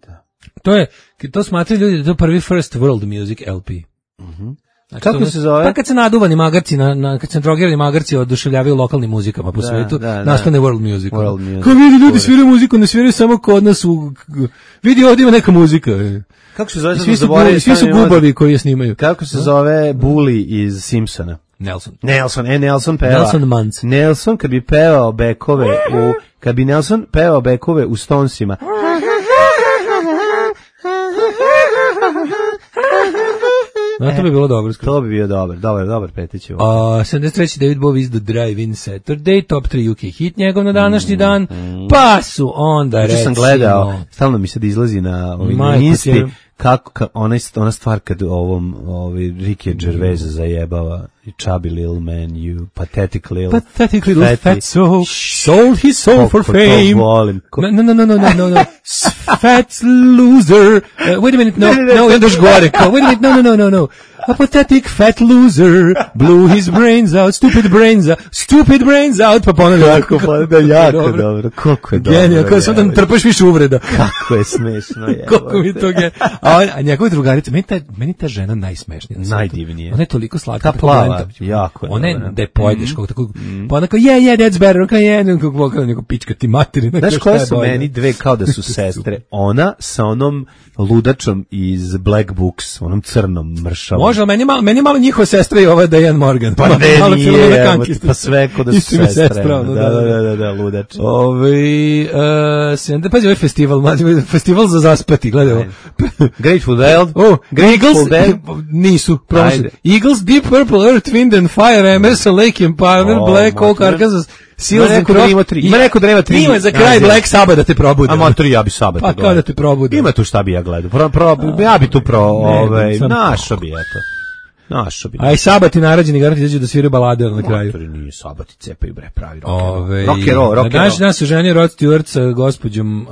Da. To je, to smatraju ljudi da je to prvi First World Music L P. Mhm. Znači, kako se zove? Pa kad se naduvani magarci, na, na, kad se drogirani magarci oduševljavaju lokalnim muzikama po da, svetu, da, nastane da. World Music. World music. Kao vidi, ljudi sviraju muziku, ne sviraju samo kod nas u... Vidi, ovdje ima neka muzika. Kako se zove? Svi su, bubi, svi su gubavi koji je snimaju. Kako se zove Bully iz Simpsona? Nelson. Nelson, e, Nelson peva. Nelson Muntz. Nelson kad bi pevao bekove u... Kad bi Nelson pevao bekove u Stonesima... No, to bi bilo dobro. To bi bio dobar, dobar, dobar petić. Uh, sedamdeset treće David Bowie izdao Drive-In Saturday, top tri U K hit njegov na današnji mm, dan, mm. pa su onda recimo... sam gledao, stalno mi sad izlazi na ovim listi, kako, ka, ona, ona stvar kad ovom ovaj, Ricky Gervais zajebava i chubby little man, you pathetic little... Pathetic little fatty. Fat soul, sold his soul for fame. No, no, no, no, no, no, no. Fat loser. Uh, wait a minute, no, no, no, još gore. Wait a minute, no, no, no, no, no. A pathetic fat loser blew his brains out, stupid brains out, stupid brains out, pa ponavljam. Kako, pa da jako dobro. dobro. Koliko je dobro. Genija, kao sam da trpaš više uvreda. Kako je smešno. Je, koliko mi to je. A, a njegove drugarice, meni ta, meni ta žena najsmešnija. Najdivnije. Ona je toliko slatka. Ta plava, jako je. Ona je, da je pojedeš, kako tako, pa ona kao, yeah, yeah, that's better, kao je, kako kao neko pička ti materi. Znaš koje su meni dve kao da su sestre? Ona sa onom ludačom iz Black Books, onom crnom mršavom. može, meni malo, meni malo njihova sestra i ova Diane Morgan. Pa malo, ne, malo nije, pa sve kod da su sestre. Sestra, da, da, da, da, da, ludač. Ove, uh, da, pazi ovaj festival, mlađe, festival za zaspati, gledaj ovo. Grateful Dead. Oh, Eagles, Dead. Nisu, prošli. Eagles, Deep Purple, Earth, Wind and Fire, Emerson, Lake and Pioneer, oh, Black Oak, Arkansas, Seals and Cross. Ima neko da nema tri. Ima za kraj Black Sabbath da te probudi. A ma tri, ja bi Sabbath pa kao da te probudi. Ima tu šta bi ja gledao. Pro, pro, ja bi tu pro, ovaj, našo bi, eto. Našo bi. A i Sabati narađeni garant izađu da sviraju balade na kraju. Motori nije Sabati, cepaju bre, pravi rock Ove, rock and roll, rock and roll. Naš nas se ženio Rod Stewart sa gospođom uh,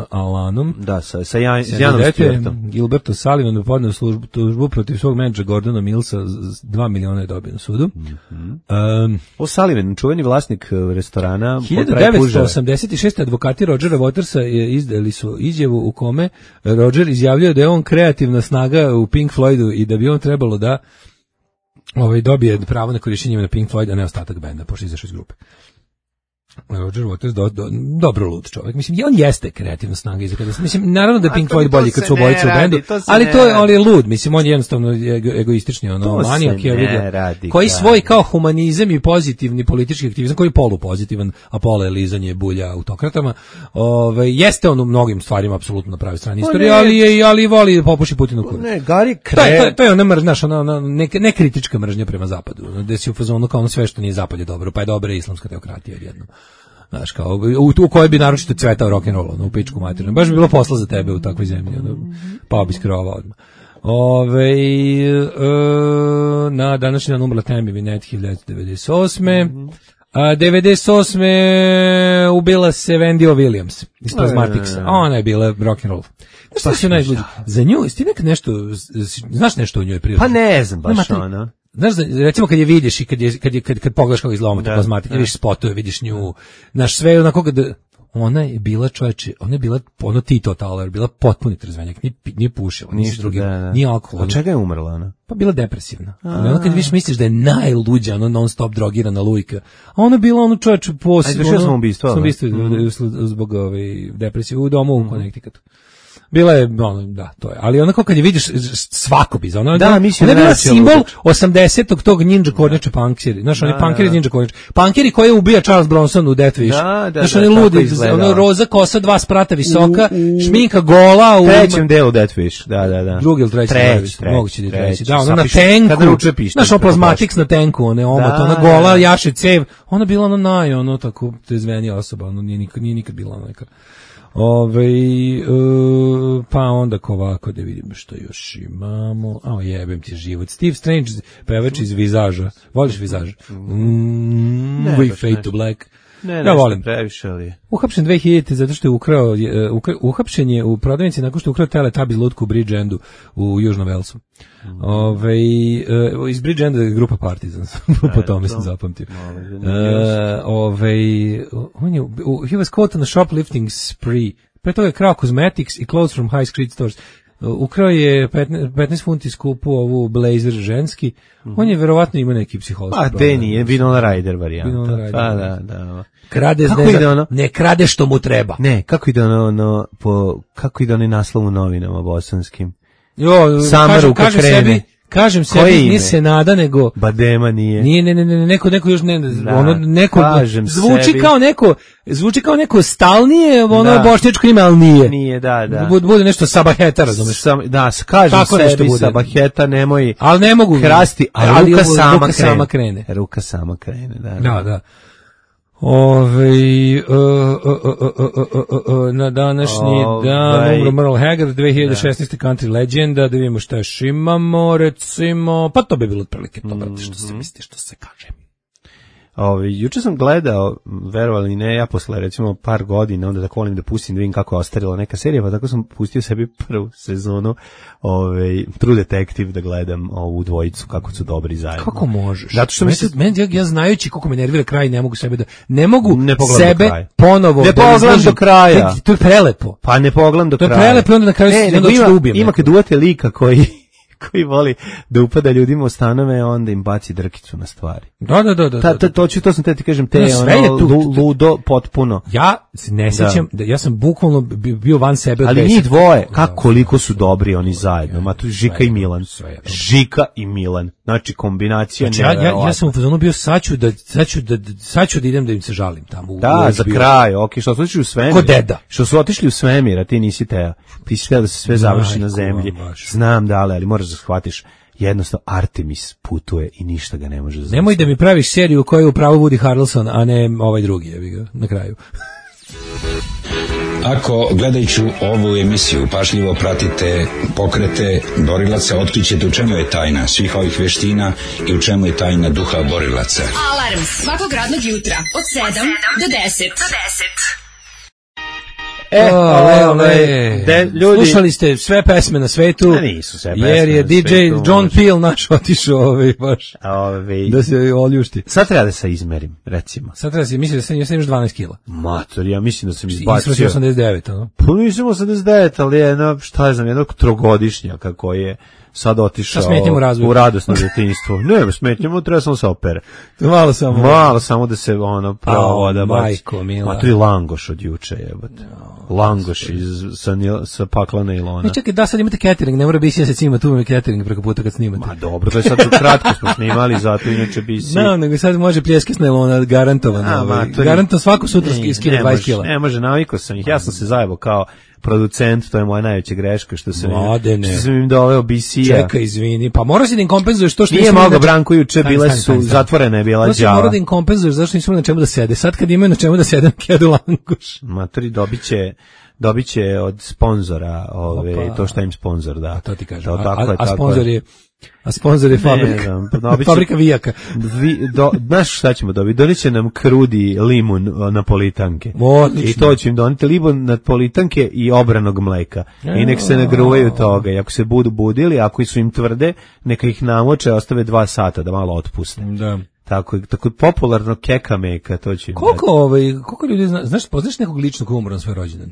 Alanom. Da, sa, sa Jan, Janom Stewartom. Gilberto Sullivan podneo službu, službu protiv svog menadžera Gordona Millsa, dva miliona je dobio na sudu. Mm -hmm. um, o Sullivan, čuveni vlasnik restorana. hiljadu devetsto osamdeset šeste advokati Rodgera Watersa je izdali su izjavu u kome Rodger izjavljuje da je on kreativna snaga u Pink Floydu i da bi on trebalo da ovaj dobije pravo na korišćenje na Pink Floyd, a ne ostatak benda, pošto izašao iz grupe. Roger Waters, do, do, dobro lud čovjek. Mislim, on jeste kreativna snaga iza kada. Mislim, naravno da je Pink Floyd bolji kad su obojice u bendu, to ali to je, ali je lud. Mislim, on je jednostavno ego, egoistični, ono, manijak je vidio. Koji svoj kao humanizam i pozitivni politički aktivizam, koji je polupozitivan, a pola je lizanje bulja autokratama, ovaj, jeste on u mnogim stvarima apsolutno na pravi strani istorije, ali je, ali voli popuši Putinu kurac. Ne, Gari Kre... To je, to je, to je ona mržnja, ona, ona ne, ne kritička mržnja prema zapadu, gde si u fazonu kao ono sve što nije zapad je dobro, pa je dobra islamska teokratija jedno. Znaš, kao, u, u kojoj bi naročito cvetao rock'n'roll, ono, u pičku materinu. Baš bi bilo posla za tebe u takvoj zemlji, ono, pa bi skrovao odmah. Ove, e, na današnji dan umrla Tammy Wynette hiljadu devetsto devedeset osme. A devedeset osme ubila se Wendy O. Williams iz Plasmatics. Ona je bila rock'n'roll. Znaš što je najbolje? Za nju, ti nek nešto, znaš nešto o njoj prirodno? Pa ne znam baš ono. Znaš, recimo kad je vidiš i kad je kad je kad, kad pogledaš kako izgleda ta plazmatika, vidiš spotove, vidiš nju, naš sve onako kad ona je bila čoveče, ona je bila ono Tito Taler, bila potpuni trzvenjak, ni ni pušila, ni drugi, ni alkohol. Od čega je umrla ona? Pa bila depresivna. Ali ona kad vidiš misliš da je najluđa, ona non stop drogirana lujka. A ona bila ono čoveče posebno. Ajde, što ubistvo? Sam ubistvo zbog ove depresije u domu u Connecticutu. Bila je, ono, da, to je. Ali onako kad je vidiš svako bi, ona, da, ona je bila simbol osamdesetog tog ninja kornjača punkeri. Znaš, oni punkeri ninja kornjača. Punkeri koji je ubija Charles Bronson u Death Wish. Da, da, znaš, oni ludi, ono roza kosa, dva sprata visoka, u, u, šminka gola. U trećem delu Death Wish, da, da, da. Drugi ili treći, treći, treći, moguće da je treći. Da, ona na tenku, znaš, ono Plasmatics na tenku, one omot, ona gola, jaše cev. Ona bila ono naj, ono tako trezvenija osoba, ono nije nikad, nije nikad bila neka. Ove, uh, pa onda ko ovako da vidimo što još imamo. A jebem ti život. Steve Strange, pevač iz Vizaža. Voliš Vizaž? Mm, ne, We Fade to Black. Ne, ja volim. Previše, ali... Uhapšen dve hiljadite zato što je ukrao, ukra, uhapšen je u prodavnici nakon što je ukrao Teletubbies lutku u Bridge-Endu u Južnom Velsu. Mm. Ove, uh, iz Bridge-Enda je grupa Partizan, po tome sam zapamtio. Uh, ove, on je, uh, he was caught on a shoplifting spree. Pre toga je krao cosmetics i clothes from high street stores. Ukrao je petnaest funti skupu ovu blazer ženski. Mm-hmm. On je verovatno ima neki psihološki problem. A, Deni je Winona Ryder varijanta. Winona Ryder. Pa, da, da. Krade ne, ono? Ne krade što mu treba. Ne, kako ide ono, ono po, kako ide onaj naslov u novinama bosanskim? Jo, Sama kažem, ruka kažem krene. Sebi, kažem sebi, nije se nada, nego... Badema nije. Nije, ne, ne, ne, neko, neko još ne, da, ono, neko, zvuči sebi. kao neko, zvuči kao neko stalnije, ono, da. Bošnjačko ime, ali nije. Nije, da, da. Bude, bude nešto sabaheta, razumeš? Sam, da, kažem tako sebi, sabaheta, nemoj... Ali ne mogu... Krasti, a ali ruka, sama, ruka krene. sama krene. Ruka sama krene, da. Da, da. Ove, uh, uh, uh, uh, uh, uh, uh, na današnji Ove, dan umro Merle Haggard, dve hiljade šesnaeste. country legenda, da vidimo šta još imamo, recimo, pa to bi bilo otprilike to, brate, što se misli, što se kaže. Ove, juče sam gledao, verovali ne, ja posle recimo par godina, onda tako volim da pustim da vidim kako je ostarila neka serija, pa tako sam pustio sebi prvu sezonu ove, True Detective da gledam ovu dvojicu, kako su dobri zajedno. Kako možeš? Zato što mi se... Men, ja, ja znajući koliko me nervira kraj, ne mogu sebe da... Ne mogu ne sebe ponovo ne da pogledam do kraja. To je prelepo. Pa ne pogledam do kraja. To je prelepo, onda na kraju ne, onda ima, da ubijem. Ima kad uvate lika koji... koji voli da upada ljudima u stanove, onda im baci drkicu na stvari. Da, da, da. da, ta, ta, to, ću, to sam te ti kažem, te no, ono, tu, ludo potpuno. Ja se ne sjećam, da. da ja sam bukvalno bio van sebe. Ali njih dvoje, kako koliko su dobri oni zajedno. Ma tu Žika i Milan. Žika i Milan. Znači kombinacija. Znači, ja, ja, ja sam u fazonu bio saću da, saću da, saću da idem da im se žalim tamo. Da, u za kraj, ok, što su otišli u svemir. Ko deda. Što su otišli u svemir, a ti nisi teo. Ti si teo da se sve završi na zemlji. Znam da, ali moraš da shvatiš. Jednostavno Artemis putuje i ništa ga ne može zaustaviti. Nemoj da mi praviš seriju koja je upravo Woody Harrelson, a ne ovaj drugi, jebi ga, na kraju. Ako gledajući ovu emisiju pažljivo pratite pokrete borilaca, otkrićete u čemu je tajna svih ovih veština i u čemu je tajna duha borilaca. Alarm svakog radnog jutra od sedam do deset. E, ole, ole, de, ljudi. Slušali ste sve pesme na svetu, ne, nisu sve pesme jer je D J John Peel naš otišao ovaj, baš, Ove, da se oljušti. Sad treba da se izmerim, recimo. Sad treba da se, mislim da sam, ja sam imaš dvanaest kila. Mator, ja mislim da sam izbacio. Isprosio osamdeset devet, ono? Pa nisam osamdeset devet, ali jedno, šta je znam, jednog trogodišnjaka koji je sad otišao u radosno djetinjstvo. Ne, smetnjamo, treba samo se opere. Malo samo. Malo samo da se ono pravo da baci. Majko, mila. Ma to je langoš od juče, jebote. Langoš iz, sa, sa paklana ilona. Ne, čekaj, da sad imate catering, ne mora biti ja se cima, tu imate catering preko puta kad snimate. Ma dobro, to je sad kratko smo snimali, zato inače bi si... No, nego sad može pljeske s nailona, garantovano. Garantovano svako sutra skine dvadeset kila. Ne može, naviko sam ih, ja sam se zajebo kao producent, to je moja najveća greška, što sam, im, što sam im doveo B C-a. Čekaj, izvini, pa mora si da im kompenzuješ to što... Nije mogao, Branko, juče bile su, stani, zatvorene je bila đava. Mora da im kompenzuješ, zašto nisu na čemu da sede. Sad kad imaju na čemu da sede, kedu languš. Matori, dobit će... dobit će od sponzora ove, Opa. to što im sponzor da. A to ti kažem. To, a, tako a, je, a tako sponzor je, a sponzor je fabrika. Ne, fabrika vijaka. Vi, do, znaš šta ćemo dobiti? Doniće nam krudi limun napolitanke. Odlično. I to će im doniti limun napolitanke i obranog mleka. I nek se nagruvaju toga. I ako se budu budili, ako su im tvrde, neka ih namoče, ostave dva sata da malo otpuste. Da. Tako, tako popularno keka meka, to će im koliko, ovaj, koliko ljudi zna, znaš, poznaš nekog ličnog koji umro na svoj rođendan?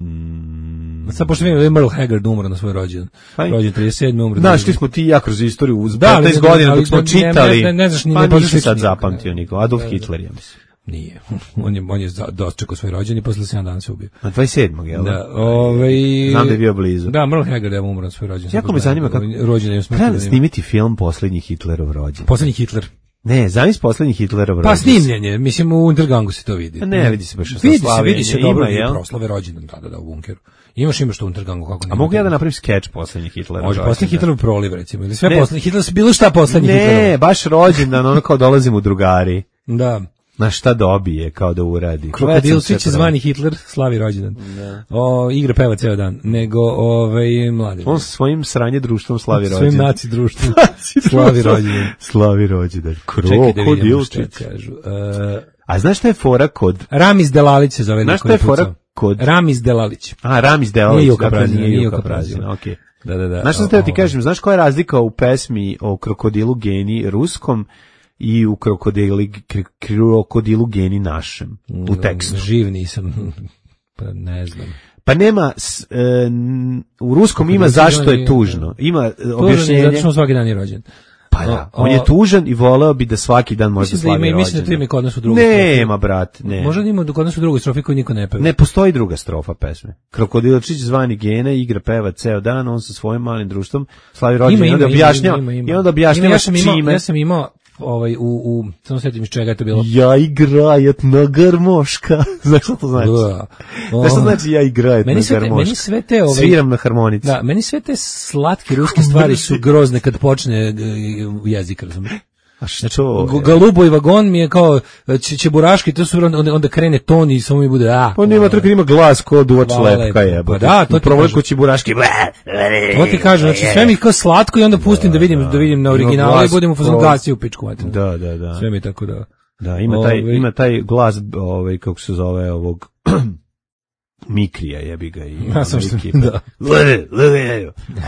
Mm. Sad pošto vidim da je Merle Haggard umro na svoj rođendan. Rođen trideset sedme umro. Znaš, ti smo ti ja kroz istoriju uz petnaest godina dok smo čitali. Ne, ne, ne znaš, ni pa ne nisi sad zapamtio niko. Adolf Hitler, ja mislim. Nije. On je, on je dočekao svoj rođendan i posle sedam dana se ubio. Na dvadeset sedmog jel? Da, ovaj... Znam da je bio blizu. Da, Merle Haggard je umro na svoj rođendan. Jako me zanima kako... Rođendan je treba snimiti film Poslednji Hitlerov rođendan. Poslednji Hitler. Ne, zavis Poslednji Hitlerov rođendan. Pa snimljenje, mislim u Untergangu se to vidi. A ne, vidi se baš vidi se, vidi se dobro i proslave rođendan tada da u bunkeru. Imaš imaš što u Untergangu kako ne. A mogu ja da napravim skeč Poslednji Hitlerov rođendan? Može, Poslednji Hitlerov proliv recimo, ili sve Poslednji Hitler, bilo šta Poslednji Hitlerov. Ne, baš rođendan, ono kao dolazim u drugari. Da. Na šta dobije, kao da uradi. Krokodilčić zvani Hitler, slavi rođendan. O, igra peva ceo dan, nego ovaj mladi. On sa svojim sranje društvom slavi rođendan. Svojim naci društvom slavi rođendan. Slavi rođendan. Krokodilčić. kažu. Uh, a znaš šta je fora kod... Ramiz Delalić se zove. Znaš šta je fora kod... Ramiz Delalić. A, Ramiz Delalić. Nije Juka Prazina, nije Juka Prazina. Okej. Da, da, da. Znaš šta te ti kažem, znaš koja je razlika u pesmi o krokodilu Geni ruskom i u krokodilu, krokodilu Geni našem, u tekstu? Živ nisam, pa ne znam. Pa nema, s, e, u ruskom ima zašto je tužno. Ima objašnjenje. Zato što svaki dan je rođen. Pa da, on je tužan i voleo bi da svaki dan može slavi rođendan. Mislim da to ima kod nas u drugoj strofi. Nema, brat, ne. Možda ima kod nas u drugoj strofi koju niko ne peva. Ne postoji druga strofa pesme. Krokodilčić zvani Gena igra peva ceo dan, on sa svojim malim društvom slavi rođendan i onda objašnjava. I onda objašnjava čime. Ja sam imao ovaj u u samo setim iz čega je to bilo. Ja igrajet na garmoška. Znaš šta to znači? Da. Znaš šta znači ja igrajet na garmoška? Meni sve te ovaj sviram na harmonici. Da, meni sve te slatke ruske stvari su grozne kad počne jezik, razumiješ? A što? Galuboj vagon mi je kao čeburaški, to su onda, onda krene ton i samo mi bude a. On ima tako ima glas kod uoč lepka je. Pa da, to ti kažem. Čeburaški. To ti kažem, znači sve mi kao slatko i onda pustim da vidim da vidim na originalu i budem u fazonu gasi u pičku materinu. Da, da, da. Sve mi tako da. Da, ima taj ima taj glas ovaj kako se zove ovog Mikrija jebi ga i ja sam ekipe. Da.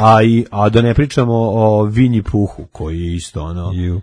A i a da ne pričamo o Vinji Puhu koji je isto ono. Ju.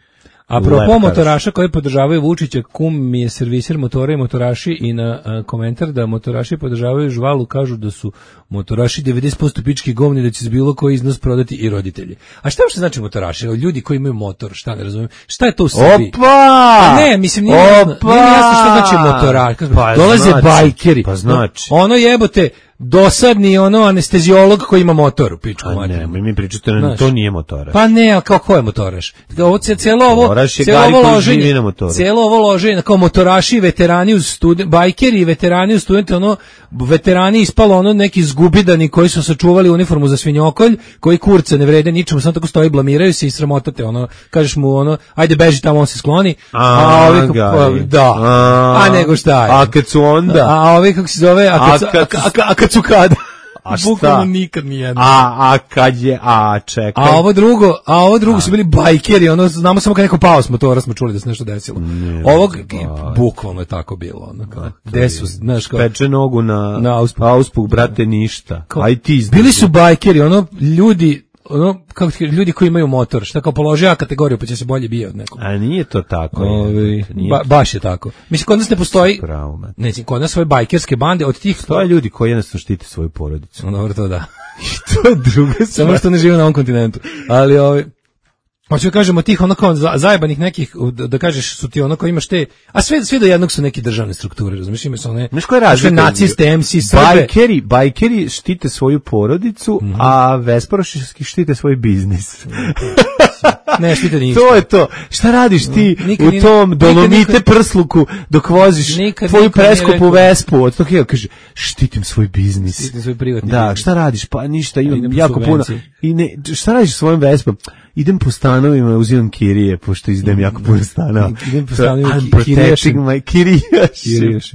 A propos motoraša koji podržavaju Vučića, kum mi je serviser motora i motoraši i na a, komentar da motoraši podržavaju Žvalu, kažu da su motoraši devedeset posto pički govni, da će s bilo koji iznos prodati i roditelji. A šta uopšte znači motoraši? Ljudi koji imaju motor, šta ne razumijem? Šta je to u Srbiji? Opa! Ne, mislim, nije jasno, nije jasno šta znači motoraš. Pa dolaze znači, bajkeri. Pa znači. Ono jebote, dosadni ono anesteziolog koji ima motor u pičku. A ne, mi pričate da to nije motoraš. Pa ne, ali kao ko je motoraš? Ovo celo ovo, celo ovo loženje, celo ovo loženje, kao motoraši, veterani uz student, bajkeri i veterani uz studente, ono, veterani ispalo ono neki zgubidani koji su sačuvali uniformu za svinjokolj, koji kurce ne vrede ničemu, samo tako stoji, blamiraju se i sramotate, ono, kažeš mu ono, ajde beži tamo, on se skloni, a, a ovi kako, da, a, a nego šta je? A kad su onda? A ovi kako se zove, a kad, a, a, a, a kad su kada? A šta? Bukvalno nikad nijedno. A, a kad je, a čekaj. A ovo drugo, a ovo drugo a. su bili bajkeri, ono, znamo samo kad neko pao s motora, smo čuli da se nešto desilo. Ne, Ovog, ba. bukvalno je tako bilo, ono, kao, gde su, znaš, kao. Peče nogu na, na auspuh. auspuh, brate, ništa. Kao, aj ti znaš. Bili su bajkeri, ono, ljudi, ono, kako ti, ljudi koji imaju motor, šta kao položi A kategoriju, pa će se bolje bija od nekog. A nije to tako. Ovi, nije ba, baš je tako. Mislim, kod nas ne postoji, Pravo, ne, kod nas svoje bajkerske bande, od tih... To je ljudi koji jednostavno štite svoju porodicu. No, dobro, to da. I to je druga stvar. Samo što ne žive na ovom kontinentu. Ali, ovi... Hoću da kažemo tih ono kao zajebanih nekih, da, da kažeš su ti ono kao imaš te, a sve, sve do jednog su neke državne strukture, razumiješ, ima su one, sve naciste, em ce, Srbe. Bajkeri, bajkeri štite svoju porodicu, mm-hmm. a Vesparoški štite svoj biznis. Ne, štite ništa. To je to. Šta radiš ti nikad, u tom dolomite nikad, prsluku dok voziš nikad, tvoju preskupu Vespu? Od toga kaže, štitim svoj biznis. Štitim svoj privatni Da, biznis. šta radiš? Pa ništa, imam jako puno. I ne, šta radiš svojim Vespom? Idem po stanovima, uzimam kirije, pošto izdem jako puno stanova. Idem po stanovima, protecting my kirijaš.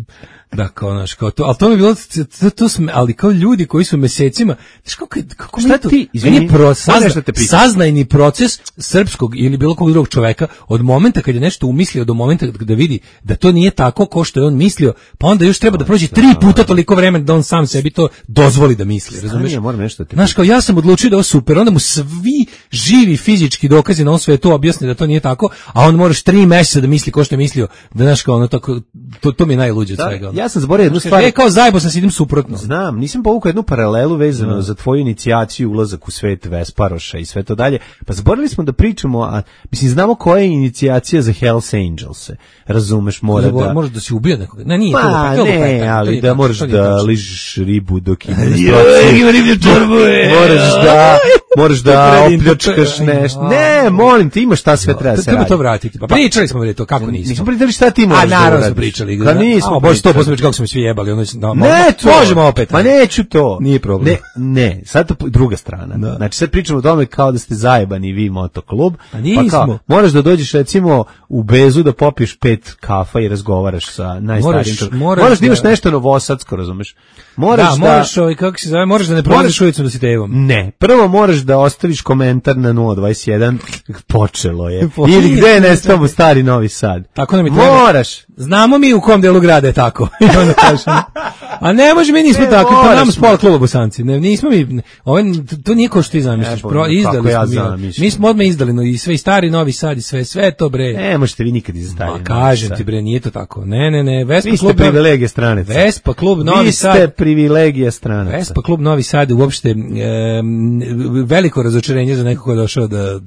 Da, kao naš, kao to, ali to mi je bilo, to, to smo, ali kao ljudi koji su mesecima, znaš kako, kako šta to, ti, izvini, pro, sazna, saznajni proces srpskog ili bilo kog drugog čoveka, od momenta kad je nešto umislio do momenta da vidi da to nije tako kao što je on mislio, pa onda još treba da prođe tri puta toliko vremena da on sam sebi to dozvoli da misli, razumiješ? Znaš, kao ja sam odlučio da je ovo super, onda mu svi živi fizički dokazi na ovom svetu objasne da to nije tako, a on moraš tri meseca da misli ko što je mislio, da znaš kao ono tako, to, to mi je najluđe od svega. Ja sam zaboravio jednu stvar. E, kao zajebo sam se idem suprotno. Znam, nisam povukao jednu paralelu vezano no. za tvoju inicijaciju, ulazak u svet Vesparoša i sve to dalje. Pa zaboravili smo da pričamo, a mislim, znamo koja je inicijacija za Hells Angels-e. Razumeš, mora da... Može da si ubio nekoga. Ne, nije pa, to. Pa, ne, to ali da moraš da ližiš ribu dok ima ima riblju čorbu, moraš da... Moraš da opljačkaš nešto. Ne, molim te, imaš šta sve treba se raditi. Treba to vratiti. Pa pričali smo to, kako nismo. Nismo pričali šta ti možeš da uradiš. A naravno smo pričali. Ka nismo. A bože, sto posto kako smo svi jebali. Ono, no, ne, to. Možemo opet. Pa neću to. Nije problem. Ne, ne, sad to druga strana. Da. Znači sad pričamo o tome kao da ste zajebani vi motoklub. A nismo. Pa kao, moraš da dođeš recimo u Bezu da popiješ pet kafa i razgovaraš sa najstarijim. Moraš, moraš, moraš da imaš nešto novosadsko, razumeš? Moraš da, da moraš, ovaj, kako se zove, moraš da ne prolaziš ulicom da si tevom. Ne, prvo moraš da ostaviš komentar na nula dvadeset jedan, počelo je. Ili gde je nestao mu stari Novi Sad. Tako nam je treba. Moraš. Znamo mi u kom delu grada je tako. A ne može, mi nismo takvi, pa nam sport kluba Bosanci. Ne, nismo mi, ovaj, to nije ko što ti zamisliš. E, Pro, izdali ja smo mi. Mi smo odmah izdali, no, i sve i stari Novi Sad i sve, sve to bre. Ne, možete vi nikad iz stari. Ma kažem ti bre, nije to tako. Ne, ne, ne, Vespa vi klub. Vi ste privilegije stranaca. Vespa klub Novi Sad. Vi ste privilegije stranaca. Vespa klub Novi Sad uopšte e, veliko razočarenje za nekog ko je došao da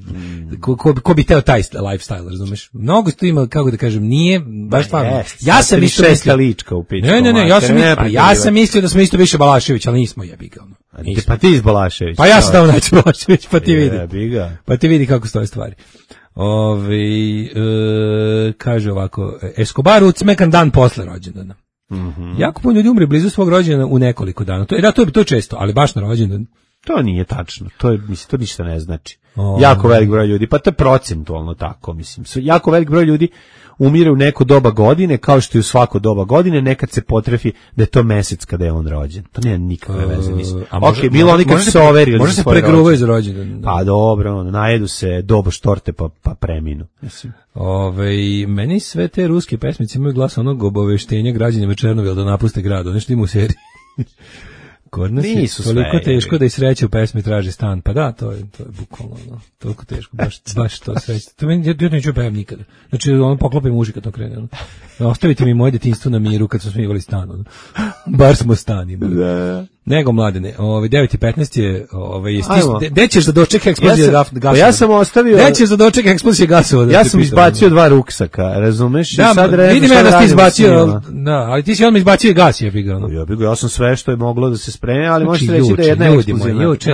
ko, ko, ko bi teo taj lifestyle, razumeš? Mnogo tu ima, kako da kažem, nije baš stvarno. Yes, ja sam isto mislio lička u pičku. Ne, ne, ne, ja sam ne, pa ja sam mislio da smo isto više Balašević, ali nismo, jebi ga. Nismo. Pa ti iz Balašević. Pa ja sam dao naći Balašević, pa ti vidi. Jebi ga. Pa ti vidi kako stoje stvari. Ovi, e, kaže ovako, Escobar ucmekan dan posle rođendana. Mm-hmm. Jako puno ljudi umre blizu svog rođendana u nekoliko dana. To, da, to je to često, ali baš na rođendan. To nije tačno. To je, mislim, to ništa ne znači. O, jako velik broj ljudi, pa to je procentualno tako, mislim. Jako velik broj ljudi umire u neko doba godine, kao što i u svako doba godine, nekad se potrefi da je to mesec kada je on rođen. To nema nikakve veze, mislim. A može, ok, bilo oni kad su se overili. Može se pregruvaju za rođendan. Pa dobro, ono, najedu se dobo štorte pa, pa preminu. Mislim. Ove, meni sve te ruske pesmice imaju glas onog obaveštenja građanima Černovila da napuste grad, ono što ima u seriji. Kod nas je toliko teško da i sreće u pesmi traži stan. Pa da, to je, to je bukvalno, no, toliko teško, baš, baš to sreće. To meni, ja neću pevam nikada. Znači, ono, poklopim uši kad to krene. Ono. Ostavite mi moje detinjstvo na miru kad smo smivali stan. Ono. Bar smo stan imali. Da. Nego, mladene, ovaj, devet i petnaest je, ovaj, gde ćeš da doček eksplozije ja sam, gasova? Ja sam ostavio... Gde ćeš da doček eksplozije gasova? Da ja sam izbacio ono. dva ruksaka, razumeš? Da, sad vidim ja da si izbacio, da, ali ti si odmah izbacio gas, je biga. Ja bih ja sam sve što je moglo da se spreme, ali znači, možete reći da je jedna eksplozija. Juče,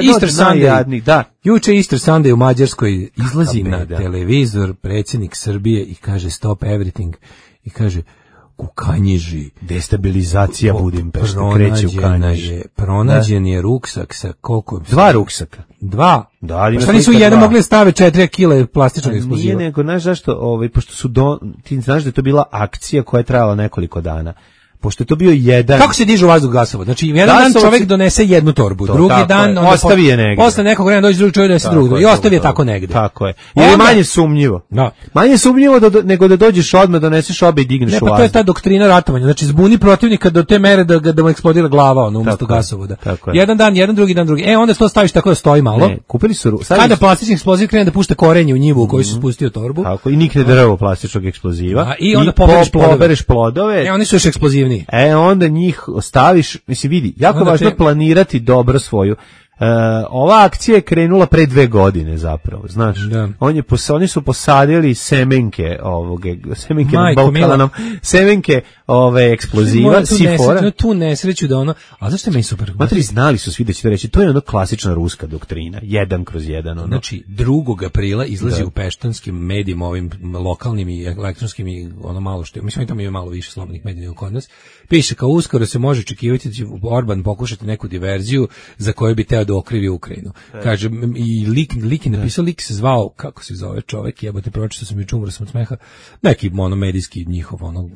Easter Sunday, da, juče Easter Sunday u Mađarskoj izlazi na televizor predsjednik Srbije i kaže stop everything i kaže Kukanjiži. Destabilizacija Budimpešte kreće u Kanjiži. Pronađen je ruksak sa koliko? Dva ruksaka. Dva? Da, ali pa šta nisu jedan mogli stave četiri kile plastičnog eksploziva? Nije nego, znaš zašto, ovaj, pošto su, do, ti znaš da je to bila akcija koja je trajala nekoliko dana. Pošto je to bio jedan... Kako se dižu vazduh gasova? Znači, jedan Gasovac... dan čovjek donese jednu torbu, to, drugi dan... Je. Ostavi je negdje. Posle nekog vremena dođe drugi čovjek donese drugu i ostavi je tako negdje. Tako je. Jer je manje sumnjivo. Da. Manje sumnjivo da, nego da dođeš odmah, doneseš obe i digneš ne, u vazduh. Ne, pa to je ta doktrina ratovanja. Znači, zbuni protivnika do te mere da, da mu eksplodira glava, ono, umjesto gasovoda. Jedan dan, jedan drugi dan, drugi. E, onda to staviš tako da stoji malo. Ne, kupili su... Kada plastični eksploziv krene da pušta korenje u njivu u kojoj su spustio torbu. Tako, i nikne drvo plastičnog eksploziva. A, i onda pobereš plodove. E, oni su još eksplozivniji. E, onda njih ostaviš, mislim vidi, jako je važno te... planirati dobro svoju. Uh, ova akcija je krenula pre dve godine zapravo, znaš. Da. On je pos, oni su posadili semenke ovog semenke na Balkanom, semenke ove eksploziva, sifora. Tu nesreću da ono, a zašto je meni super? Matri znali su svi da će to reći, to je ono klasična ruska doktrina, jedan kroz jedan. Ono. Znači, drugog aprila izlazi da. u peštanskim medijima, ovim lokalnim i elektronskim i ono malo što, mislim, tamo ima malo više slobodnih medija nego kod nas, piše kao uskoro se može očekivati da će Orban pokušati neku diverziju za koju bi teo da okrivi Ukrajinu. Kaže, i lik, lik je napisao, lik se zvao, kako se zove čovek, jebote, pročitao sam juče, umro sam od smeha, neki monomedijski njihov ono,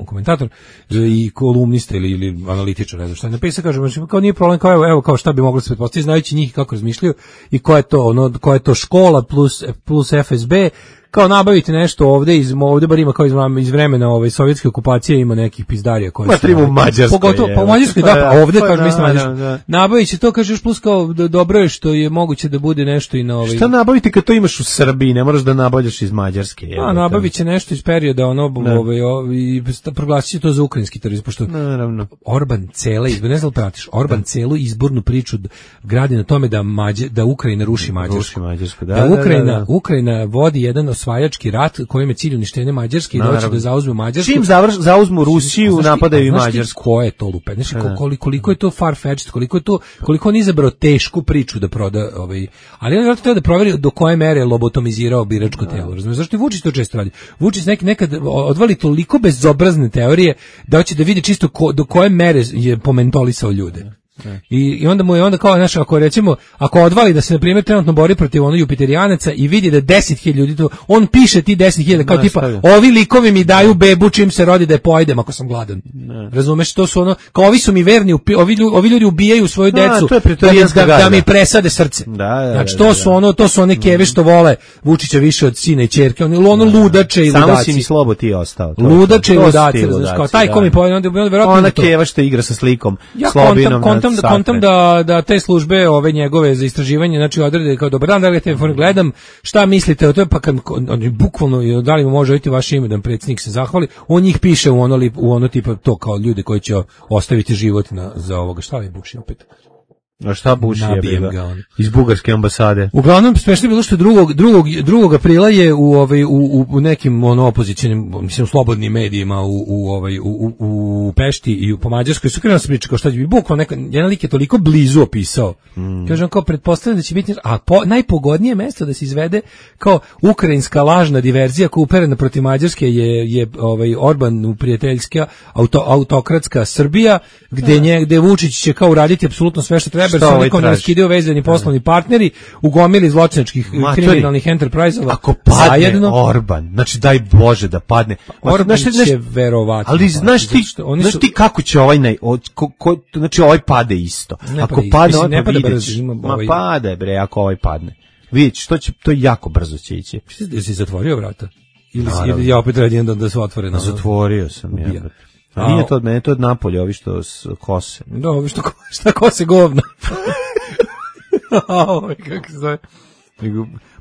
komentator i kolumnista ili, ili analitičar, ne znam šta je napisao, kaže, kao nije problem, kao evo, evo kao šta bi moglo se pretpostaviti, znajući njih kako razmišljaju i koja je to, ono, koja je to škola plus, plus F S B, kao nabaviti nešto ovde iz ovde bar ima kao iz, iz vremena ove sovjetske okupacije ima nekih pizdarija koje su u Mađarskoj pogotovo pa u Mađarskoj da pa ovde kaže mislim da nabaviće to kažeš plus kao da dobro je što je moguće da bude nešto i na ovaj šta nabaviti kad to imaš u Srbiji ne moraš da nabavljaš iz Mađarske je a nabaviće nešto iz perioda ono ovaj i proglasiće to za ukrajinski terorizam pošto naravno Orban cela izbor ne znam pratiš Orban celu izbornu priču gradi na tome da Mađe, da Ukrajina ruši Mađarsku da, da Ukrajina Ukrajina vodi jedan osvajački rat kojim je cilj uništenje Mađarske i doći da zauzmu Mađarsku. Čim završ, zauzmu Rusiju, znaš, napadaju i Mađarsku. Ko je to lupe? Znači, koliko, koliko je to far-fetched, koliko je to, koliko on izabrao tešku priču da proda, ovaj, ali on je treba da proveri do koje mere je lobotomizirao biračko telo. Razumiješ? Zašto i Vučić to često radi? Vučić neki nekad odvali toliko bezobrazne teorije da hoće da vidi čisto ko, do koje mere je pomentolisao ljude. I, I onda mu je onda kao, znaš, ako recimo, ako odvali da se, na primjer, trenutno bori protiv ono Jupiterijanaca i vidi da deset hiljada ljudi to, on piše ti deset hiljada kao tipa, ovi likovi mi daju bebu čim se rodi da je pojedem ako sam gladan. Ne. Razumeš, to su ono, kao ovi su mi verni, ovi ljudi, ovi ljudi ubijaju svoju decu da, da, da, da mi presade srce. Da, da, znači, to su ono, to su one keve što vole Vučića više od sina i ćerke, ono, ono ludače i ludaci. Samo si mi slobo ti ostao. To, ludače i ludaci, znaš, kao taj ko mi pojedem, onda, onda verovatno ona keva što igra sa slikom, ja Slobinom. Kontam, da kontam da da te službe ove njegove za istraživanje znači odrede kao dobar dan da li telefon gledam šta mislite o tome pa kad oni bukvalno da li može biti vaše ime da predsjednik se zahvali on njih piše u ono li, u ono tipa to kao ljude koji će ostaviti život na za ovoga šta je Buši opet. A šta Buši je iz bugarske ambasade? Uglavnom smešno je bilo što drugog drugog drugog aprila je u ovaj u, u nekim ono opozicionim mislim slobodnim medijima u u ovaj u, u, u Pešti i u po Mađarskoj su krenuli pričati kao šta će biti bukvalno neka jedan lik je toliko blizu opisao. Mm. Kažem kao pretpostavljam da će biti a po, najpogodnije mesto da se izvede kao ukrajinska lažna diverzija koja uperena protiv Mađarske je je ovaj Orban u prijateljska auto, autokratska Srbija gde nje gde Vučić će kao uraditi apsolutno sve što treba. Jer su nikom ne raskidio vezani poslovni partneri ugomili zločinačkih kriminalnih enterprise-ova. Ako padne zajedno, Orban, znači daj Bože da padne. Orban znači, će neš, verovatno. Ali znaš ti, oni znaš su, ti kako će ovaj, naj, ko, ko, znači ovaj pade isto. Ne ako padne, padne, mislim, ne pada brzo. Ma ovaj... pade bre, ako ovaj padne. Vidiš, to, će, to jako brzo će ići. Jesi zatvorio vrata? Ili, ili ja opet radim da, da su otvorene? Zatvorio sam, ja. A nije to od mene, to od Napolja, ovi što kose. Da, ovi što šta kose govna. Ovo, kako se zove.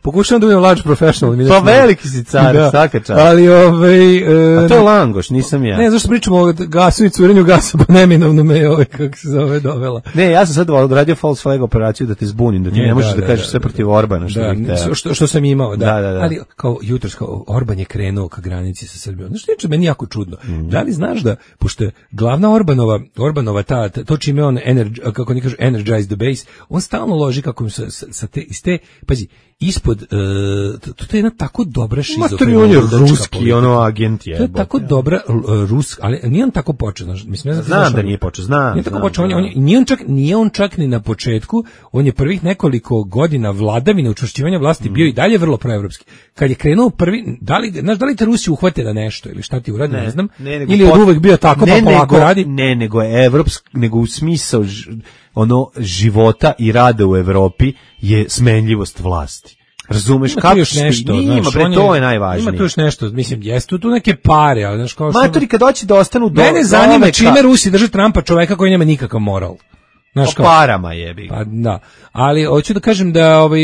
Pokušavam da budem large professional. Pa veliki si car, da. Svaka čast. Ali ovaj... Uh, a to je Langoš, nisam ja. Ne, zašto pričamo o gasu i curenju gasa, pa neminovno me ovaj, kako se zove, dovela. Ne, ja sam sad odradio false flag operaciju da te zbunim, da ti ne, ne možeš da, da kažeš da, sve protiv Orbana. Što, da, što, što sam imao, da. da, da, da. Ali kao jutros, kao Orban je krenuo ka granici sa Srbijom. Znaš, što je meni jako čudno. Mm. Da li znaš da, pošto je glavna Orbanova, Orbanova ta, to čime on, energy, kako ne kažu, energize the base, on stalno loži kako sa, sa, sa te, iz te, pazi, ispod, uh, to, to je jedna tako dobra šizofrena. On je ruski, ono agent je. To je tako dobra uh, ruska, ali nije on tako počeo. Mislim, ja znam da nije počeo, znam. Nije tako znam, počeo, on, on, nije, on čak, nije on čak ni na početku, on je prvih nekoliko godina vladavine, učvršćivanja vlasti, mm. bio i dalje vrlo proevropski. Kad je krenuo prvi, da li, znaš, da li te Rusi uhvate da nešto, ili šta ti uradi, ne, ne znam, ne, ili je uvek bio tako, ne, pa polako nego, radi? Ne, nego je evropski, nego u smisao ono života i rada u Evropi je smenljivost vlasti. Razumeš ima kako još nešto, ima, znaš, bre, to je najvažnije. Ima tu još nešto, mislim, jeste tu neke pare, ali znaš kao što... Matori kad doći da ostanu do... Mene zanima do čime Rusi drže Trumpa, čoveka koji nema nikakav moral. Znaš kao, parama jebi. Pa da, ali hoću da kažem da ovaj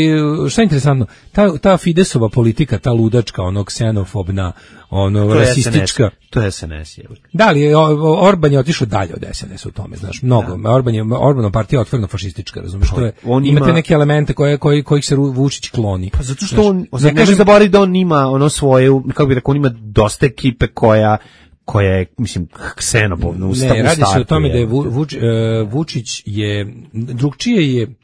šta je interesantno, ta ta Fidesova politika, ta ludačka, ono ksenofobna, ono rasistička, to je S N S je. Da li je Orban je otišao dalje od S N S u tome, znaš, mnogo. Da. Orban je Orbanova partija otvoreno fašistička, razumeš, to je. On imate ima... neke elemente koje koji kojih se Vučić kloni. Pa zato što znaš, on, ne kažem, kažem zaboravi da on ima ono svoje, kako bih rekao, on ima dosta ekipe koja koja je, mislim, ksenofobna u stavu. Ne, radi se o tome da je Vuč, uh, Vučić je, drugčije je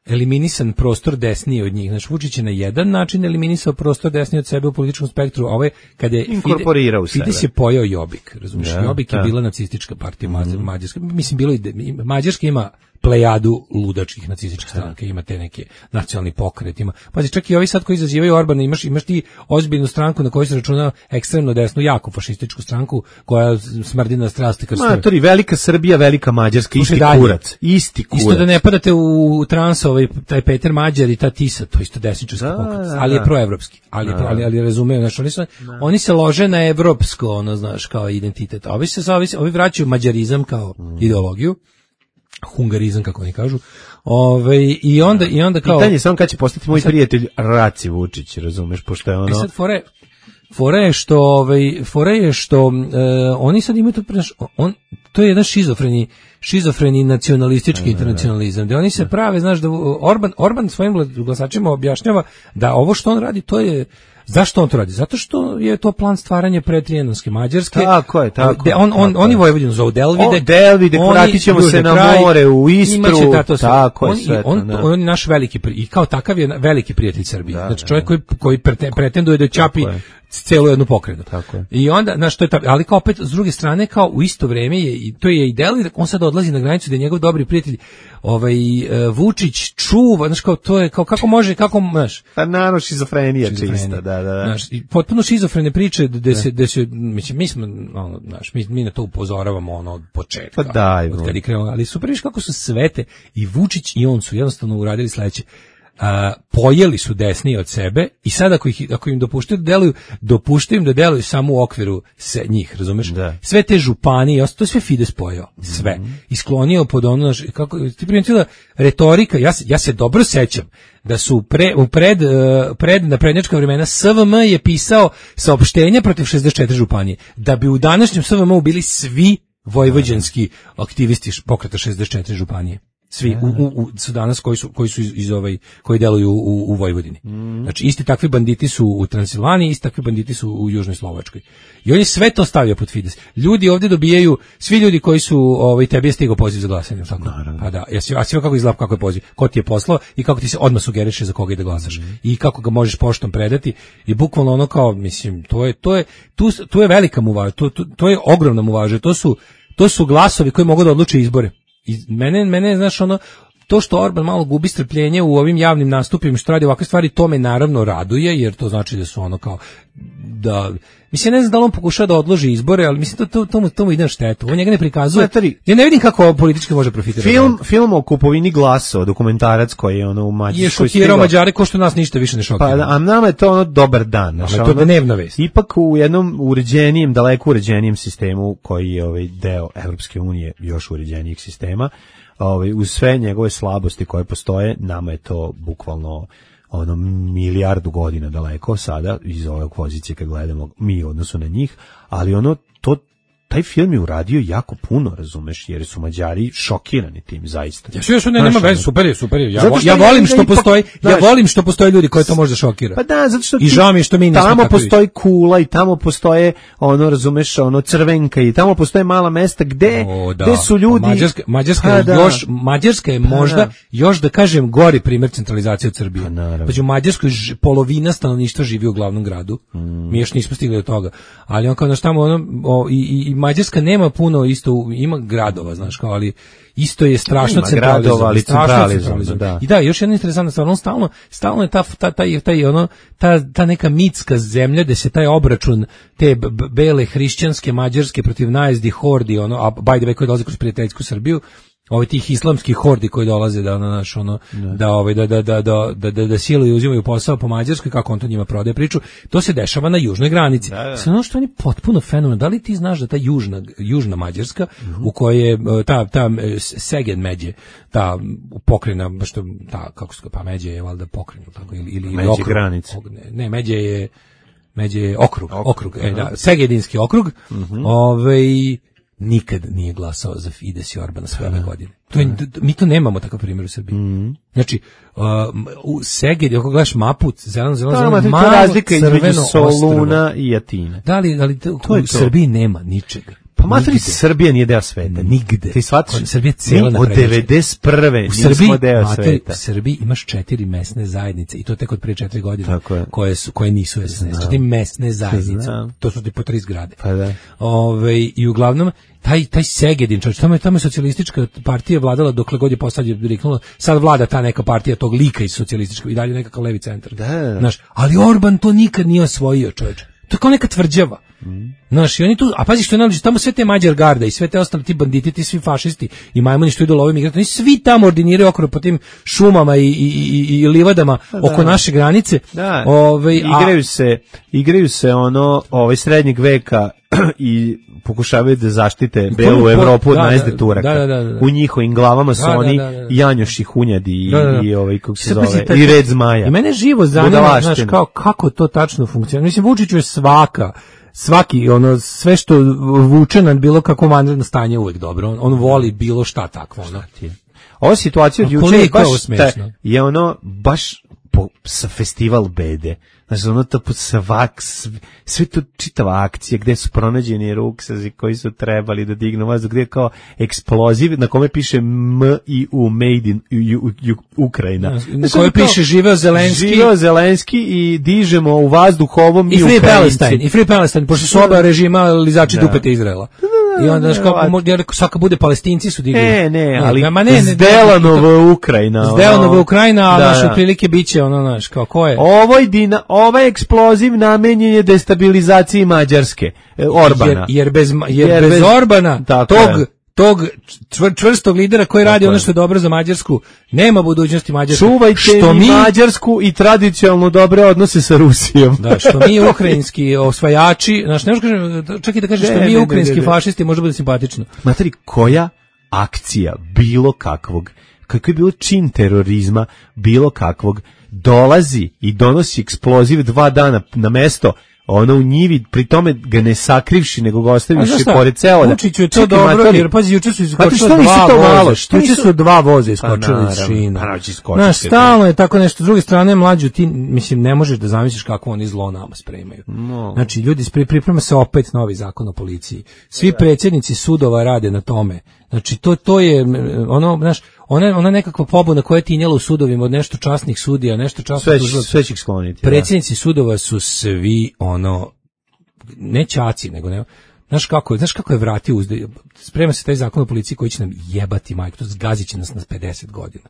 eliminisan prostor desnije od njih. Znači, Vučić je na jedan način eliminisao prostor desnije od sebe u političkom spektru, a ovaj, kada je inkorporirao u sebe. Fides je pojao Jobbik, razumiješ? Ja, Jobbik je bila nacistička partija, mm-hmm. Mađarska. Mislim, bilo i, Mađarska ima plejadu ludačkih nacističkih stranaka, ima te neke nacionalni pokret, ima. Pazi, čak i ovi sad koji izazivaju Orbana, imaš, imaš ti ozbiljnu stranku na kojoj se računa ekstremno desnu, jako fašističku stranku koja smrdi na strasti krstove. Matori, velika Srbija, velika Mađarska, isti kurac, isti kurac. Isto da ne padate u trans, ovaj, taj Peter Mađar i ta Tisa, to isto desničarski pokret, ali je proevropski, ali, je pro, ali, ali razumeju, znači, oni, su, oni se lože na evropsko, ono, znaš, kao identitet, a ovi se, ovi, ovi vraćaju mađarizam kao mm. ideologiju, hungarizam, kako oni kažu. Ove, i onda i onda kao pitanje samo kad će postati moj sad, prijatelj Raci Vučić, razumeš, pošto je ono. I sad fore fore je što ovaj fore je što uh, oni sad imaju to on to je jedan šizofreni šizofreni nacionalistički internacionalizam. Da oni se prave, znaš, da Orban Orban svojim glasačima objašnjava da ovo što on radi to je. Zašto on to radi? Zato što je to plan stvaranja pretrijanonske Mađarske. Tako je, tako. De, on, on, tako oni Vojvodinu zovu Delvide. O, Delvide, vratit ćemo se na kraj, more, u Istru. Tato, tako on, je sve. On, on, on je naš veliki, i kao takav je veliki prijatelj Srbije. Da, znači čovjek koji, koji pretenduje da čapi celu jednu pokretu. Tako je. I onda, znaš, to je ta, ali kao opet, s druge strane, kao u isto vreme, je, i to je i Delvide, on sad odlazi na granicu da je njegov dobri prijatelj ovaj uh, Vučić čuva, znaš, kao to je, kao kako može, kako, znaš. Pa naravno šizofrenija čista, da, da, da. Znaš, potpuno šizofrene priče da se, da se, mislim, mi smo, ono, znaš, mi, mi na to upozoravamo, ono, od početka. Pa daj, od kad je krenuo, ali super, viš kako su svete, i Vučić i on su jednostavno uradili sledeće. Uh, pojeli su desnije od sebe i sad ako, ih, ako im dopuštaju da deluju, dopuštaju im da deluju samo u okviru se, njih, razumeš? Da. Sve te županije, to je sve Fides pojao, sve. Mm-hmm. Isklonio pod ono, kako, ti primetila retorika, ja se, ja se dobro sećam da su pre, u pred, pred naprednjačka vremena S V M je pisao saopštenja protiv šezdeset četiri županije, da bi u današnjem S V M-u bili svi vojvođanski aktivisti pokreta šezdeset četiri županije. Svi u, u, u, su danas koji su koji su iz, iz ovaj koji deluju u, u Vojvodini. Mm. Znači isti takvi banditi su u Transilvaniji, isti takvi banditi su u Južnoj Slovačkoj. I on je sve to stavio pod Fides. Ljudi ovdje dobijaju, svi ljudi koji su, ovaj, tebi je stigao poziv za glasanje, tako? Naravno. Pa da, jesi, a sve kako izgleda, kako je poziv, ko ti je poslao i kako ti se odmah sugeriše za koga ide glasaš. Mm. I kako ga možeš poštom predati i bukvalno ono kao, mislim, to je, to je, tu, tu je velika muvaža, to, to, to je ogromna muvaža, to su, to su glasovi koji mogu da odluče izbore. I mene, mene, znaš, ono, to što Orban malo gubi strpljenje u ovim javnim nastupima, što radi ovakve stvari, to me naravno raduje, jer to znači da su ono kao, da mislim ne znam da li on pokušava da odloži izbore, ali mislim to to to mu, to mu ide na štetu. On njega ne prikazuje. Materi, ja ne vidim kako politički može profitirati. Film film o kupovini glasova, dokumentarac koji je ono u Mađarskoj. Je šokirao Mađare ko što nas ništa više ne šokira. Pa a nama je to ono dobar dan, znači to je dnevna vest. Ipak u jednom uređenijem, daleko uređenijem sistemu koji je ovaj deo Evropske unije, još uređenijeg sistema, ovaj uz sve njegove slabosti koje postoje, nama je to bukvalno ono milijardu godina daleko sada iz ove pozicije kad gledamo mi u odnosu na njih, ali ono to taj film je uradio jako puno, razumeš, jer su Mađari šokirani tim zaista. Ja sve što ne nema veze, super je, super je. Ja, ja volim što postoji, ja volim što postoje ljudi koji to može da šokira. Pa da, zato što i žao mi što mi nismo tamo postoji kula i tamo postoje ono, razumeš, ono Crvenka i tamo postoje mala mesta gde o, da. gde su ljudi. Mađarska, Mađarska je još Mađarska je možda da. još da kažem gori primjer centralizacije od Srbije. Pa u Mađarskoj polovina stanovništva živi u glavnom gradu. Mm. Mi još nismo stigli do toga. Ali on kao na tamo ono o, i, i Mađarska nema puno isto, ima gradova, znaš, kao, ali isto je strašno centralizovano, centralizovano. Da. I da, još jedna interesantna stvar, on stalno, stalno je ta, ta, taj, taj, ono, ta, ta neka mitska zemlja gde se taj obračun te b- bele hrišćanske Mađarske protiv najezdi hordi, ono, a by the way koji dolaze kroz prijateljsku Srbiju, ovaj tih islamskih hordi koji dolaze da na naš ono da, da ovaj da da da da da da, da siluju i uzimaju posao po Mađarskoj, kako on to njima prodaje priču, to se dešava na južnoj granici. Da, da. Sve ono što oni potpuno fenomenalno. Da li ti znaš da ta južna južna Mađarska uh-huh. u kojoj je ta ta Szeged međe, ta pokrajina što ta kako se pa međe je valjda pokrajina tako ili ili međe okrug, granice. Ne, ne, međe je međe je okrug, okrug, okrug uh-huh. e, da, Segedinski okrug. Uh-huh. Ovaj nikad nije glasao za Fides i Orbana sve ove godine. To je, mi to nemamo takav primjer u Srbiji. Mm. Znači, uh, u Segedi, ako gledaš mapu, zeleno, zeleno, zeleno, to malo razlika između Soluna i Atine. Da li, ali to, to u to. Srbiji nema ničega. Pa materi, Srbija nije deo sveta. Nigde. Ti shvataš? Srbija cijela od devedeset prve nismo Srbiji, deo materi, sveta. U Srbiji imaš četiri mesne zajednice i to tek od prije četiri godine koje su koje nisu S N S. To ti mesne zajednice. Znam. To su ti po tri zgrade. Pa da. Ove, i uglavnom taj taj Segedin, čovječ, tamo je tamo je socijalistička partija vladala dokle god je poslije riknulo. Sad vlada ta neka partija tog lika iz socijalističkog i dalje nekakav levi centar. Da, da. Znaš, ali Orban to nikad nije osvojio, čovječ. To je kao neka tvrđava. Mm. Znaš, i oni tu, a pazi što je najluđe, tamo sve te Mađar garda i sve te ostali ti banditi, ti svi fašisti i majmuni što idu love migrante, oni svi tamo ordiniraju okolo po tim šumama i, i, i, i livadama da, oko naše granice. Da, ove, igraju a, se, igraju se ono, ovaj srednjeg veka i pokušavaju da zaštite belu Evropu od najezde Turaka. Da, da, da. U njihovim glavama su da, oni da, da, da. Janjoši hunjadi i, da, da. i ovaj, kako se zove, taj, i red zmaja. I mene živo zanima, znaš, kao, kako to tačno funkcionira. Mislim, Vučiću je svaka, svaki, ono, sve što vuče na bilo kako vanredno stanje uvek dobro. On, on voli bilo šta takvo. Ono. Ova situacija od juče je baš ta, je ono, baš po, sa festival bede. Znači, ono to svak, sve to čitava akcija gde su pronađeni ruksazi koji su trebali da dignu vazduh, gde je kao eksploziv na kome piše M I U, Made in u, u, u, Ukrajina. Na kome piše živeo Zelenski. Živeo Zelenski i dižemo u vazduh ovo mi I Free Palestine, i Free Palestine, pošto su oba režima lizači da. Dupete Izraela. I onda znaš kako svaka bude Palestinci su digli. Ne, ne, ali ne, ne, Zdelanova Ukrajina. Zdelanova Ukrajina, a naše prilike biće ono, znaš, kao ko je. Ovoj dina, ovaj eksploziv namenjen je destabilizaciji Mađarske, Orbana. Jer, jer bez jer, jer bez, bez Orbana tog je. tog čvr, čvrstog lidera koji tako radi je. Ono što je dobro za Mađarsku, nema budućnosti Mađarske. Čuvajte što mi Mađarsku i tradicionalno dobre odnose sa Rusijom. Da, što mi ukrajinski osvajači, znači ne možeš kažem, čak i da kažeš što mi ukrajinski fašisti može bude simpatično. Materi, koja akcija bilo kakvog, kako je bilo čin terorizma bilo kakvog, dolazi i donosi eksploziv dva dana na mesto, ono u njivi, pri tome ga ne sakrivši, nego ga ostavivši pored celoda. Vučiću je to čekaj, dobro, matori, jer pazi, juče su iskočili dva voza. Juče su dva voza iskočili iz šina. Znaš, stalno je tako nešto. S druge strane, mlađu, ti, mislim, ne možeš da zamisliš kako oni zlo nama spremaju. No. Znači, ljudi, priprema se opet novi zakon o policiji. Svi da. predsjednici sudova rade na tome. Znači, to, to je, ono, znaš, ona, ona nekakva pobuna koja je tinjela u sudovima od nešto časnih sudija, nešto časnih tužilaca. Sve će ih skloniti. Predsjednici da. sudova su svi, ono, ne ćaci, nego ne, znaš kako, znaš kako je vratio uzde, sprema se taj zakon o policiji koji će nam jebati majku, to zgazit će nas na pedeset godina.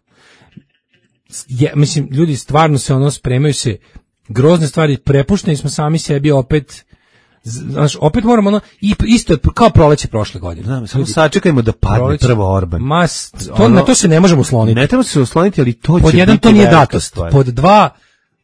Je, mislim, ljudi stvarno se ono, spremaju se grozne stvari, prepušteni smo sami sebi opet. Znaš, opet moramo ono, i isto je kao proleće prošle godine. Znam, samo sačekajmo da padne proleće, prvo Orban. Ma, to, ono, na to se ne možemo osloniti. Ne trebamo se osloniti, ali to pod će jedan, biti to nije velika datost. stvar. Pod dva,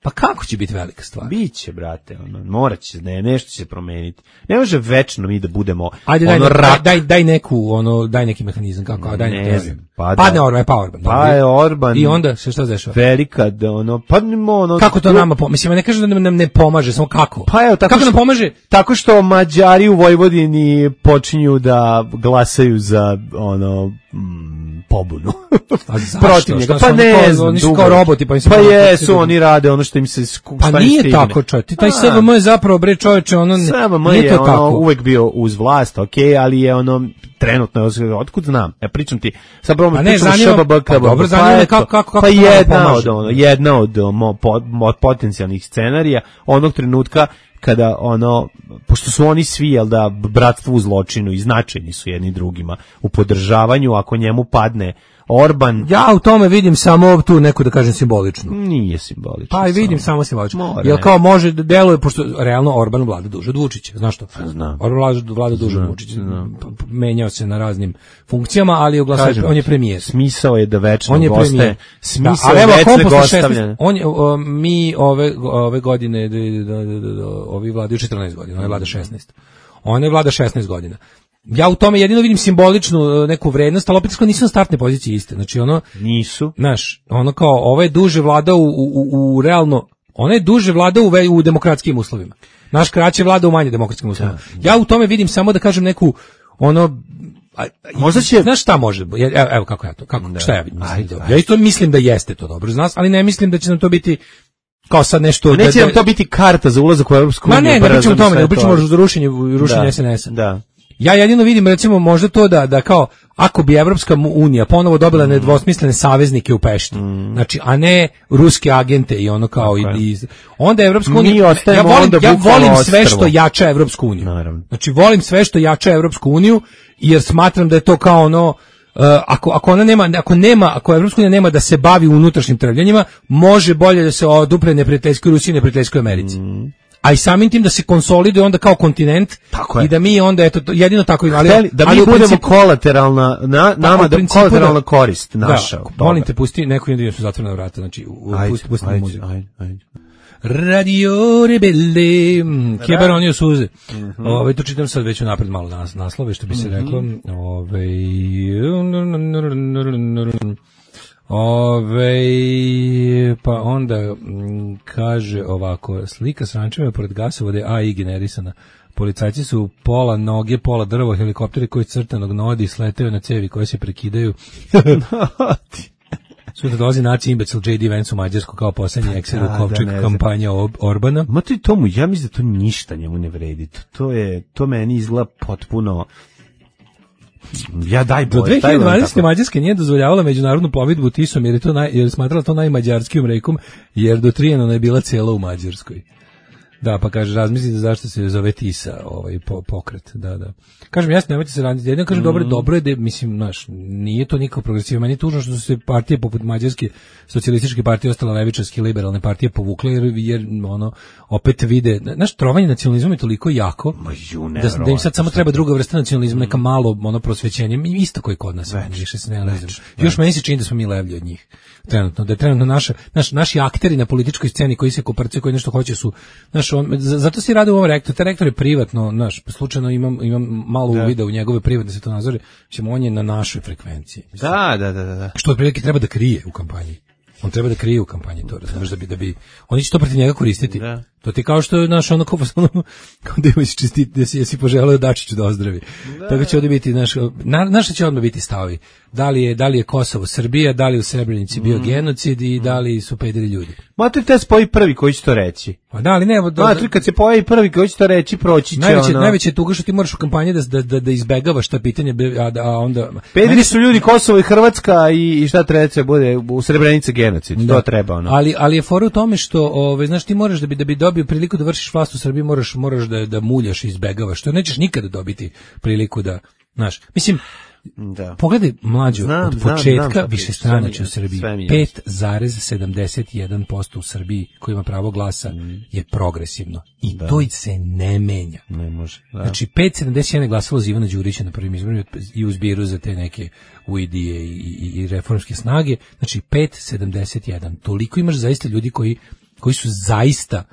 pa kako će biti velika stvar? Biće, brate, ono, morat će, ne, nešto će se promeniti. Ne može večno mi da budemo Ajde, ono daj, rak. Daj, daj neku, ono, daj neki mehanizam, kako, a daj ne neki znam, pa padne Orban, pa Orban. Pa je Orban. I onda se šta dešava? Velika, da ono, pa ono... Kako to nama pomaže? Mislim, ne kažem da nam ne pomaže, samo kako? Pa evo, tako kako što, nam pomaže? Tako što Mađari u Vojvodini počinju da glasaju za, ono, mm, pobunu. Protiv njega. Pa ne znam, oni su kao roboti, pa im se pa jesu, oni rade ono što im se pa nije stigne. Tako, čovječ. Ti taj S V M je zapravo, bre, čovječe, ono, S V M nije je to ono, tako. uvek bio uz vlast, okej, okay, ali je ono, trenutno, otkud znam, ja pričam ti, sad prvo ne, zanima, pa dobro, zanima me kako, kako, kako pa jedna od, ono, jedna od mo, po, mo, potencijalnih scenarija, onog trenutka kada ono, pošto su oni svi, jel da, bratstvo u zločinu i značajni su jedni drugima u podržavanju, ako njemu padne Orban. Ja u tome vidim samo tu neku, da kažem, simboličnu. Nije simbolično. Pa i vidim samo, samo simbolično. Jer kao može da deluje, pošto realno Orban vlada duže od Vučića, znaš što? Znam. Orban vlada, vlada duže od Vučića. Menjao se na raznim funkcijama, ali u glasu, on je premijer. Smisao je da večno on je goste. Smisao da, je večnog gostavljanja. On je, o, mi ove, ove godine, do, do, do, do, ovi vladaju četrnaest godina, on je vlada šesnaest. On je vlada šesnaest godina. Ja u tome jedino vidim simboličnu neku vrednost, ali opet nisu na startne pozicije iste. Znači ono nisu. Znaš, ono kao ovo je duže vlada u, u, u realno, ona je duže vlada u, u demokratskim uslovima. Naš kraće vlada u manje demokratskim uslovima. Da. Ja u tome vidim samo da kažem neku ono a, možda će, znaš šta može? Evo, evo kako ja to, kako da. Šta ja vidim? Ajde, ajde. Ja isto mislim da jeste to dobro za nas, ali ne mislim da će nam to biti kao sad nešto. Neće nam to biti karta za ulazak u Evropsku uniju. Ma ne, ne pričamo o tome, ne pričamo o rušenju, rušenju S N S-a. Da. Ja jedino vidim, recimo, možda to da, da kao, ako bi Evropska unija ponovo dobila mm. nedvosmislene saveznike u Pešti, mm. znači, a ne ruske agente i ono kao, i, i, onda Evropska unija, ja volim, ja volim sve što jača Evropsku uniju. Naravno. Znači, volim sve što jača Evropsku uniju, jer smatram da je to kao ono, uh, ako, ako ona nema, ako nema, ako Evropska unija nema da se bavi unutrašnjim trvljanjima, može bolje da se odupre neprijateljskoj Rusiji i neprijateljskoj Americi. Mm. A i samim tim da se konsoliduje onda kao kontinent i da mi onda eto jedino tako ali, ali da mi ali budemo principu, kolateralna na, nama da kolateralna da, korist naša. Da, molim te pusti neku jedinu su zatvorena vrata, znači pusti pusti muziku. Ajde, ajde. Radio Rebelde, Kebaronio suze. Mm-hmm. Ovaj to čitam sad već napred malo nas naslove što bi se reklo. Ovaj Ove, pa onda m, kaže ovako, slika s rančevima pored gasovode A I generisana. Policajci su pola noge, pola drvo, helikopteri koji crtanog nodi sletaju na cevi koje se prekidaju. Sutra dolazi naci imbecil J D Vance u Mađarsku kao posljednji Excel u kovčeg kampanja Orbana. Ma to i tomu, ja mislim da to ništa njemu ne vredi. To je, to meni izgleda potpuno... Ja daj do dve hiljade dvanaeste. Mađarska nije dozvoljavala međunarodnu plovidbu Tisom jer je to naj, jer smatrala to najmađarskijom rekom jer do Trijanona je bila cijela u Mađarskoj. Da, pa kaže, razmislite zašto se zove Tisa, ovaj po, pokret, da, da. Kažem, jasno, nemojte se raditi, jedino kažem, mm. dobro, dobro je da, mislim, znaš, nije to nikako progresivno, meni je tužno što su se partije poput Mađarske socijalističke partije, ostale levičarske liberalne partije povukle, jer, jer ono, opet vide, znaš, trovanje nacionalizmom je toliko jako, ju, ne, da, da im sad samo treba druga vrsta nacionalizma, neka malo, ono, prosvećenje, isto koji kod nas, već, više se ne lezim. Još meni se čini da smo mi levlji od njih, trenutno, da je trenutno naša, naš, naši akteri na političkoj sceni koji se koprcaju, koji nešto hoće su, znaš, on, zato se radi u ovom rektoru, taj rektor je privatno, naš, slučajno imam, imam malo da. uvida u njegove privatne se to nazore, ćemo, on je na našoj frekvenciji. Mislim, da, da, da, da. Što otprilike treba da krije u kampanji. On treba da krije u kampanji to, razumeš, da bi, da bi, oni će to protiv njega koristiti. Da. To ti kao što je naš ono kao, ono, kao da imaš čestiti, da si, jesi poželeo Dačiću da ozdravi. Da. Tako će ovdje biti, naš, na, naša će odmah biti stavovi. Da li je, da li je Kosovo Srbija, da li u Srebrenici bio mm. genocid i da li su pederi ljudi. Matri te spoji prvi koji će to reći. Pa da, ali ne, do, Matri kad se pojavi prvi koji će to reći, proći će najveće, ono. Najveće je tuga što ti moraš u kampanji da, da, da, da izbegavaš ta pitanja, a, a onda... Pederi su ljudi Kosovo i Hrvatska i, i šta treba se bude u Srebrenici genocid, da. To treba ono. Ali, ali je fora u tome što, ove, znaš, ti moraš da bi, da bi dobio priliku da vršiš vlast u Srbiji, moraš, moraš da, da muljaš i izbegavaš, to nećeš nikada dobiti priliku da, znaš, mislim, Da. Pogledaj mlađu, znam, od početka više stranača u Srbiji, pet zarez sedamdeset jedan posto u Srbiji koji ima pravo glasa mm. je progresivno. I da. To se ne menja. Ne može. Da. Znači, pet zarez sedamdeset jedan je glasalo za Ivana Đurića na prvim izborima i u zbiru za te neke uidije i, i, i reformske snage. Znači, pet zarez sedamdeset jedan. Toliko imaš zaista ljudi koji, koji su zaista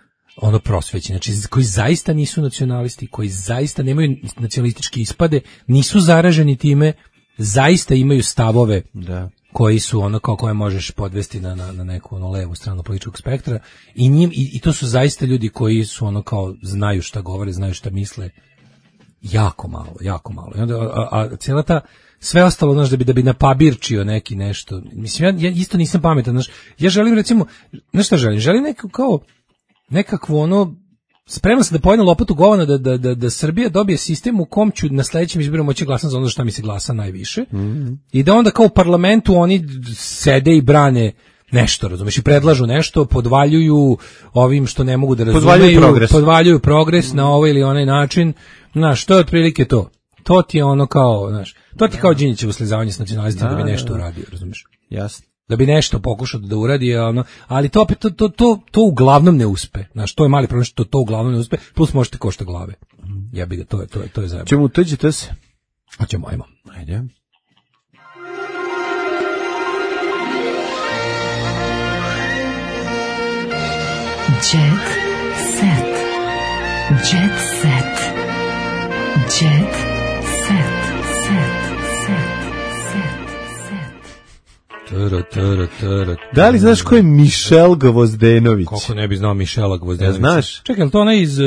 ono prosvećeni, znači koji zaista nisu nacionalisti, koji zaista nemaju nacionalističke ispade, nisu zaraženi time, zaista imaju stavove da. Koji su ono kao koje možeš podvesti na, na, na neku ono levu stranu političkog spektra i, njim, i, i to su zaista ljudi koji su ono kao znaju šta govore, znaju šta misle, jako malo, jako malo. I onda, a, a cijela ta sve ostalo, znaš, da bi, da bi napabirčio neki nešto, mislim, ja, ja isto nisam pametan, znaš, ja želim recimo, znaš šta želim, želim neko kao nekakvo ono, spreman sam da pojedem lopatu govana da, da, da, da Srbija dobije sistem u kom ću na sledećem izboru moći glasati za ono što mi se glasa najviše mm-hmm. i da onda kao u parlamentu oni sede i brane nešto, razumeš, i predlažu nešto, podvaljuju ovim što ne mogu da razumeju, podvaljuju progres, podvaljuju progres mm-hmm. na ovaj ili onaj način, znaš, to je otprilike to. To ti je ono kao, znaš, to ti kao Đinđićevo slizavanje s nacionalistima da, da bi nešto uradio, razumeš? Jasno. Da bi nešto pokušao da uradi, ono, ali to opet to, to, to, to uglavnom ne uspe. Znaš, to je mali problem što to uglavnom ne uspe, plus možete košta glave. Ja bih ga, to je, to je, to je zajebano. Čemu tuđite se? Hoćemo, ajmo. Ajde. Jet set. Jet set. Jet set. Tara, tara, tara. Da li znaš ko je Mišel Gvozdenović? Kako ne bi znao Mišela Gvozdenovića? Ja, znaš? Čekaj, je to ona iz...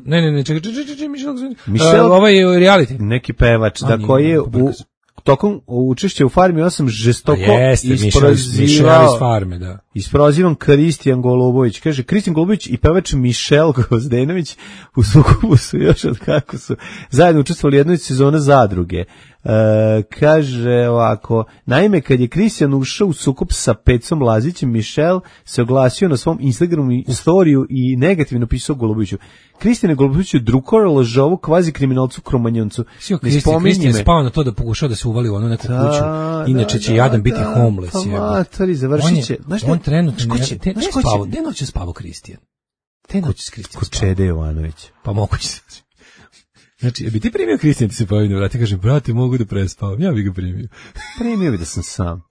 Ne, ne, ne, čekaj, čekaj, čekaj, Mišel Gvozdenović. Mišel, uh, ovaj reality. Neki pevač, da koji je u, tokom učešća u Farmi osam žestoko isprozivao... Mišel iz Farme, da. Isprozivan Kristijan Golubović. Kaže, Kristijan Golubović i pevač Mišel Gvozdenović u sukobu su još od kako su zajedno učestvovali jednoj sezoni Zadruge. E, kaže ovako, naime kad je Kristijan ušao u sukob sa Pecom Lazićem, Mišel se oglasio na svom Instagramu storiju i negativno pisao Goluboviću. Kristijan Golubović je drukor, lažovu, kvazi kriminalcu, kromanjoncu. Kristijan je spao na to da pokušao da se uvali u onu neku da, kuću. Inače da, će da, jadan biti da, homeless. Pa matori, završit će. On, on trenutno ne, te, ne spavo, gde noće spavo Kristijan? Te noće s Kristijan kod Čede Jovanović. Pa moguće se. Znači, bi ti primio Kristijan ti se pojavio, vrati, kažem, brate, mogu da prespavam, ja bih ga primio. Primio bi da sam sam.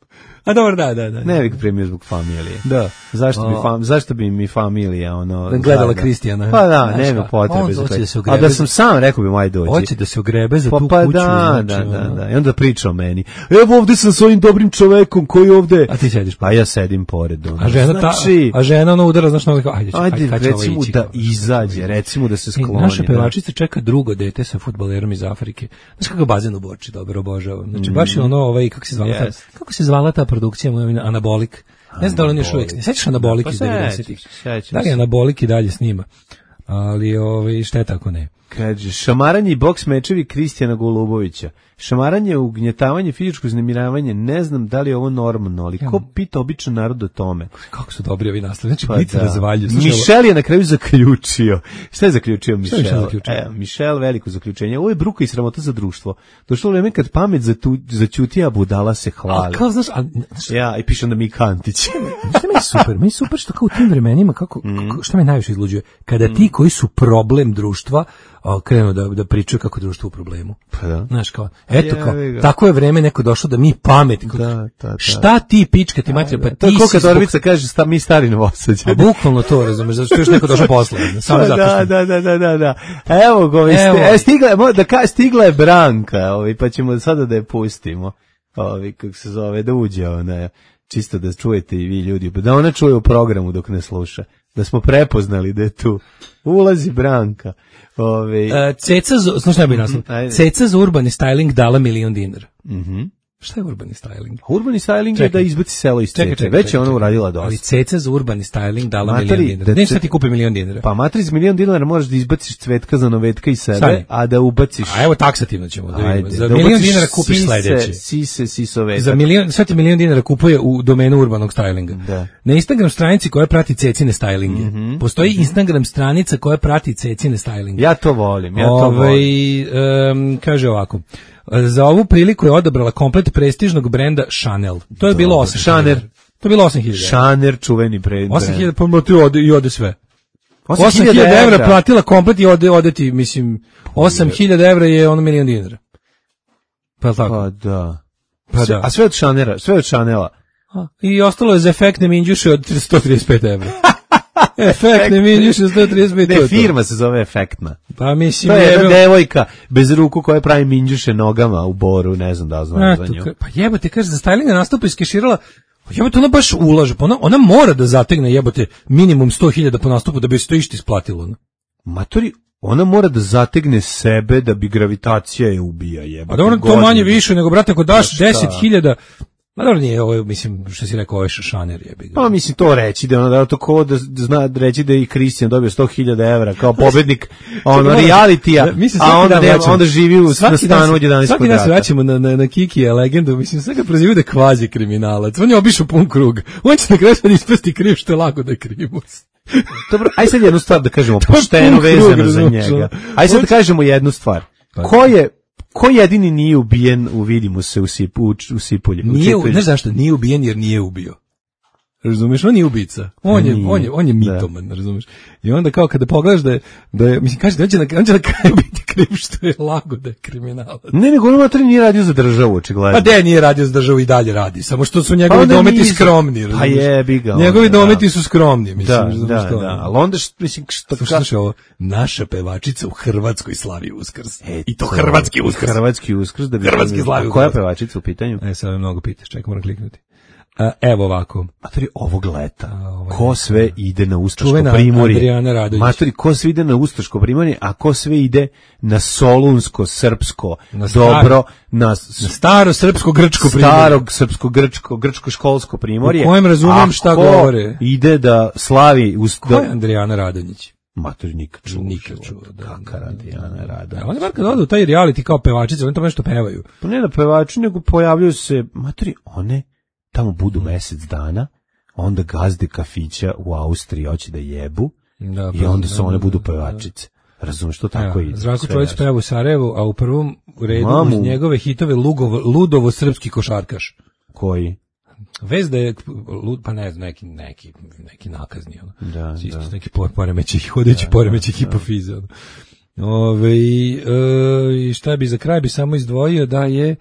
A dobro, da, da, da. Ne bih ga primio zbog familije. Da. Zašto bi, fam, zašto bi mi familija, ono... Gledala Kristijana. Pa da, nema potrebe za to. A da sam sam, rekao bi, maj dođi. Hoće da se ogrebe za pa, tu pa kuću. Da, da, da, da. I onda priča o meni. Evo ovde sam s ovim dobrim čovekom koji ovde... A ti sediš? Pa ja sedim pored. Ono. A žena, znači, ta, a žena ono udara, znaš, ono, ajde, ajde, ajde recimo da izađe, recimo da se skloni. Naša pevačica čeka drugo dete sa fudbalerom iz Afrike. Znaš kako bazen u Borči, dobro, obožavam. Znači, baš je ono, ovaj, kako se zvala ta, kako se zvala ta produkcija moja, Anabolik. Ne znam da li on još uvijek. Ne sećaš Anabolik iz devedesetih? Da li Anabolik i dalje snima? Ali ovaj, šta je tako ne? Kaže, šamaranje i boks mečevi Kristijana Golubovića. Šamaranje, ugnjetavanje, fizičko uznemiravanje, ne znam da li je ovo normalno, ali ko pita običan narod o tome? Kako su dobri ovi naslovi, znači pa biti da. Razvalju. Mišel je na kraju zaključio. Šta je zaključio Mišel? Je zaključio? E, Mišel, veliko zaključenje. Ovo je bruka i sramota za društvo. Došlo vreme kad pamet začuti, a budala se hvali. A kao, znaš, a, znaš, ja, i piše onda Mika Antić. Šta mi je super? Mi je super što kao u tim vremenima, kako, mm. kako, šta me najviše izluđuje? Kada mm. ti koji su problem društva, a, krenu da, da pričaju kako je društvo u problemu. Pa da. Znaš, kao, eto kao, tako je vreme neko došlo da mi pamet. Da, da, da. Šta ti pička ti mater, pa ti si... To kad Orvica kaže, sta, mi stari Novosađani. Pa bukvalno to, razumeš, zato što još neko došao posle. Samo zato što... Da, da, da, da, da. Evo go, Evo. Sti, stigla, da ka, stigla je Branka, ovi, pa ćemo sada da je pustimo. Ovi, kako se zove, da uđe ona, čisto da čujete i vi ljudi, da ona čuje u programu dok ne sluša. Da smo prepoznali da je tu. Ulazi Branka. Ove... Uh, Ceca, znaš šta bi naslov? Ceca za urbani styling dala milion dinara. Mhm. Šta je urbani styling? Urbani styling čekaj. Je da izbaci selo iz Ceca. Već je ona uradila dosta. Ali Ceca za urbani styling dala Matri, milion dinara. Da, ne šta ti kupi milion dinara. Pa matri za milion dinara možeš da izbaciš Cvetka za Novetka i sebe, Sani. A da ubaciš... A evo taksativno ćemo da vidimo. Za da milion dinara kupiš sise, sledeće. Sise, sisovetak. Za milion, sve ti milion dinara kupuje u domenu urbanog stylinga. Da. Na Instagram stranici koja prati Cecine stylinge. Mm -hmm. Postoji mm-hmm. Instagram stranica koja prati Cecine stylinge. Ja to volim, ja to Ove, volim. Um, kaže ovako. Za ovu priliku je odabrala komplet prestižnog brenda Chanel. To je bilo osam hiljada. To je bilo osam hiljada. Chanel čuveni brend. osam hiljada, pa ti ode, i ode sve. osam hiljada evra platila komplet i ode, ode ti, mislim, osam hiljada evra je ono milion dinara. Pa tako. Pa da. Pa da. A sve od Chanela, sve od Chanela. A, i ostalo je za efektne minđuše od sto trideset pet evra. Efektne minđuše sto trideset pet. Ne, firma se zove Efektna. Pa mislim, to je jedna devojka bez ruku koja pravi minđuše nogama u Boru, ne znam da znam za nju. Pa jebote, kaže, za stylinga nastupa iskeširala, jebote, ona baš ulaže, pa ona, ona mora da zategne, jebote, minimum sto hiljada po nastupu da bi se to išta isplatilo. No? Matori, ona mora da zategne sebe da bi gravitacija je ubija, jebote. A dobro, to manje više nego, brate, ako daš deset hiljada, ma dobro nije ovo, mislim, što si rekao, ovo je šaner jebi. Pa mislim to reći, da je ono da to ko da zna reći da je i Kristijan dobio sto hiljada evra kao pobednik ono realitija, a onda, ne, onda živi u stanu od jedanaest kvadrata. Svaki dan se vraćamo na, na, na Kikija legendu, mislim, sve ga prozivaju da je kvazi kriminalac, on je obišao pun krug, on će na kraju sad ispasti kriv što je lako da je krimus. Dobro, aj sad jednu stvar da kažemo, pošteno vezano za njega. Aj sad da kažemo jednu stvar. Ko je Ko jedini nije ubijen, uvidimo se u, sip, u, u Sipulje? Nije, znaš zašto? Nije ubijen jer nije ubio. Razumeš, on nije ubica. On je, on je, on je mitoman, da. Razumeš. I onda kao kada pogledaš da je, da je mislim, kaže da on će na, on će na kraju biti kriv što je lago da je kriminalac. Ne, nego on materi nije radio za državu, očigledno. Pa de, nije radio za državu i dalje radi, samo što su njegovi pa dometi nisu skromni. Razumeš. Pa jebi ga. Njegovi onda, dometi da. Su skromni, mislim. Da, razumeš, da, da, ali onda, mislim, što... Slušaj ovo, naša pevačica u Hrvatskoj slavi Uskrs. E, I to hrvatski Uskrs. Hrvatski Uskrs. Da bi hrvatski slavi Uskrs. Koja pevačica u pitanju? E, sad me mnogo pitaš, čekaj, moram kliknuti. A, evo ovako. Matori, ovog leta, ovo ko sve ide na Ustaško primorje? Adriana Radović. Matori, ko sve ide na Ustaško primorje, a ko sve ide na Solunsko, Srpsko, na star, dobro, na, na staro srpsko, grčko primorje. Starog srpsko, grčko, grčko školsko primorje. U kojem razumem šta govore. Ide da slavi... Ust... Ko je Adriana Radović? Matori, nikad čuo. Nikad čuo. Kakar Adriana Radović. Oni bar kad odu u taj reality kao pevačice, oni to nešto pevaju. Pa ne da pevači, nego pojavljaju se, matori, one... tamo budu mesec dana, onda gazde kafića u Austriji hoće da jebu da, i onda se one budu pevačice. Razumiješ, što tako ja, ide. Zdravko Čolić peva u Sarajevu, a u prvom redu Mamu. Uz njegove hitove Lugovo, Ludovo srpski košarkaš. Koji? Vez da je, pa ne znam, neki, neki, neki nakazni. Ono. Da, Isto da. neki poremećih, hodeći da, poremećih da, hipofize. Ono. Ove, e, šta bi za kraj bi samo izdvojio da je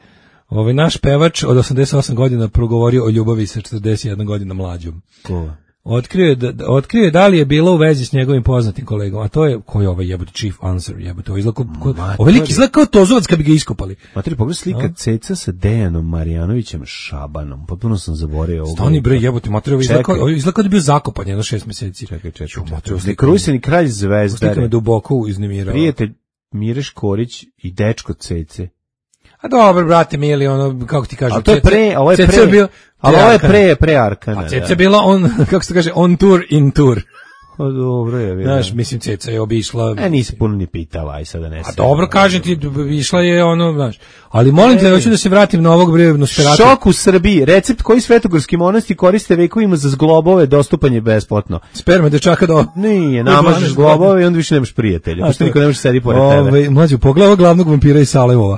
ovaj naš pevač od osamdeset osam godina progovorio o ljubavi sa četrdeset jedna godina mlađom. Ko? Otkrio je da, otkrio je da li je bilo u vezi s njegovim poznatim kolegom, a to je koji je ovaj jebote chief answer, jebote, ovaj izlako, ovaj lik izgleda kao Tozovac kad bi ga iskopali. Materi, pogledaj slika no. Ceca sa Dejanom Marjanovićem Šabanom, potpuno sam zaboravio ovo. Stani bre, jebote, materi, ovaj izlako, ovaj izlako da je bio zakopan jedno šest meseci. Čekaj, čekaj, čekaj. Kruseni kralj Zvezdare. Slika me duboko uznemirao. Prijatelj Mire Škorić i dečko Cece. A dobro, brate, mili, ono, kako ti kažem, a to je pre, ovo je pre, bio, ali ovo je pre, pre Arkana. A Ceca je bila on, kako se kaže, on tour, in tour. Pa dobro je, bilo. Znaš, mislim, Ceca je obišla... E, nisi puno ni pitala, aj sada ne se... A dobro, kažem ti, išla je ono, znaš, ali molim te, hoću da se vratim na ovog brevno Nosferatu. Šok u Srbiji, recept koji svetogorski monasti koriste vekovima za zglobove, dostupan je besplatno. Sperme dečaka do... Nije, namažeš zglobove i onda više nemaš prijatelja, pošto niko ne može sedi pored tebe. Ove, mlađu, pogledaj glavnog vampira iz Salevova.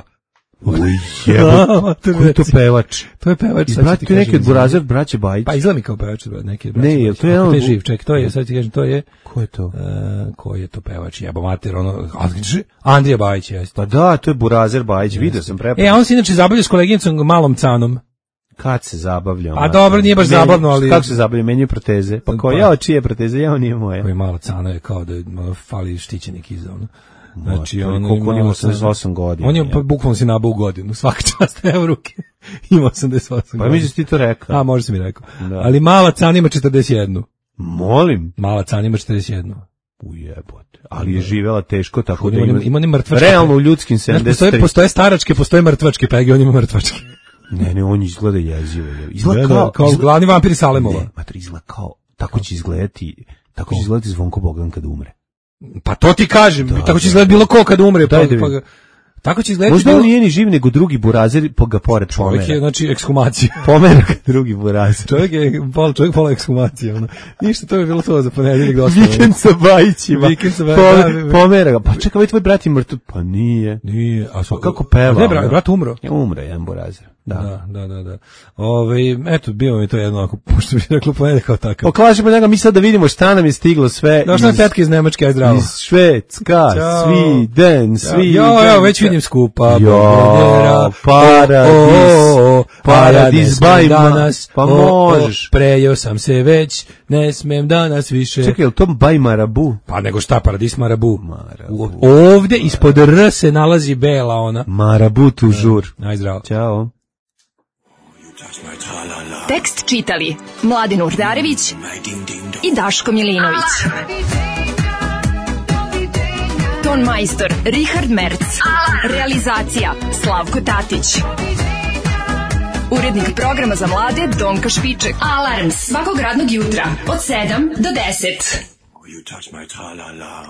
Uj, jebote, ko je to pevač? To je pevač. Izbrati tu neki od Burazer, braće Bajić. Pa izgleda mi kao pevač, neki braće Bajić. Ne, to je ono... živ, ček, to je, sad ti kažem, to je... Ko je to? Uh, ko je to pevač? Jebo mater, ono... Andrija Bajić, jeste. Pa da, to je Burazer Bajić, vidio sam prepoznao. E, on se inače zabavlja s koleginicom Malom Canom. Kad se zabavlja? A dobro, nije baš zabavno, ali... Kako se zabavlja? Menju proteze. Pa ko, ja, čije proteze? Ja, nije moje. Koji Mala Cana je kao da ono, fali štićenik iza, ono. Znači, on koliko on ima osamdeset osam godina. On je pa, bukvalno si nabao u godinu, svaka čast, evo ruke. Ima osamdeset osam godina. Pa mi si ti to rekao. A, možda si mi rekao. Da. Ali Mala Cana ima četrdeset jedan. Molim? Mala Cana ima četrdeset jedan. Ujebote. Ali je živela teško, tako da ima... Ima, ima ne mrtvačke. Realno u ljudskim sedamdeset tri. Postoje, postoje staračke, postoje mrtvačke pege, on ima mrtvačke. Ne, ne, on izgleda jezivo. Izgleda kao, kao izgleda, glavni vampir Salemova. Ne, matri, izgleda kao, tako će izgledati, tako će izgledati Zvonko Bogdan kad umre. Pa to ti kažem, da, tako će izgledati bilo ko kad umre. Pa, pa, Tako će izgledati. Možda on nije ni živ, nego drugi burazir po ga pored pomera. Čovjek je, znači, ekshumacija. Pomera drugi burazir. Čovjek je pol, čovjek pola ekshumacija. Ono. Ništa, to bi bilo to za ponedeljak dosta. Vikend sa Bajićima. Vikend sa Bajićima. Pomera ga. Pa čekaj, ovaj tvoj brat je mrtav. Pa nije. Nije. A pa kako peva? Ne, brat, brat umro. Je umro, jedan burazir. Da, da, da, da. Ove, eto, bio mi to jedno, ako pošto bi reklo ponedeljak kao takav. Oklažimo njega, mi sad da vidimo šta nam je stiglo sve. Došla je tetka iz Nemačke, aj zdravo. Iz Švedska, Sviden, Sviden. Jo, jo, već vidim skupa. Jo, paradis, paradis, danas, pa možeš. Prejeo sam se već, ne smem danas više. Čekaj, je li to Baj Marabu? Pa nego šta, paradis Marabu. Ovde ispod R se nalazi bela ona. Marabu toujours. Aj zdravo. Ćao. Tekst čitali Mladin Urdarević i Daško Milinović. Ton majstor Richard Merc. Realizacija Slavko Tatić. Urednik programa za mlade Donka Špiček. Alarms svakog radnog jutra od sedam do deset. You touch my tra-la-la.